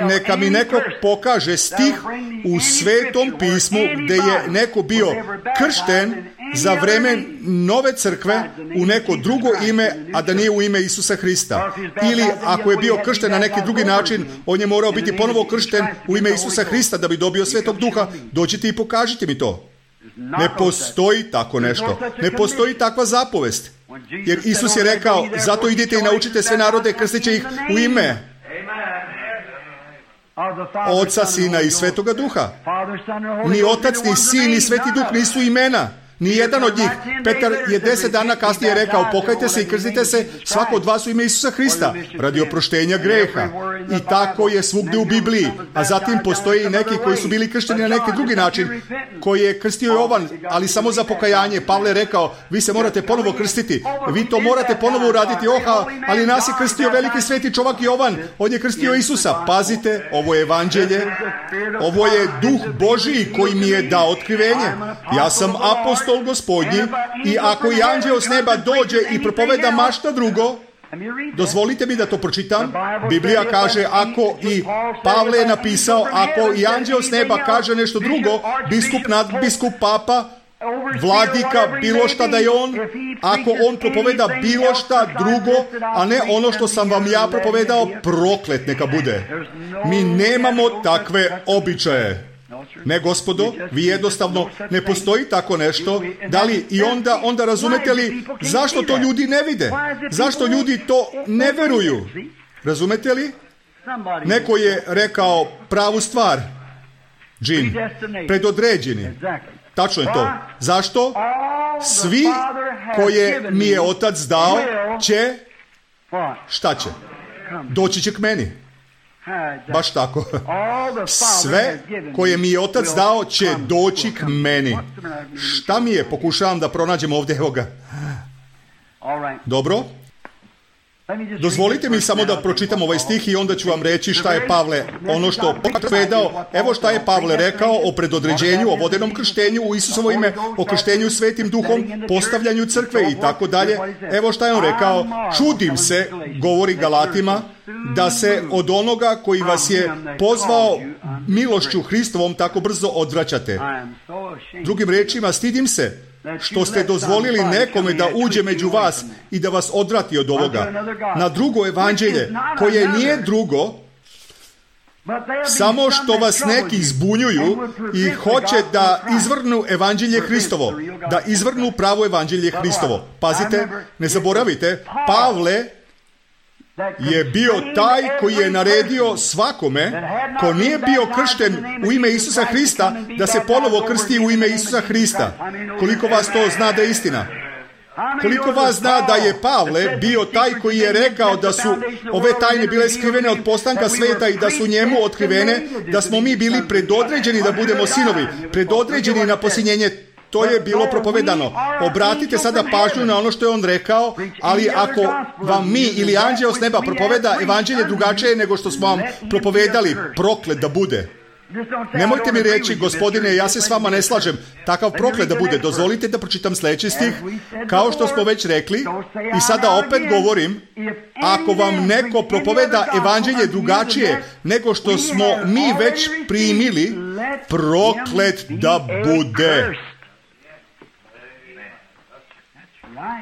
Speaker 1: Neka mi neko pokaže stih u Svetom pismu gdje je neko bio kršten za vreme nove crkve u neko drugo ime, a da nije u ime Isusa Hrista. Ili ako je bio kršten na neki drugi način, on je morao biti ponovo kršten u ime Isusa Hrista da bi dobio Svetog Duha. Dođite i pokažite mi to. Ne postoji tako nešto. Ne postoji takva zapovest. Jer Isus je rekao, zato idite i naučite sve narode, krstiće ih u ime Oca, Sina i Svetoga Duha. Ni Otac, ni Sin, ni Sveti Duh nisu imena. Ni jedan od njih. Petar je 10 dana kasnije rekao, pokajte se i krstite se svako od vas u ime Isusa Hrista radi oproštenja greha. I tako je svugdje u Bibliji. A zatim postoje i neki koji su bili kršteni na neki drugi način, koji je krstio Jovan, ali samo za pokajanje. Pavle je rekao, vi se morate ponovo krstiti. Vi to morate ponovo uraditi. Ali nas je krstio veliki sveti čovjek Jovan. On je krstio Isusa. Pazite, ovo je evanđelje. Ovo je Duh Božiji koji mi je dao otkrivenje. Ja sam apostol Gospodnji i ako i anđeo s neba dođe i propoveda mašta drugo, dozvolite mi da to pročitam. Biblija kaže, ako i Pavle je napisao, ako i anđeo s neba kaže nešto drugo, biskup, nadbiskup, papa, vladika, bilo šta da je on, ako on propoveda bilo šta drugo, a ne ono što sam vam ja propovedao, proklet neka bude. Mi nemamo takve običaje. Ne, gospodo, vi jednostavno ne postoji tako nešto. Da li i onda razumete li zašto to ljudi ne vide? Zašto ljudi to ne veruju? Razumete li? Neko je rekao pravu stvar. Džin, predodređeni. Tačno je to. Zašto? Svi koje mi je Otac dao će, šta će? Doći će k meni. Baš tako. Sve koje mi je Otac dao će doći k meni. Šta mi je? Pokušavam da pronađem ovdje, evo ga. Dobro. Dozvolite mi samo da pročitam ovaj stih i onda ću vam reći šta je Pavle, ono što povedao, evo šta je Pavle rekao o predodređenju, o vodenom krštenju u Isusovo ime, o krštenju Svetim Duhom, postavljanju crkve i tako dalje. Evo šta je on rekao, čudim se, govori Galatima, da se od onoga koji vas je pozvao milošću Hristovom tako brzo odvraćate. Drugim riječima, stidim se što ste dozvolili nekome da uđe među vas i da vas odvrati od ovoga na drugo evanđelje, koje nije drugo, samo što vas neki zbunjuju i hoće da izvrnu evanđelje Hristovo, da izvrnu pravo evanđelje Hristovo. Pazite, ne zaboravite, Pavle je bio taj koji je naredio svakome ko nije bio kršten u ime Isusa Hrista da se ponovo krsti u ime Isusa Hrista. Koliko vas to zna da je istina? Koliko vas zna da je Pavle bio taj koji je rekao da su ove tajne bile skrivene od postanka sveta i da su njemu otkrivene, da smo mi bili predodređeni da budemo sinovi, predodređeni na posinjenje. To je bilo propovedano. Obratite sada pažnju na ono što je on rekao, ali ako vam mi ili anđeo s neba propoveda evanđelje drugačije nego što smo vam propovedali, proklet da bude. Nemojte mi reći, gospodine, ja se s vama ne slažem, takav proklet da bude. Dozvolite da pročitam sljedeći stih. Kao što smo već rekli, i sada opet govorim, ako vam neko propoveda evanđelje drugačije nego što smo mi već primili, proklet da bude.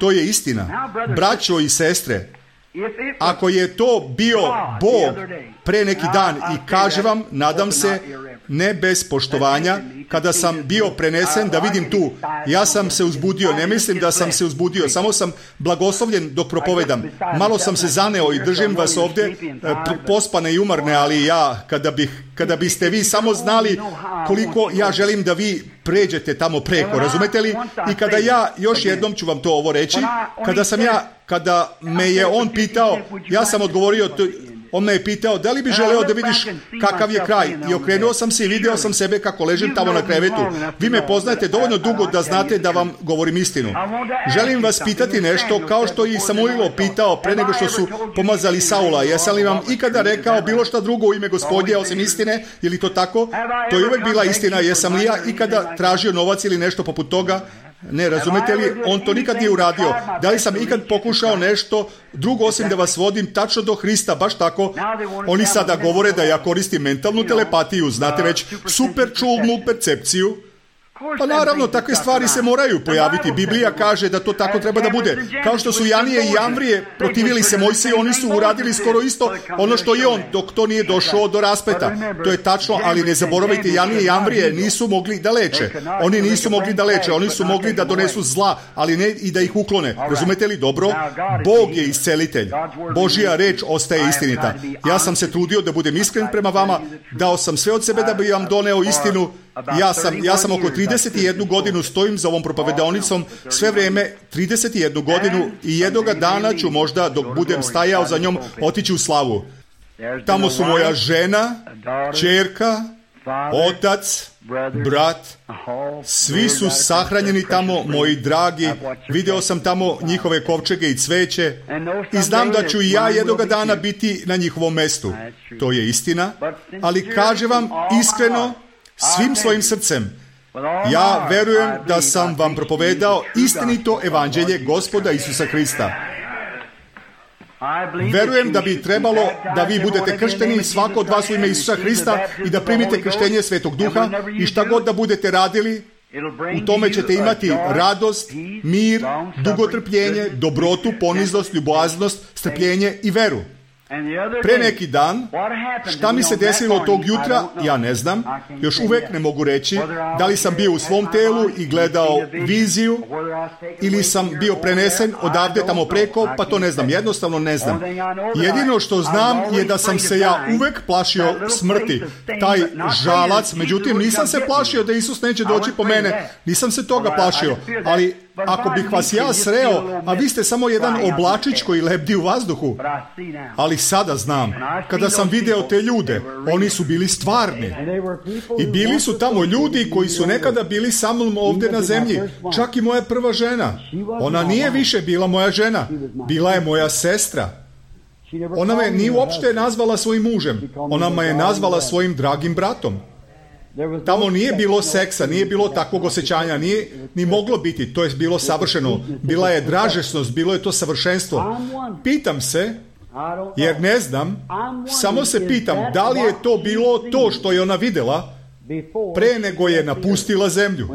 Speaker 1: To je istina. Braćo i sestre, ako je to bio Bog pre neki dan i kaže vam, nadam se, ne bez poštovanja, kada sam bio prenesen da vidim tu, ja sam se uzbudio, ne mislim da sam se uzbudio, samo sam blagoslovljen dok propovedam. Malo sam se zaneo i držim vas ovdje pospane i umorne, ali ja, kada biste vi samo znali koliko ja želim da vi pređete tamo preko, razumete li? I kada ja, još jednom ću vam to ovo reći, kada me je on pitao, ja sam odgovorio, on me je pitao, da li bi želeo da vidiš kakav je kraj? I okrenuo sam se i vidio sam sebe kako ležim tamo na krevetu. Vi me poznajete dovoljno dugo da znate da vam govorim istinu. Želim vas pitati nešto, kao što i Samuilo pitao pre nego što su pomazali Saula. Jesam li vam ikada rekao bilo šta drugo u ime Gospodnje osim istine? Je li to tako? To je uvek bila istina. Jesam li ja ikada tražio novac ili nešto poput toga? Ne, razumete li? On to nikad nije uradio. Da li sam ikad pokušao nešto drugo osim da vas vodim tačno do Hrista, baš tako? Oni sada govore da ja koristim mentalnu telepatiju, znate već, super čulnu percepciju. Pa naravno, takve stvari se moraju pojaviti. Biblija kaže da to tako treba da bude. Kao što su Janije i Jamvrije protivili se Mojsiju, oni su uradili skoro isto ono što i on, dok to nije došao do raspleta. To je tačno, ali ne zaboravite, Janije i Jamvrije nisu mogli da leče. Oni nisu mogli da leče, oni su mogli da donesu zla, ali ne i da ih uklone. Razumete li dobro? Bog je iscelitelj. Božja reč ostaje istinita. Ja sam se trudio da budem iskren prema vama, dao sam sve od sebe da bi vam doneo istinu. Ja sam oko 31 godinu stojim za ovom propovedaonicom, sve vreme 31 godinu i jednoga dana ću možda, dok budem stajao za njom, otići u slavu. Tamo su moja žena, ćerka, otac, brat, svi su sahranjeni tamo, moji dragi. Video sam tamo njihove kovčege i cveće i znam da ću i ja jednoga dana biti na njihovom mestu. To je istina, ali kažem vam iskreno, svim svojim srcem, ja verujem da sam vam propovedao istinito evanđelje Gospoda Isusa Hrista. Verujem da bi trebalo da vi budete kršteni, svako od vas u ime Isusa Hrista, i da primite krštenje Svetog Duha, i šta god da budete radili, u tome ćete imati radost, mir, dugotrpljenje, dobrotu, poniznost, ljubaznost, strpljenje i veru. Pre neki dan, šta mi se desilo tog jutra, ja ne znam, još uvek ne mogu reći da li sam bio u svom telu i gledao viziju ili sam bio prenesen odavde tamo preko, pa to ne znam, jednostavno ne znam. Jedino što znam je da sam se ja uvek plašio smrti, taj žalac, međutim nisam se plašio da Isus neće doći po mene, nisam se toga plašio, ali ako bih vas ja sreo, a vi ste samo jedan oblačić koji lebdi u vazduhu. Ali sada znam, kada sam video te ljude, oni su bili stvarni. I bili su tamo ljudi koji su nekada bili sa mnom ovdje na zemlji. Čak i moja prva žena. Ona nije više bila moja žena. Bila je moja sestra. Ona me nije uopšte nazvala svojim mužem. Ona me je nazvala svojim dragim bratom. Tamo nije bilo seksa, nije bilo takvog osjećanja, nije ni moglo biti, to je bilo savršeno. Bila je dražesnost, bilo je to savršenstvo. Pitam se, jer ne znam, samo se pitam da li je to bilo to što je ona vidjela pre nego je napustila zemlju,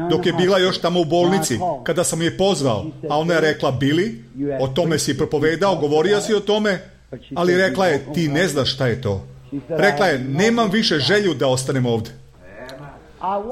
Speaker 1: dok je bila još tamo u bolnici, kada sam je pozvao, a ona je rekla, Bili, o tome si propovedao, govorio si o tome, ali rekla je, ti ne znaš šta je to. Rekla je, nemam više želju da ostanem ovdje.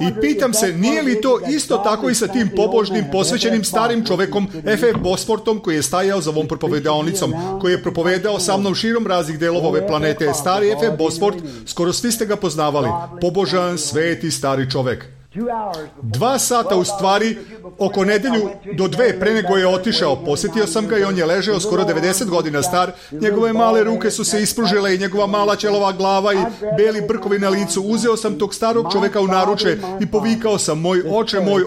Speaker 1: I pitam se, nije li to isto tako i sa tim pobožnim, posvećenim starim čovekom F.F. Bosfortom, koji je stajao za ovom propovedaonicom, koji je propovedao sa mnom širom raznih delova ove planete. Stari F.F. Bosfort, skoro svi ste ga poznavali. Pobožan, sveti, stari čovek. 2 sata u stvari, oko nedelju do 2 pre nego je otišao, posjetio sam ga i on je ležao skoro 90 godina star, njegove male ruke su se ispružile i njegova mala ćelova glava i beli brkovi na licu. Uzeo sam tog starog čoveka u naruče i povikao sam, moj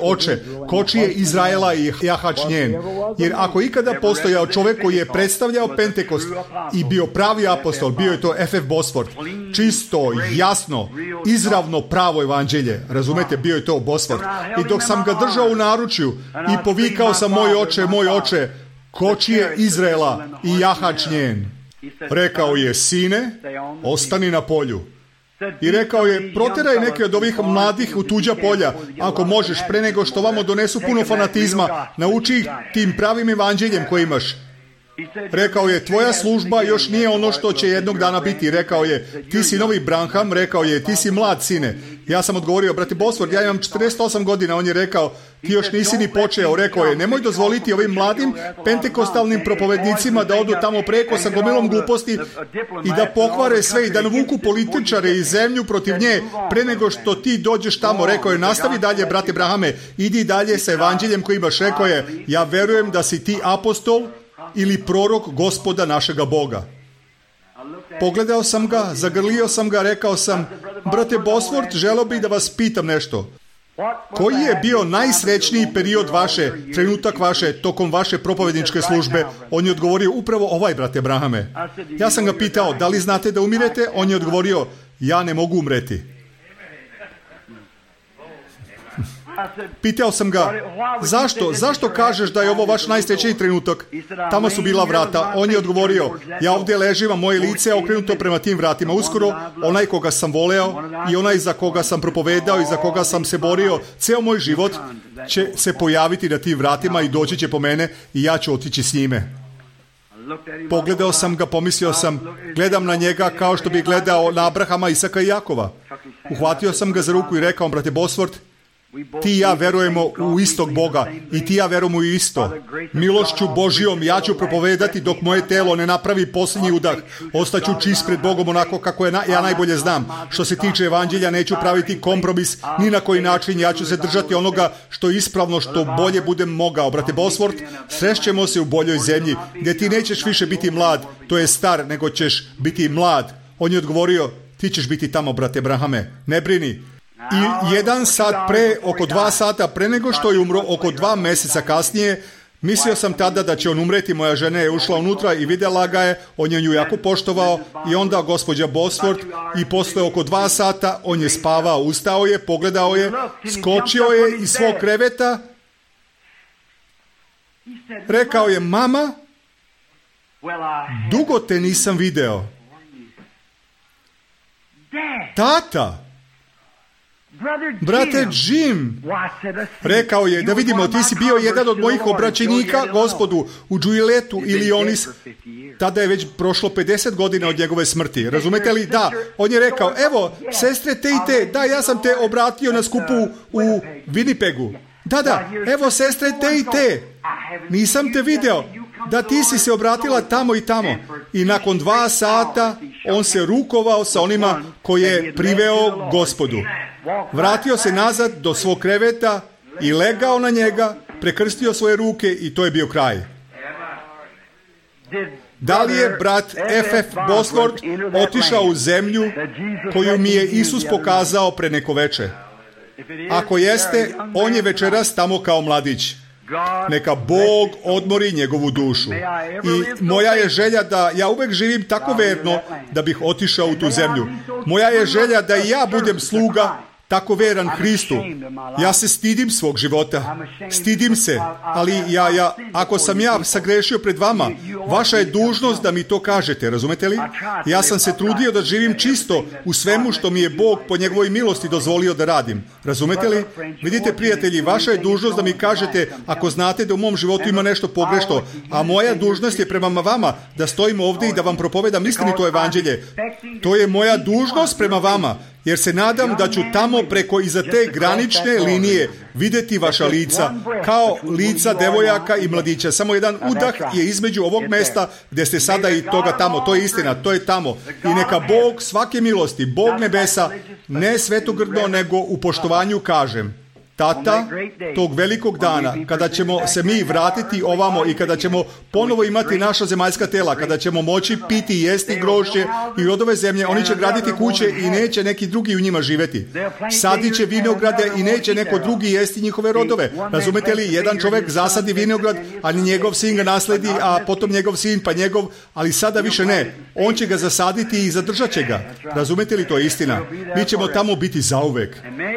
Speaker 1: oče, kočije Izraela i jahač njen. Jer ako ikada postojao čovek koji je predstavljao Pentekost i bio pravi apostol, bio je to F.F. Bosfort. Čisto, jasno, izravno pravo evanđelje, razumete, bio je to Bosfort. I dok sam ga držao u naručju i povikao sam, moj oče, kočije Izraela i jahač njen. Rekao je, sine, ostani na polju. I rekao je, proteraj neke od ovih mladih u tuđa polja, ako možeš, pre nego što vamo donesu puno fanatizma, nauči ih tim pravim evanđeljem koji imaš. Rekao je, tvoja služba još nije ono što će jednog dana biti. Rekao je, ti si novi Branham. Rekao je, ti si mlad, sine. Ja sam odgovorio, brate Bosford, ja imam 48 godina. On je rekao, ti još nisi ni počeo. Rekao je, nemoj dozvoliti ovim mladim pentekostalnim propovednicima da odu tamo preko sa gomilom gluposti i da pokvare sve i da navuku političare i zemlju protiv nje pre nego što ti dođeš tamo. Rekao je, nastavi dalje, brate Brahame, idi dalje sa evanđeljem koji imaš. Rekao je, ja verujem da si ti apostol ili prorok Gospoda našega Boga. Pogledao sam ga, zagrlio sam ga, rekao sam, brate Bosfort, želeo bih da vas pitam nešto. Koji je bio najsrećniji period trenutak vaše, tokom vaše propovedničke službe? On je odgovorio, upravo ovaj, brate Brahame. Ja sam ga pitao, da li znate da umirete? On je odgovorio, ja ne mogu umreti. Pitao sam ga, zašto kažeš da je ovo vaš najsrećniji trenutak? Tamo su bila vrata. On je odgovorio, ja ovdje ležim, a moje lice je okrenuto prema tim vratima. Uskoro, onaj koga sam voleo i onaj za koga sam propovedao i za koga sam se borio, ceo moj život će se pojaviti na tim vratima i doći će po mene i ja ću otići s njime. Pogledao sam ga, pomislio sam, gledam na njega kao što bi gledao na Abrahama, Isaka i Jakova. Uhvatio sam ga za ruku i rekao, brate Bosworth, ti i ja verujemo u istog Boga i ti i ja verujemo u isto. Milošću Božijom ja ću propovedati dok moje telo ne napravi posljednji udah. Ostaću čist pred Bogom onako kako ja najbolje znam. Što se tiče evanđelja, neću praviti kompromis ni na koji način. Ja ću se držati onoga što je ispravno, što bolje budem mogao. Brate Bosworth, srećemo se u boljoj zemlji gdje ti nećeš više biti mlad, to je star, nego ćeš biti mlad. On je odgovorio, ti ćeš biti tamo, brate Abrahame, ne brini. I 1 sat pre, oko 2 sata pre nego što je umro, oko 2 mjeseca kasnije, mislio sam tada da će on umreti. Moja žena je ušla unutra i vidjela ga je, on je nju jako poštovao i onda gospođa Bosworth i posle oko 2 sata on je spavao, ustao je, pogledao je, skočio je iz svog kreveta, rekao je, mama, dugo te nisam video. Tata, brate Jim, rekao je, da vidimo, ti si bio jedan od mojih obraćenika Gospodu u Džuiletu ili Onis. Tada je već prošlo 50 godina od njegove smrti. Razumete li? Da. On je rekao, evo, sestre te i te, da, ja sam te obratio na skupu u Winnipegu. Da, evo, sestre te i te, nisam te video. Da, ti si se obratila tamo i tamo. I nakon 2 sata on se rukovao sa onima koje je priveo Gospodu. Vratio se nazad do svog kreveta i legao na njega, prekrstio svoje ruke i to je bio kraj. Da li je brat F.F. Bosworth otišao u zemlju koju mi je Isus pokazao pre neko veče? Ako jeste, on je večeras tamo kao mladić. Neka Bog odmori njegovu dušu. I moja je želja da ja uvek živim tako verno da bih otišao u tu zemlju. Moja je želja da i ja budem sluga tako veran Hristu. Ja se stidim svog života. Stidim se, ali ako sam ja sagrešio pred vama, vaša je dužnost da mi to kažete, razumete li? Ja sam se trudio da živim čisto u svemu što mi je Bog po njegovoj milosti dozvolio da radim. Razumete li? Vidite, prijatelji, vaša je dužnost da mi kažete ako znate da u mom životu ima nešto pogrešno, a moja dužnost je prema vama da stojim ovdje i da vam propovedam istinito evanđelje. To je moja dužnost prema vama. Jer se nadam da ću tamo preko iza te granične linije vidjeti vaša lica, kao lica devojaka i mladića. Samo jedan udah je između ovog mesta gdje ste sada i toga tamo. To je istina, to je tamo. I neka Bog svake milosti, Bog nebesa, ne svetogrdno, nego u poštovanju kažem. Tata, tog velikog dana, kada ćemo se mi vratiti ovamo i kada ćemo ponovo imati naša zemaljska tela, kada ćemo moći piti i jesti grožđe i rodove zemlje, oni će graditi kuće i neće neki drugi u njima živjeti. Sadit će vinograde i neće neko drugi jesti njihove rodove. Razumete li? Jedan čovjek zasadi vinograd, ali njegov sin ga nasledi, a potom njegov sin, pa njegov, ali sada više ne. On će ga zasaditi i zadržat će ga. Razumete li? To je istina. Mi ćemo tamo biti zauvek.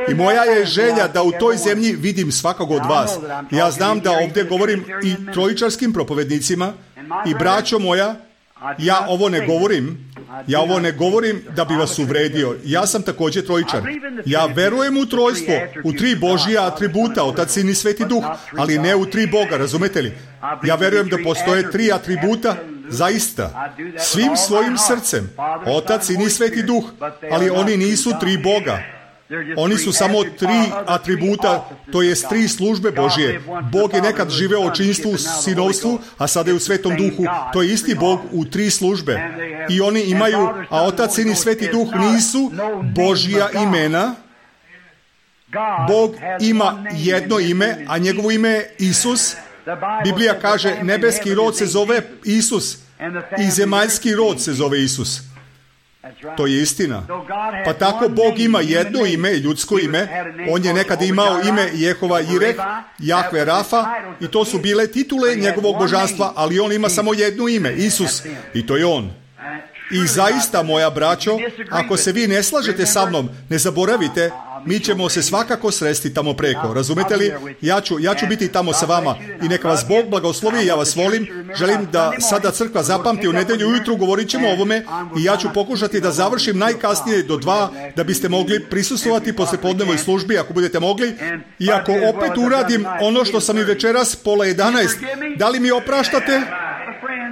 Speaker 1: I moja je želja da u toj zemlji vidim svakog od vas. Ja znam da ovdje govorim i trojičarskim propovednicima i braćo moja, ja ovo ne govorim da bi vas uvredio. Ja sam također trojičar. Ja verujem u trojstvo, u 3 Božija atributa, Otac, Sin i Sveti Duh, ali ne u 3 Boga, razumete li? Ja verujem da postoje 3 atributa, zaista, svim svojim srcem, Otac, Sin i Sveti Duh, ali oni nisu 3 Boga. Oni su samo 3 atributa, to jest 3 službe Božije. Bog je nekad živeo u očinstvu, sinovstvu, a sada je u Svetom Duhu. To je isti Bog u 3 službe. I oni imaju, a Otac, Sin i Sveti Duh nisu Božja imena. Bog ima jedno ime, a njegovo ime je Isus. Biblija kaže, nebeski rod se zove Isus i zemaljski rod se zove Isus. To je istina. Pa tako Bog ima jedno ime, ljudsko ime. On je nekad imao ime Jehova Jireh, Jahve Rafa, i to su bile titule njegovog božanstva, ali on ima samo jedno ime, Isus, i to je on. I zaista, moja braćo, ako se vi ne slažete sa mnom, ne zaboravite, mi ćemo se svakako sresti tamo preko. Razumete li? Ja ću biti tamo sa vama i neka vas Bog blagoslovi, ja vas volim. Želim da sada crkva zapamti u nedjelju ujutru, govorit ćemo o ovome i ja ću pokušati da završim najkasnije do 2, da biste mogli prisustvovati poslijepodnevnoj službi ako budete mogli. I ako opet uradim ono što sam i večeras pola 11, da li mi opraštate?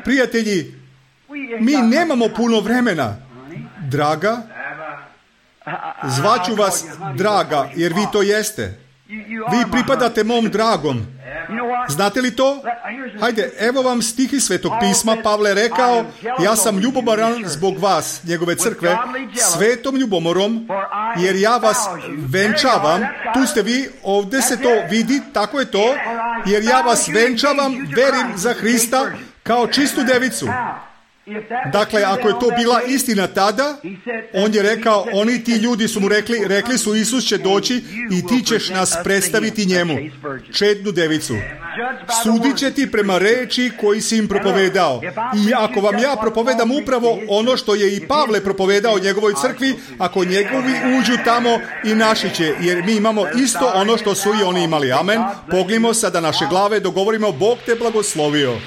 Speaker 1: Prijatelji, mi nemamo puno vremena. Draga, zvaću vas draga, jer vi to jeste. Vi pripadate mom dragom. Znate li to? Hajde, evo vam stihi Svetog pisma. Pavle je rekao, ja sam ljubomoran zbog vas, njegove crkve, svetom ljubomorom, jer ja vas venčavam. Tu ste vi, ovdje se to vidi, tako je to, jer ja vas venčavam, verim za Hrista, kao čistu devicu. Dakle, ako je to bila istina tada, on je rekao, oni ti ljudi su mu rekli su Isus će doći i ti ćeš nas predstaviti njemu, čednu devicu. Sudit će ti prema reči koji si im propovedao. I ako vam ja propovedam upravo ono što je i Pavle propovedao njegovoj crkvi, ako njegovi uđu tamo i naši će, jer mi imamo isto ono što su i oni imali. Amen. Poglimo sada naše glave, dogovorimo, Bog te blagoslovio.